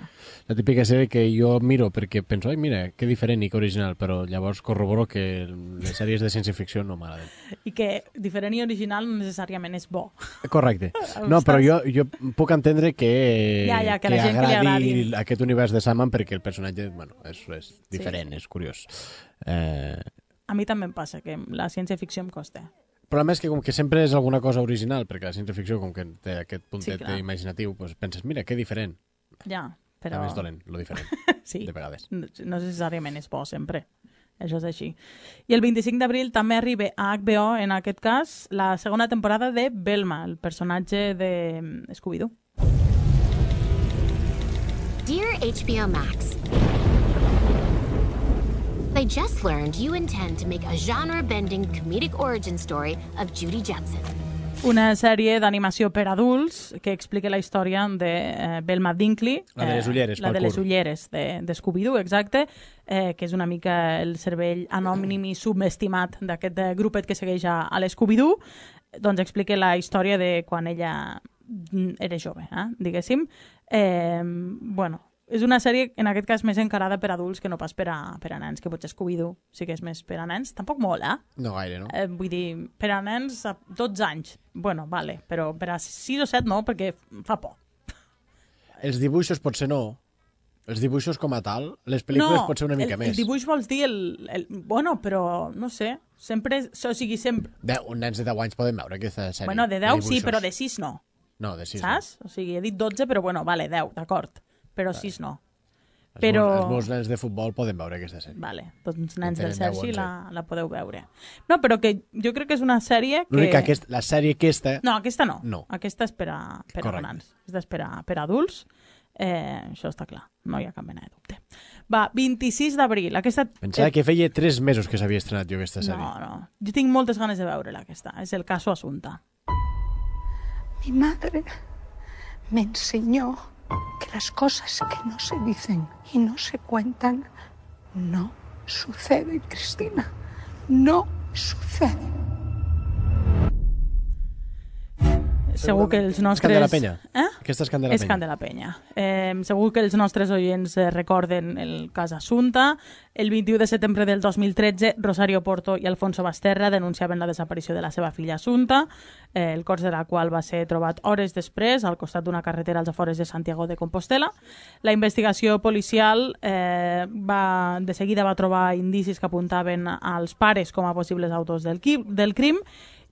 La típica sèrie que jo miro perquè penso, ai, mira, que diferent i que original, però llavors corroboro que les sèries de ciència-ficció no m'agraden. I que diferent i original no necessàriament és bo. Correcte. No, però jo, jo puc entendre que, ja, ja, que, que la gent agradi, que li agradi aquest univers de Sandman perquè el personatge bueno, és, és diferent, sí. és curiós. Eh... A mi també em passa que la ciència-ficció em costa. El problema és que com que sempre és alguna cosa original, perquè la ciència-ficció com que té aquest puntet sí, imaginatiu, doncs penses, mira, que diferent. Ja, però... També és dolent, lo diferent, sí. de vegades. No, no necessàriament és bo, sempre. Això és així. I el vint-i-cinc d'abril també arriba a H B O, en aquest cas, la segona temporada de Velma, el personatge de Scooby-Doo. Dear H B O Max, I just learned you intend to make a genre-bending comedic origin story of Judy Jetson. Una sèrie d'animació per adults que explica la història de eh, Velma Dinkley. La de les ulleres, eh, La de les ulleres de, de Scooby-Doo, exacte, eh, que és una mica el cervell anònim i subestimat d'aquest grupet que segueix a, a l'Scooby-Doo. Doncs explica la història de quan ella era jove, eh, diguéssim. Eh, bueno, és una sèrie, en aquest cas, més encarada per adults que no pas per a, per a nens, que potser Scooby-Doo sí que és més per a nens. Tampoc molt, eh? No gaire, no? Eh, vull dir, per a nens a dotze anys. Bueno, vale, però per a sis o set no, perquè fa por. Els dibuixos potser no. Els dibuixos com a tal, les pel·lícules no, potser una mica el, més. No, el dibuix vols dir el, el... Bueno, però no sé, sempre... O sigui, sempre... Deu, un nens de deu anys poden veure aquesta sèrie. Bueno, de deu sí, però de sis no. No, de sis Saps? no. O sigui, he dit dotze, però bueno, vale, deu, d'acord. Però vale. sis no. Els, però... meus, els meus nens de futbol poden veure aquesta sèrie. Vale, doncs nens del Sergi la, la podeu veure. No, però que jo crec que és una sèrie que... L'únic que aquest, la sèrie aquesta... No, aquesta no. no. Aquesta és per a, per a nens. Aquesta és per a, per a adults. Eh, això està clar, no hi ha cap mena de dubte. Va, vint-i-sis d'abril. Aquesta... Pensava que feia tres mesos que s'havia estrenat jo aquesta sèrie. No, no. Jo tinc moltes ganes de veure-la, aquesta. És el caso Asunta. Mi madre me enseñó que las cosas que no se dicen y no se cuentan no suceden, Cristina. No suceden. Segur que els nostres... És Candelapenya? Eh? Aquesta és Candelapenya. És Candelapenya. Eh, segur que els nostres oients eh, recorden el cas Assunta. El vint-i-u de setembre del dos mil tretze, Rosario Porto i Alfonso Basterra denunciaven la desaparició de la seva filla Assunta, eh, el cos de la qual va ser trobat hores després al costat d'una carretera als afores de Santiago de Compostela. La investigació policial eh, va, de seguida va trobar indicis que apuntaven als pares com a possibles autors del, del crim,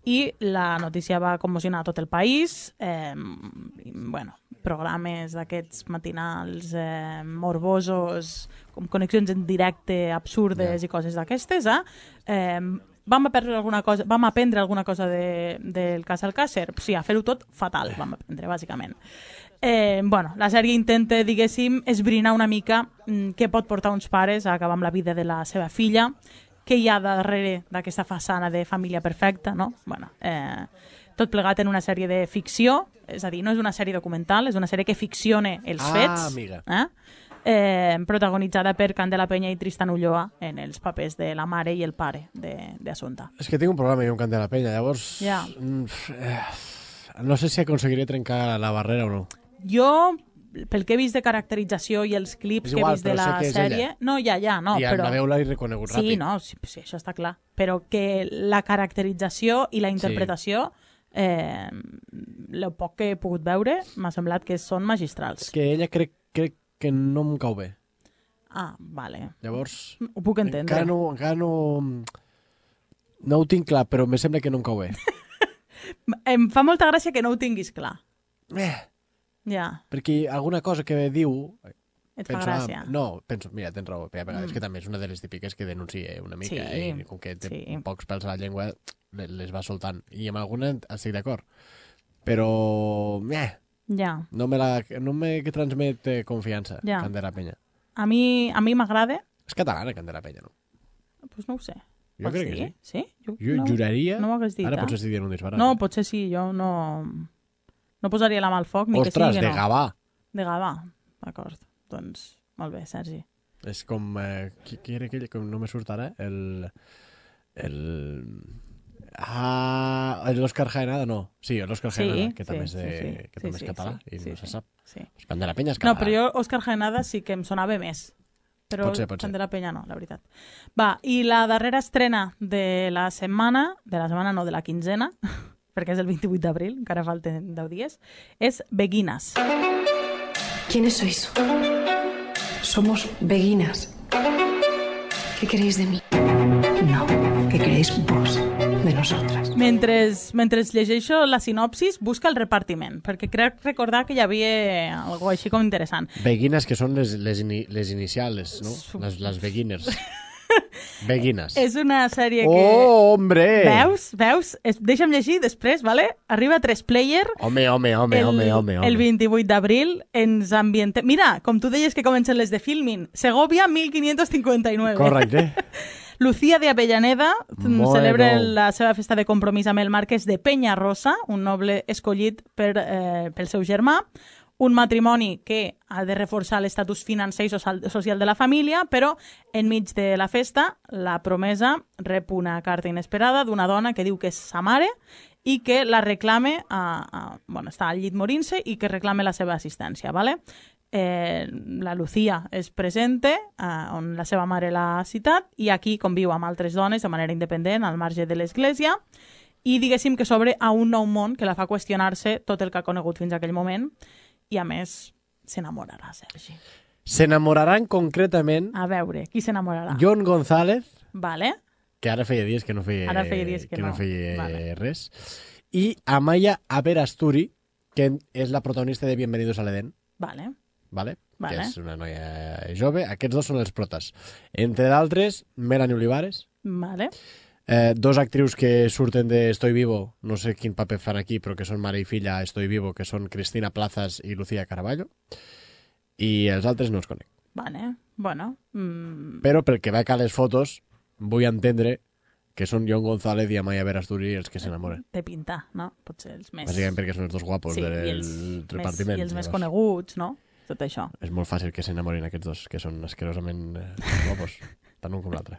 i la notícia va commocionar tot el país. Eh, bueno, programes d'aquests matinals eh, morbosos, com connexions en directe absurdes yeah. i coses d'aquestes. Eh? Eh, vam, aprendre alguna cosa, vam aprendre alguna cosa de, del cas Alcácer? Sí, a fer-ho tot fatal, vam aprendre, bàsicament. Eh, bueno, la sèrie intenta, diguéssim, esbrinar una mica mm, què pot portar uns pares a acabar amb la vida de la seva filla, què hi ha darrere d'aquesta façana de família perfecta, no? Bueno, eh, tot plegat en una sèrie de ficció, és a dir, no és una sèrie documental, és una sèrie que ficciona els ah, fets, amiga. Eh? Eh, protagonitzada per Candelapenya i Tristan Ulloa en els papers de la mare i el pare d'Assunta. És que tinc un problema jo amb Candelapenya, llavors... Ja. Eh, no sé si aconseguiré trencar la barrera o no. Jo... pel que he vist de caracterització i els clips igual, que he vist de la sèrie... Ella. No, ja, ja, no, I però... I la veu-la he reconegut sí, ràpid. Sí, no, sí, sí, això està clar. Però que la caracterització i la interpretació, sí. eh, el poc que he pogut veure, m'ha semblat que són magistrals. És que ella crec, crec que no em cau bé. Ah, vale. Llavors... Ho puc entendre. Encara no... Encara no... No ho tinc clar, però me sembla que no em cau bé. Em fa molta gràcia que no ho tinguis clar. Eh... Ja. Perquè alguna cosa que diu... Et penso, fa gràcia. Ah, no, penso, mira, tens raó, a vegades mm. que també és una de les típiques que denuncia una mica, sí. eh, i com que té sí. pocs pèls a la llengua, les va soltant. I amb alguna estic d'acord. Però, eh, ja. no me, la, no me transmet confiança, ja. Candelapenya. A mi, a mi m'agrada. És catalana, Candelapenya, no? Doncs pues no ho sé. Jo Pots crec dir? que sí. Sí? Jo, jo no, juraria... No m'ho dit, Ara eh? potser estic dient un disbarat. No, potser sí, jo no... No posaria la mà al foc, ni Ostres, que sigui que no. de Gavà. De Gavà, d'acord. Doncs, molt bé, Sergi. És com... Eh, qui, qui era aquell? Com no me surt ara? El... El... Ah... L'Òscar Jaenada, no. Sí, l'Òscar sí, Jaenada, que sí, també és, de, sí, sí, que sí, també sí, és català sí, i sí, no se sí, sap. Sí. Pues Candelapenya és català. No, però jo Òscar Jaenada sí que em sonava més. Però pot ser, pot ser. Candelapenya no, la veritat. Va, i la darrera estrena de la setmana, de la setmana no, de la quinzena, perquè és el vint-i-vuit d'abril, encara falten deu dies, és Beguinas. ¿Quiénes sois? Somos Beguinas. ¿Qué queréis de mí? No, ¿qué queréis vos de nosotras? Mentre, mentre llegeixo la sinopsis, busca el repartiment, perquè crec recordar que hi havia algo així com interessant. Beguines, que són les, les, ini, les inicials, no? Les, les beginners. Beguines. És una sèrie que... Oh, hombre! Veus? Veus? Es, deixa'm llegir després, vale? Arriba a tres player. Home, home, home, el, home, home, home. El vint-i-vuit d'abril ens ambientem... Mira, com tu deies que comencen les de Filmin. Segovia, mil quinientos cincuenta-nueve. Correcte. Lucía de Avellaneda bueno. celebra la seva festa de compromís amb el marquès de Penyarrosa, un noble escollit per, eh, pel seu germà. Un matrimoni que ha de reforçar l'estatus financer i social de la família, però enmig de la festa la promesa rep una carta inesperada d'una dona que diu que és sa mare i que la reclame, a, a, bueno, està al llit morint-se i que reclame la seva assistència, ¿vale? Eh, la Lucía es presenta eh, on la seva mare l'ha citat i aquí conviu amb altres dones de manera independent al marge de l'església i diguéssim que s'obre a un nou món que la fa qüestionar-se tot el que ha conegut fins a aquell moment i a més s'enamorarà, Sergi. S'enamoraran concretament... A veure, qui s'enamorarà? John González, vale. que ara feia dies que no feia, ara feia, dies que que no. no. feia vale. res, i Amaya Aberasturi, que és la protagonista de Bienvenidos al Edén. Vale. Vale? Vale. Que és una noia jove. Aquests dos són els protas. Entre d'altres, Melanie Olivares. Vale. Eh, dos actrius que surten de Estoy Vivo, no sé quin paper fan aquí, però que són mare i filla a Estoy Vivo, que són Cristina Plazas i Lucía Caraballo. i els altres no els conec. Vale, bueno... Mm... Però pel que veig a les fotos, vull entendre que són John González i Amaya Verasturi els que s'enamoren. De pintar, no? Potser els més... Bàsicament perquè són els dos guapos sí, del i els repartiment. Més, I els més coneguts, no? Tot això. És molt fàcil que s'enamorin aquests dos, que són asquerosament eh, guapos, tant un com l'altre.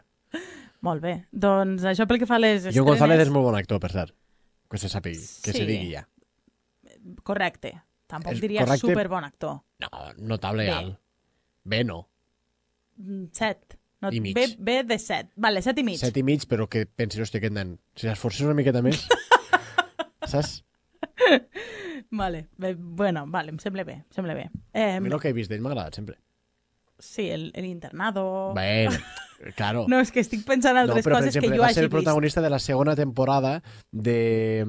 Molt bé. Doncs això pel que fa a les estrenes... John González és molt bon actor, per cert. Que se sàpigui, que sí. se digui ja. Correcte. Tampoc és diria correcte... superbon actor. No, notable alt. Bé no. Set. No, I mig. B, B de set. Vale, set i mig. Set i mig, però que pensi, hòstia, aquest nen, si l'esforces una miqueta més, saps? Vale, bé, bueno, vale, em sembla bé, em sembla bé. Eh, a mi el que he vist d'ell m'ha agradat sempre. Sí, el, el internado... Bé, claro. No, és que estic pensant en altres no, però, coses exemple, que jo hagi vist. Va ser el protagonista de la segona temporada de...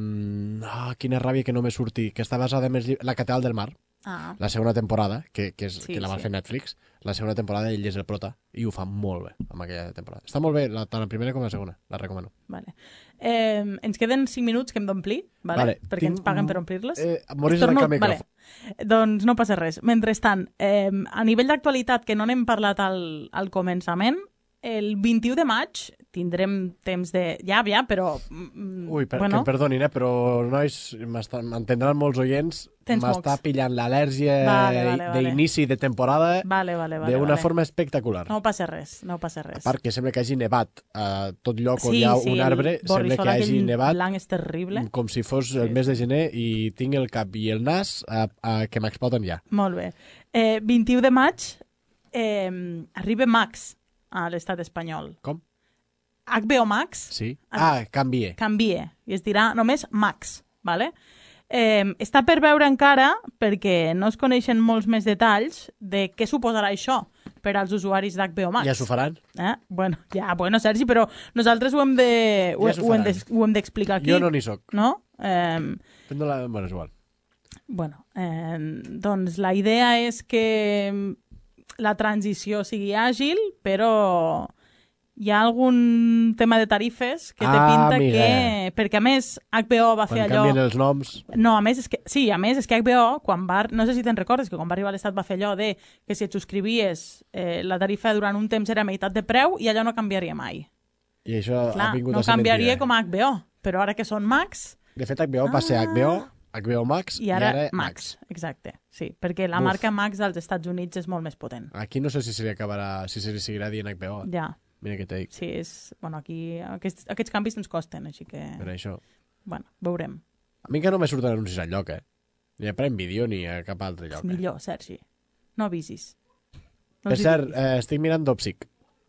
Ah, quina ràbia que no me surti, que està basada en els llibres... La Catedral del Mar. Ah. La segona temporada, que, que, és, Sí, que la va sí. fer Netflix, la segona temporada ell és el prota, i ho fa molt bé amb aquella temporada. Està molt bé, la, tant la primera com la segona, la recomano. Vale. Eh, ens queden cinc minuts que hem d'omplir, vale? Vale, perquè tinc- ens paguen per omplir-les. Eh, Moris Torno- arrenca el micròfon. Vale. Doncs no passa res. Mentrestant, eh, a nivell d'actualitat, que no n'hem parlat al, al començament, el vint-i-u de maig tindrem temps de... Ja, ja, però... mm, Ui, per, bueno, que em perdonin, eh, però nois, m'entendran molts oients, Tens m'està mocs. pillant l'al·lèrgia Vale, vale, vale. d'inici de temporada Vale, vale, vale. d'una vale. forma espectacular. No passa res, no passa res. A part que sembla que hagi nevat a tot lloc on Sí, hi ha sí, un el arbre, sembla borrissol que hagi aquell nevat blanc és terrible. com si fos el mes de gener i tinc el cap i el nas a, a, que m'exploten ja. Molt bé. Eh, vint-i-u de maig eh, arriba Max a l'estat espanyol. Com? H B O Max Sí? Ah, canvie. canvie i es dirà només Max, vale? Eh, està per veure encara, perquè no es coneixen molts més detalls de què suposarà això per als usuaris d'H B O Max. Ja s'ho faran? Eh? Bueno, ja, bueno, Sergi, però nosaltres ho hem de, ho, Ja s'ho ho hem faran. de, ho hem d'explicar aquí. Jo no n'hi soc. No? Eh, No la... Bueno, és igual. bueno, eh, doncs la idea és que la transició sigui àgil, però hi ha algun tema de tarifes que té Ah, pinta amiga. que... Perquè, a més, H B O va Quan fer allò... canvien els noms... No, a més, és que, sí, a més, és que H B O, quan va, no sé si te'n recordes, que quan va arribar a l'Estat va fer allò de que si et subscrivies eh, la tarifa durant un temps era a meitat de preu i allò no canviaria mai. I això Clar, ha vingut no a ser canviaria mentida. com a H B O, però ara que són Max... De fet, H B O va ser H B O, H B O Max I ara, Max. Exacte, sí, perquè la Uf. marca Max als Estats Units és molt més potent. Aquí no sé si se li acabarà, si se li seguirà dient H B O. Ja. Mira què te dic. Sí, és... Bueno, aquí aquests, aquests canvis ens costen, així que... Per això. Bueno, veurem. A mi que no me surten anuncis enlloc, eh? Ni a Prime Video ni a cap altre lloc. És millor, Sergi. No avisis. No Per els hi cert, diguis. eh, estic mirant Dopsic.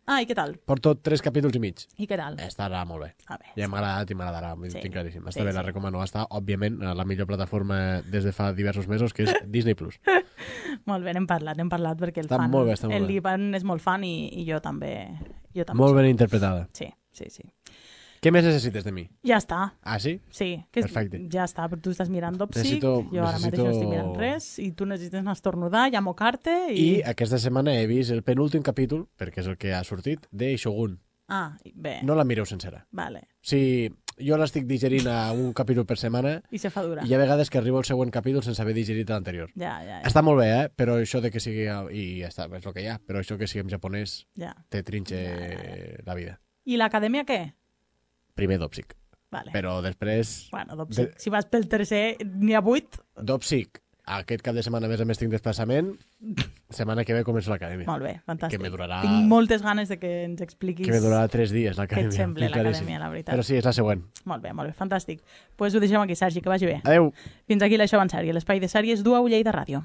Ah, i què tal? Porto tres capítols i mig. I què tal? Estarà molt bé. A bé, Ja m'ha agradat i m'agradarà, Sí. sí. tinc claríssim. Està Sí, bé, sí. la recomano. Està, òbviament, a la millor plataforma des de fa diversos mesos, que és Disney Plus. Molt bé, n'hem parlat, n'hem parlat perquè el Està fan, molt bé, està molt el bé. Ivan és molt fan i, i jo també. Jo també Molt soc. ben interpretada. Sí, sí, sí. Què més necessites de mi? Ja està. Ah, sí? Sí, que és, Perfecte. ja està, però tu estàs mirant Dopsic, Necessito- jo ara mateix no estic mirant necessito- res, i tu necessites anar a estornudar i a mocar-te, i... I aquesta setmana he vist el penúltim capítol, perquè és el que ha sortit, de Shogun. Ah, bé. No la mireu sencera. Vale. Sí, jo l'estic digerint a un capítol per setmana I se fa dura. i hi ha vegades que arribo al següent capítol sense haver digerit l'anterior. Ja, ja, ja. Està molt bé, eh? Però això de que sigui... I ja està, és el que hi ha. Però això que sigui en japonès Ja. te trinxe la vida. I l'acadèmia què? Primer Dopsic. Vale. Però després... Bueno, Dopsic, si vas pel tercer, n'hi ha vuit. Dopsic. Aquest cap de setmana, a més a més, tinc desplaçament. Setmana que ve començo l'acadèmia. Molt bé, fantàstic. Que me durarà... Tinc moltes ganes de que ens expliquis Que me durarà tres dies, l'acadèmia. què et sembla tinc claríssim. l'acadèmia, la veritat. Però sí, és la següent. Molt bé, molt bé, fantàstic. Doncs pues ho deixem aquí, Sergi, que vagi bé. Adéu. Fins aquí l'Això en sèrie, l'espai de sèries du a Ullell de Ràdio.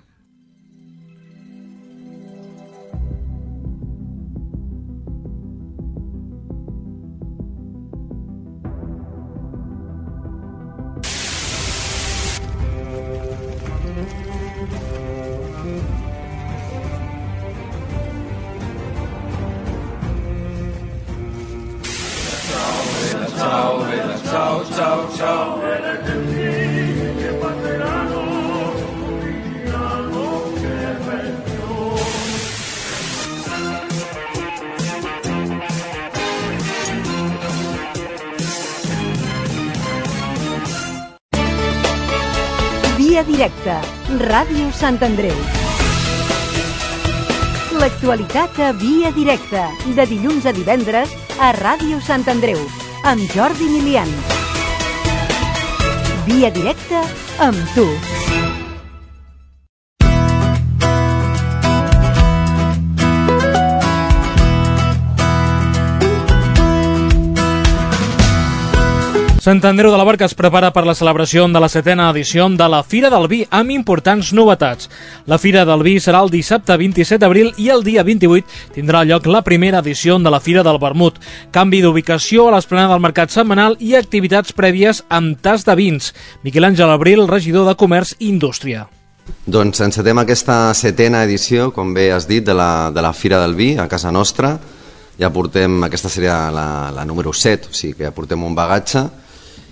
Ciao, bella, ciao, ciao, ciao. Via directa, Ràdio Sant Andreu. l'actualitat a Via Directa, de dilluns a divendres a Ràdio Sant Andreu, amb Jordi Milian. Via Directa amb tu. Sant Andreu de la Barca es prepara per la celebració de la setena edició de la Fira del Vi, amb importants novetats. La Fira del Vi serà el dissabte vint-i-set d'abril i el dia vint-i-vuit tindrà lloc la primera edició de la Fira del Vermut. Canvi d'ubicació a l'esplanada del mercat setmanal i activitats prèvies amb tas de vins. Miquel Àngel Abril, regidor de Comerç i Indústria. Doncs encetem aquesta setena edició, com bé has dit, de la, de la Fira del Vi a casa nostra. Ja portem, aquesta seria la, la número set, o sigui que ja portem un bagatge.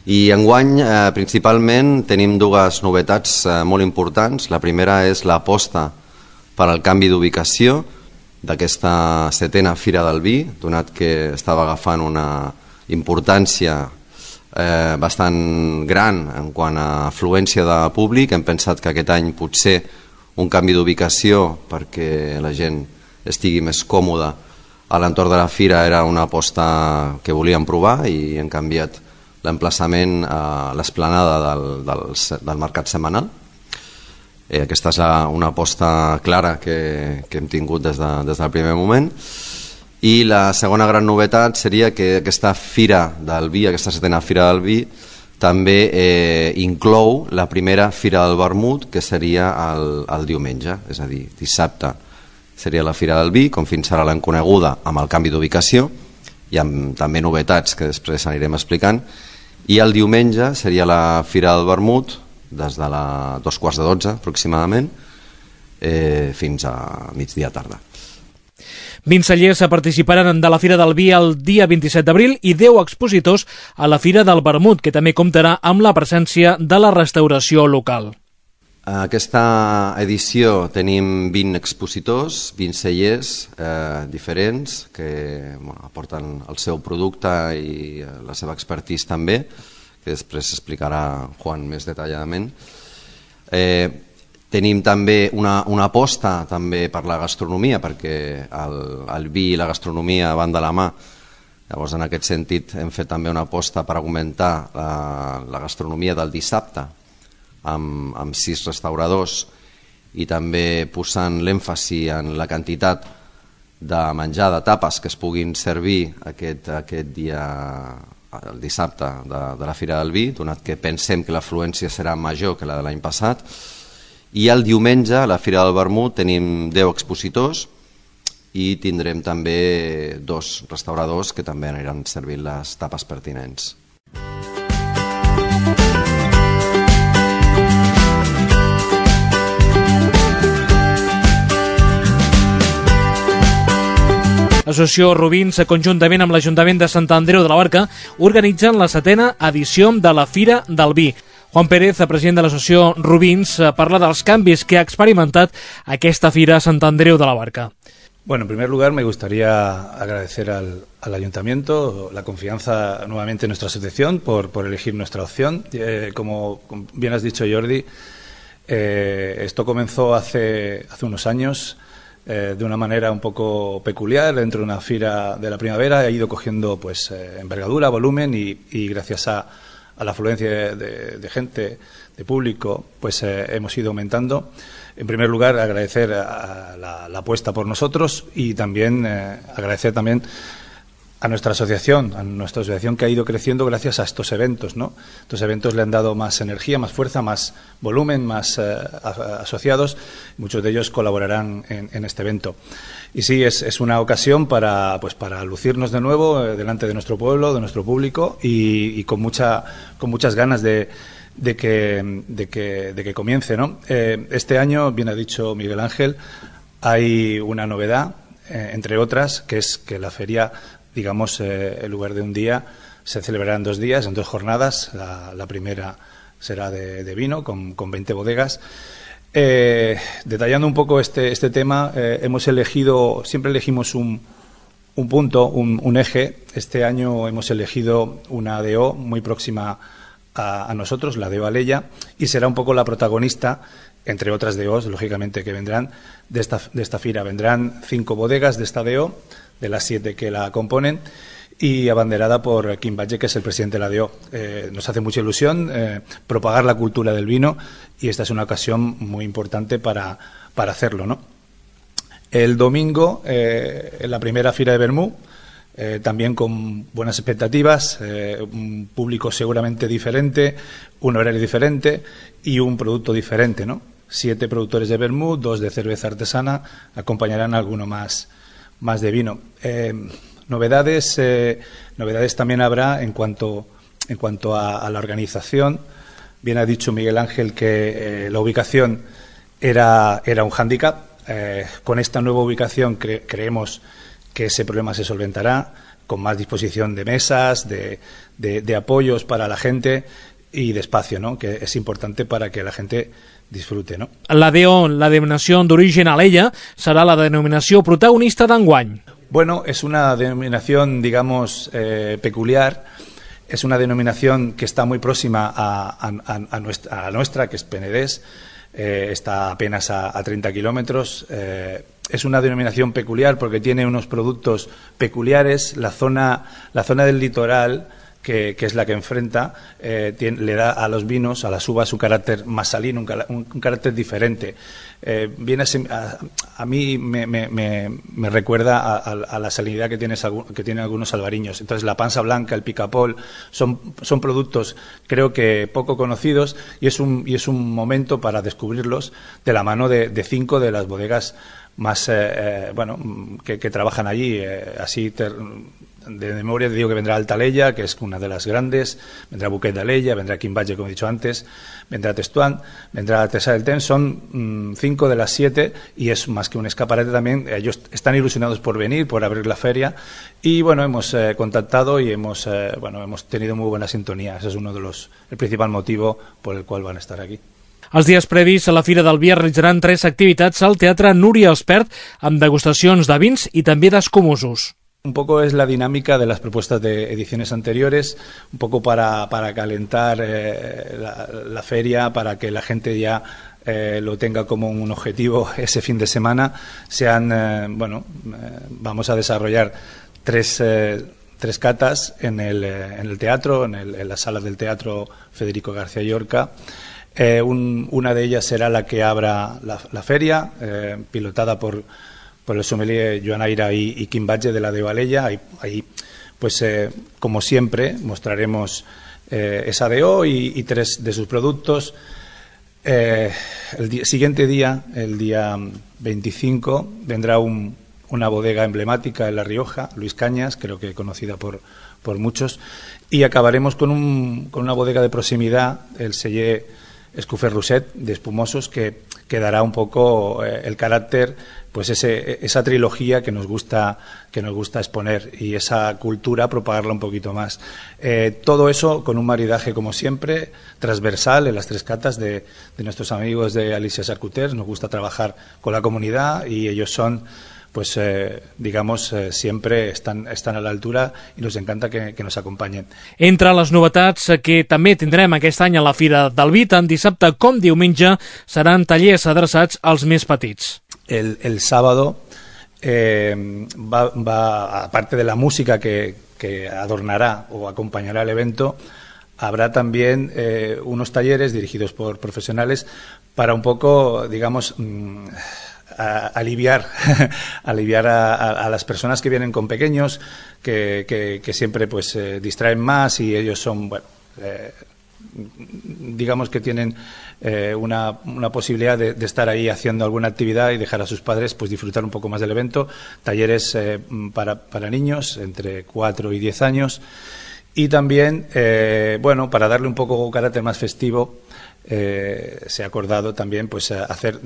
I enguany, eh, principalment, tenim dues novetats eh, molt importants. La primera és l'aposta per al canvi d'ubicació d'aquesta setena Fira del Vi, donat que estava agafant una importància eh, bastant gran en quant a afluència de públic. Hem pensat que aquest any potser un canvi d'ubicació perquè la gent estigui més còmoda a l'entorn de la fira era una aposta que volíem provar i hem canviat l'emplaçament a l'esplanada del, del, del mercat setmanal. Eh, aquesta és una aposta clara que, que hem tingut des, de, des del primer moment. I la segona gran novetat seria que aquesta fira del vi, aquesta setena Fira del Vi, també eh, inclou la primera Fira del Vermut, que seria el, el diumenge, és a dir, dissabte seria la Fira del Vi, com fins ara l'hem coneguda, amb el canvi d'ubicació i amb també novetats que després anirem explicant. I el diumenge seria la Fira del Vermut, des de la dos quarts de dotze aproximadament, eh, fins a migdia tarda. vint cellers participaran de la Fira del Vi el dia vint-i-set d'abril i deu expositors a la Fira del Vermut, que també comptarà amb la presència de la restauració local. A aquesta edició tenim vint expositors, vint cellers eh, diferents que bueno, aporten el seu producte i la seva expertise també, que després explicarà Juan més detalladament. Eh, tenim també una, una aposta també per la gastronomia, perquè el, el vi i la gastronomia van de la mà. Llavors, en aquest sentit, hem fet també una aposta per augmentar la, la gastronomia del dissabte, Amb, amb sis restauradors i també posant l'èmfasi en la quantitat de menjar de tapes que es puguin servir aquest, aquest dia, el dissabte de, de la Fira del Vi, donat que pensem que l'afluència serà major que la de l'any passat. I el diumenge a la Fira del Vermut tenim deu expositors i tindrem també dos restauradors que també aniran servint les tapes pertinents. L'associació Rubins, conjuntament amb l'Ajuntament de Sant Andreu de la Barca, organitzen la setena edició de la Fira del Vi. Juan Pérez, president de l'associació Rubins, parla dels canvis que ha experimentat aquesta fira a Sant Andreu de la Barca. Bueno, en primer lugar me gustaría agradecer al, al Ayuntamiento la confianza nuevamente en nuestra asociación por, por elegir nuestra opción. Eh, como bien has dicho, Jordi, eh, esto comenzó hace, hace unos años eh, de una manera un poco peculiar dentro de una fira de la primavera. Ha ido cogiendo pues eh, envergadura, volumen y, y gracias a, a la afluencia de, de gente, de público, pues eh, hemos ido aumentando. En primer lugar, agradecer a la, la apuesta por nosotros y también eh, agradecer también a nuestra asociación, a nuestra asociación que ha ido creciendo gracias a estos eventos, ¿no? Estos eventos le han dado más energía, más fuerza, más volumen, más eh, asociados. Muchos de ellos colaborarán en, en este evento. Y sí, es, es una ocasión para, pues, para lucirnos de nuevo eh, delante de nuestro pueblo, de nuestro público y, y con, mucha, con muchas ganas de, de, que, de, que, de que comience, ¿no? Eh, este año, bien ha dicho Miguel Ángel, hay una novedad, eh, entre otras, que es que la feria, digamos, eh, en lugar de un día, se celebrará en dos días, en dos jornadas. La, la primera será de, de vino, con, con veinte bodegas. Eh, detallando un poco este, este tema, eh, hemos elegido, siempre elegimos un, un punto, un, un eje. Este año hemos elegido una D O muy próxima a, a nosotros, la D O Alella, y será un poco la protagonista entre otras D Os, lógicamente, que vendrán de esta, de esta fira. Vendrán cinco bodegas de esta D O, de las siete que la componen, y abanderada por Quim Batlle, que es el presidente de la D O. Eh, nos hace mucha ilusión eh, propagar la cultura del vino, y esta es una ocasión muy importante para, para hacerlo, ¿no? El domingo, eh, en la primera fira de Vermú, eh, también con buenas expectativas, eh, un público seguramente diferente, un horario diferente y un producto diferente, ¿no? Siete productores de vermut, dos de cerveza artesana, acompañarán a alguno más, más de vino. Eh, novedades, eh, novedades también habrá en cuanto, en cuanto a, a la organización. Bien ha dicho Miguel Ángel que eh, la ubicación era, era un hándicap. Eh, con esta nueva ubicación cre creemos que ese problema se solventará, con más disposición de mesas, de, de, de apoyos para la gente y de espacio, ¿no? Que es importante para que la gente disfrute, ¿no? La D O, la denominació d'origen Alella, serà la denominació protagonista d'enguany. Bueno, es una denominación, digamos, eh, peculiar. Es una denominación que está muy próxima a, a, a, nuestra, a nuestra, que es Penedès. Eh, está apenas a, a treinta kilómetros. Eh, es una denominación peculiar porque tiene unos productos peculiares. La zona, la zona del litoral, que, que es la que enfrenta, eh, tiene, le da a los vinos, a las uvas, un carácter más salino, un, un, un carácter diferente. Eh, viene a, a, a mí me, me, me, me recuerda a, a, a la salinidad que, tienes, que tienen algunos albariños. Entonces, la pansa blanca, el picapol, son, son productos, creo que poco conocidos, y es un, y es un momento para descubrirlos de la mano de, de cinco de las bodegas más, eh, eh, bueno, que, que trabajan allí. Eh, así ter, de memoria te digo que vendrá Alta Alella, que es una de las grandes, vendrá Buquet de Alella, vendrá Quim Batlle, como he dicho antes, vendrá Testuán, vendrá Artesà del Ten. Son mmm, cinco de las siete, y es más que un escaparate también. Ellos están ilusionados por venir, por abrir la feria, y bueno, hemos eh, contactado y hemos eh, bueno hemos tenido muy buena sintonía. Ese es uno de los el principal motivo por el cual van a estar aquí. Els dies previs a la Fira del Vi es realitzaran tres activitats al Teatre Núria Espert, amb degustacions de vins i també d'escumosos. Un poco es la dinámica de las propuestas de ediciones anteriores, un poco para, para calentar eh, la, la feria, para que la gente ya eh, lo tenga como un objetivo ese fin de semana. Sean, eh, bueno, eh, vamos a desarrollar tres, eh, tres catas en el, eh, en el teatro, en, el, en la sala del Teatro Federico García Llorca. Eh, un, una de ellas será la que abra la, la feria, eh, pilotada por por el sommelier Joan Aira y, y Quim Batlle de la D O Alella. Ahí, ahí pues, eh, como siempre, mostraremos eh, esa D O y, y tres de sus productos. Eh, el día, siguiente día, el día veinticinco, vendrá un, una bodega emblemática en La Rioja, Luis Cañas, creo que conocida por, por muchos, y acabaremos con, un, con una bodega de proximidad, el Celler Escoffer Roset, de espumosos, que, que dará un poco eh, el carácter, pues ese, esa trilogía que nos gusta que nos gusta exponer, y esa cultura propagarla un poquito más. Eh, todo eso con un maridaje, como siempre, transversal en las tres catas de, de nuestros amigos de Alicia Charcuters. Nos gusta trabajar con la comunidad y ellos son, pues eh, digamos, eh, siempre están, están a la altura, i nos encanta que, que nos acompanyen. Entre les novetats que també tindrem aquest any a la Fira del Vi, tant dissabte com diumenge, seran tallers adreçats als més petits. El, el sábado, eh, va, va, aparte de la música que, que adornará o acompañará el evento, habrá también eh, unos talleres dirigidos por profesionales para un poco, digamos, mmm, a aliviar, aliviar a, a, a las personas que vienen con pequeños, que, que, que siempre pues eh, distraen más, y ellos son, bueno, eh, digamos que tienen eh, una, una posibilidad de, de estar ahí haciendo alguna actividad y dejar a sus padres pues disfrutar un poco más del evento. Talleres eh, para, para niños entre cuatro y diez años, y también, eh, bueno, para darle un poco carácter más festivo, eh, se ha acordado también pues hacer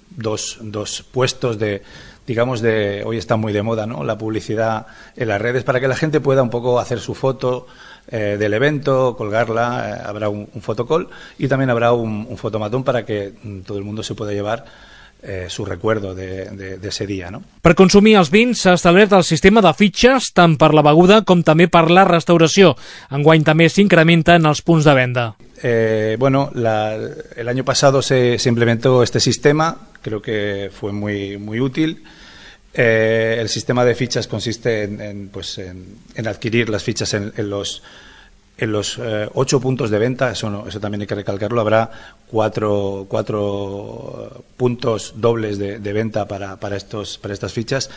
dos, dos puestos de, digamos, de, hoy está muy de moda, ¿no?, la publicidad en las redes, para que la gente pueda un poco hacer su foto eh, del evento, colgarla. Eh, habrá un, un fotocall, y también habrá un, un fotomatón para que mm, todo el mundo se pueda llevar eh, su recuerdo de, de, de ese día, ¿no? Per consumir els vins s'ha establert el sistema de fitxes tant per la beguda com també per la restauració. Enguany també s'incrementen els punts de venda. Eh, bueno, la, el año pasado se, se implementó este sistema, creo que fue muy, muy útil. Eh, el sistema de fichas consiste en, en, pues en, en adquirir las fichas en, en los en los eh, ocho puntos de venta. Eso, no, eso también hay que recalcarlo. Habrá cuatro, cuatro puntos dobles de, de venta para, para, estos, para estas fichas.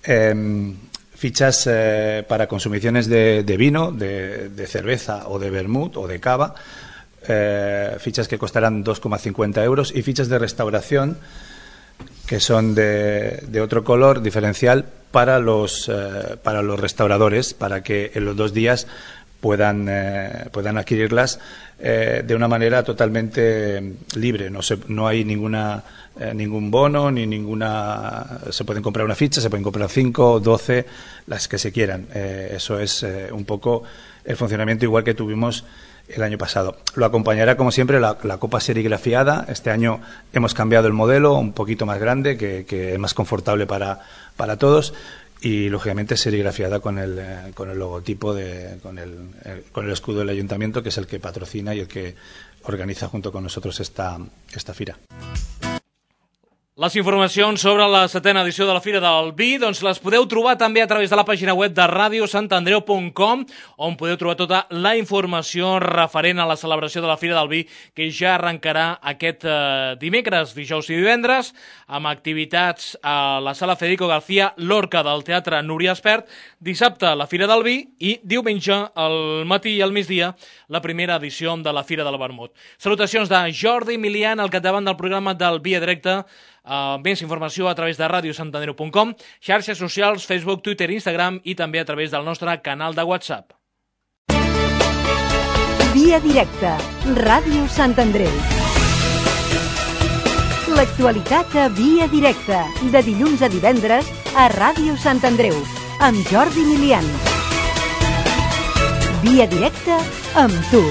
Eh, fichas eh, para consumiciones de, de vino, de, de cerveza o de vermut o de cava. Eh, fichas que costarán dos coma cincuenta euros y fichas de restauración que son de, de otro color diferencial para los, eh, para los restauradores, para que en los dos días puedan, eh, puedan adquirirlas eh, de una manera totalmente libre. No, se, no hay ninguna, eh, ningún bono, ni ninguna... Se pueden comprar una ficha, se pueden comprar cinco, doce, las que se quieran. Eh, eso es eh, un poco el funcionamiento igual que tuvimos el año pasado. Lo acompañará, como siempre, la, la copa serigrafiada. Este año hemos cambiado el modelo, un poquito más grande, que, que es más confortable para, para todos, y lógicamente serigrafiada con el, eh, con el logotipo, de, con, el, el, con el escudo del ayuntamiento, que es el que patrocina y el que organiza junto con nosotros esta, esta fira. Les informacions sobre la setena edició de la Fira del Vi doncs les podeu trobar també a través de la pàgina web de radio sant andreu punt com, on podeu trobar tota la informació referent a la celebració de la Fira del Vi, que ja arrencarà aquest eh, dimecres, dijous i divendres, amb activitats a la sala Federico García Lorca del Teatre Núria Espert, dissabte la Fira del Vi i diumenge al matí i al migdia la primera edició de la Fira del Vermut. Salutacions de Jordi Milian al capdavant del programa del Via Directe. Uh, més informació a través de radio sant andreu punt com, xarxes socials, Facebook, Twitter, Instagram i també a través del nostre canal de WhatsApp. Via Directe, Ràdio Sant Andreu. L'actualitat a Via Directe, de dilluns a divendres a Ràdio Sant Andreu, amb Jordi Milian. Via Directe amb tu.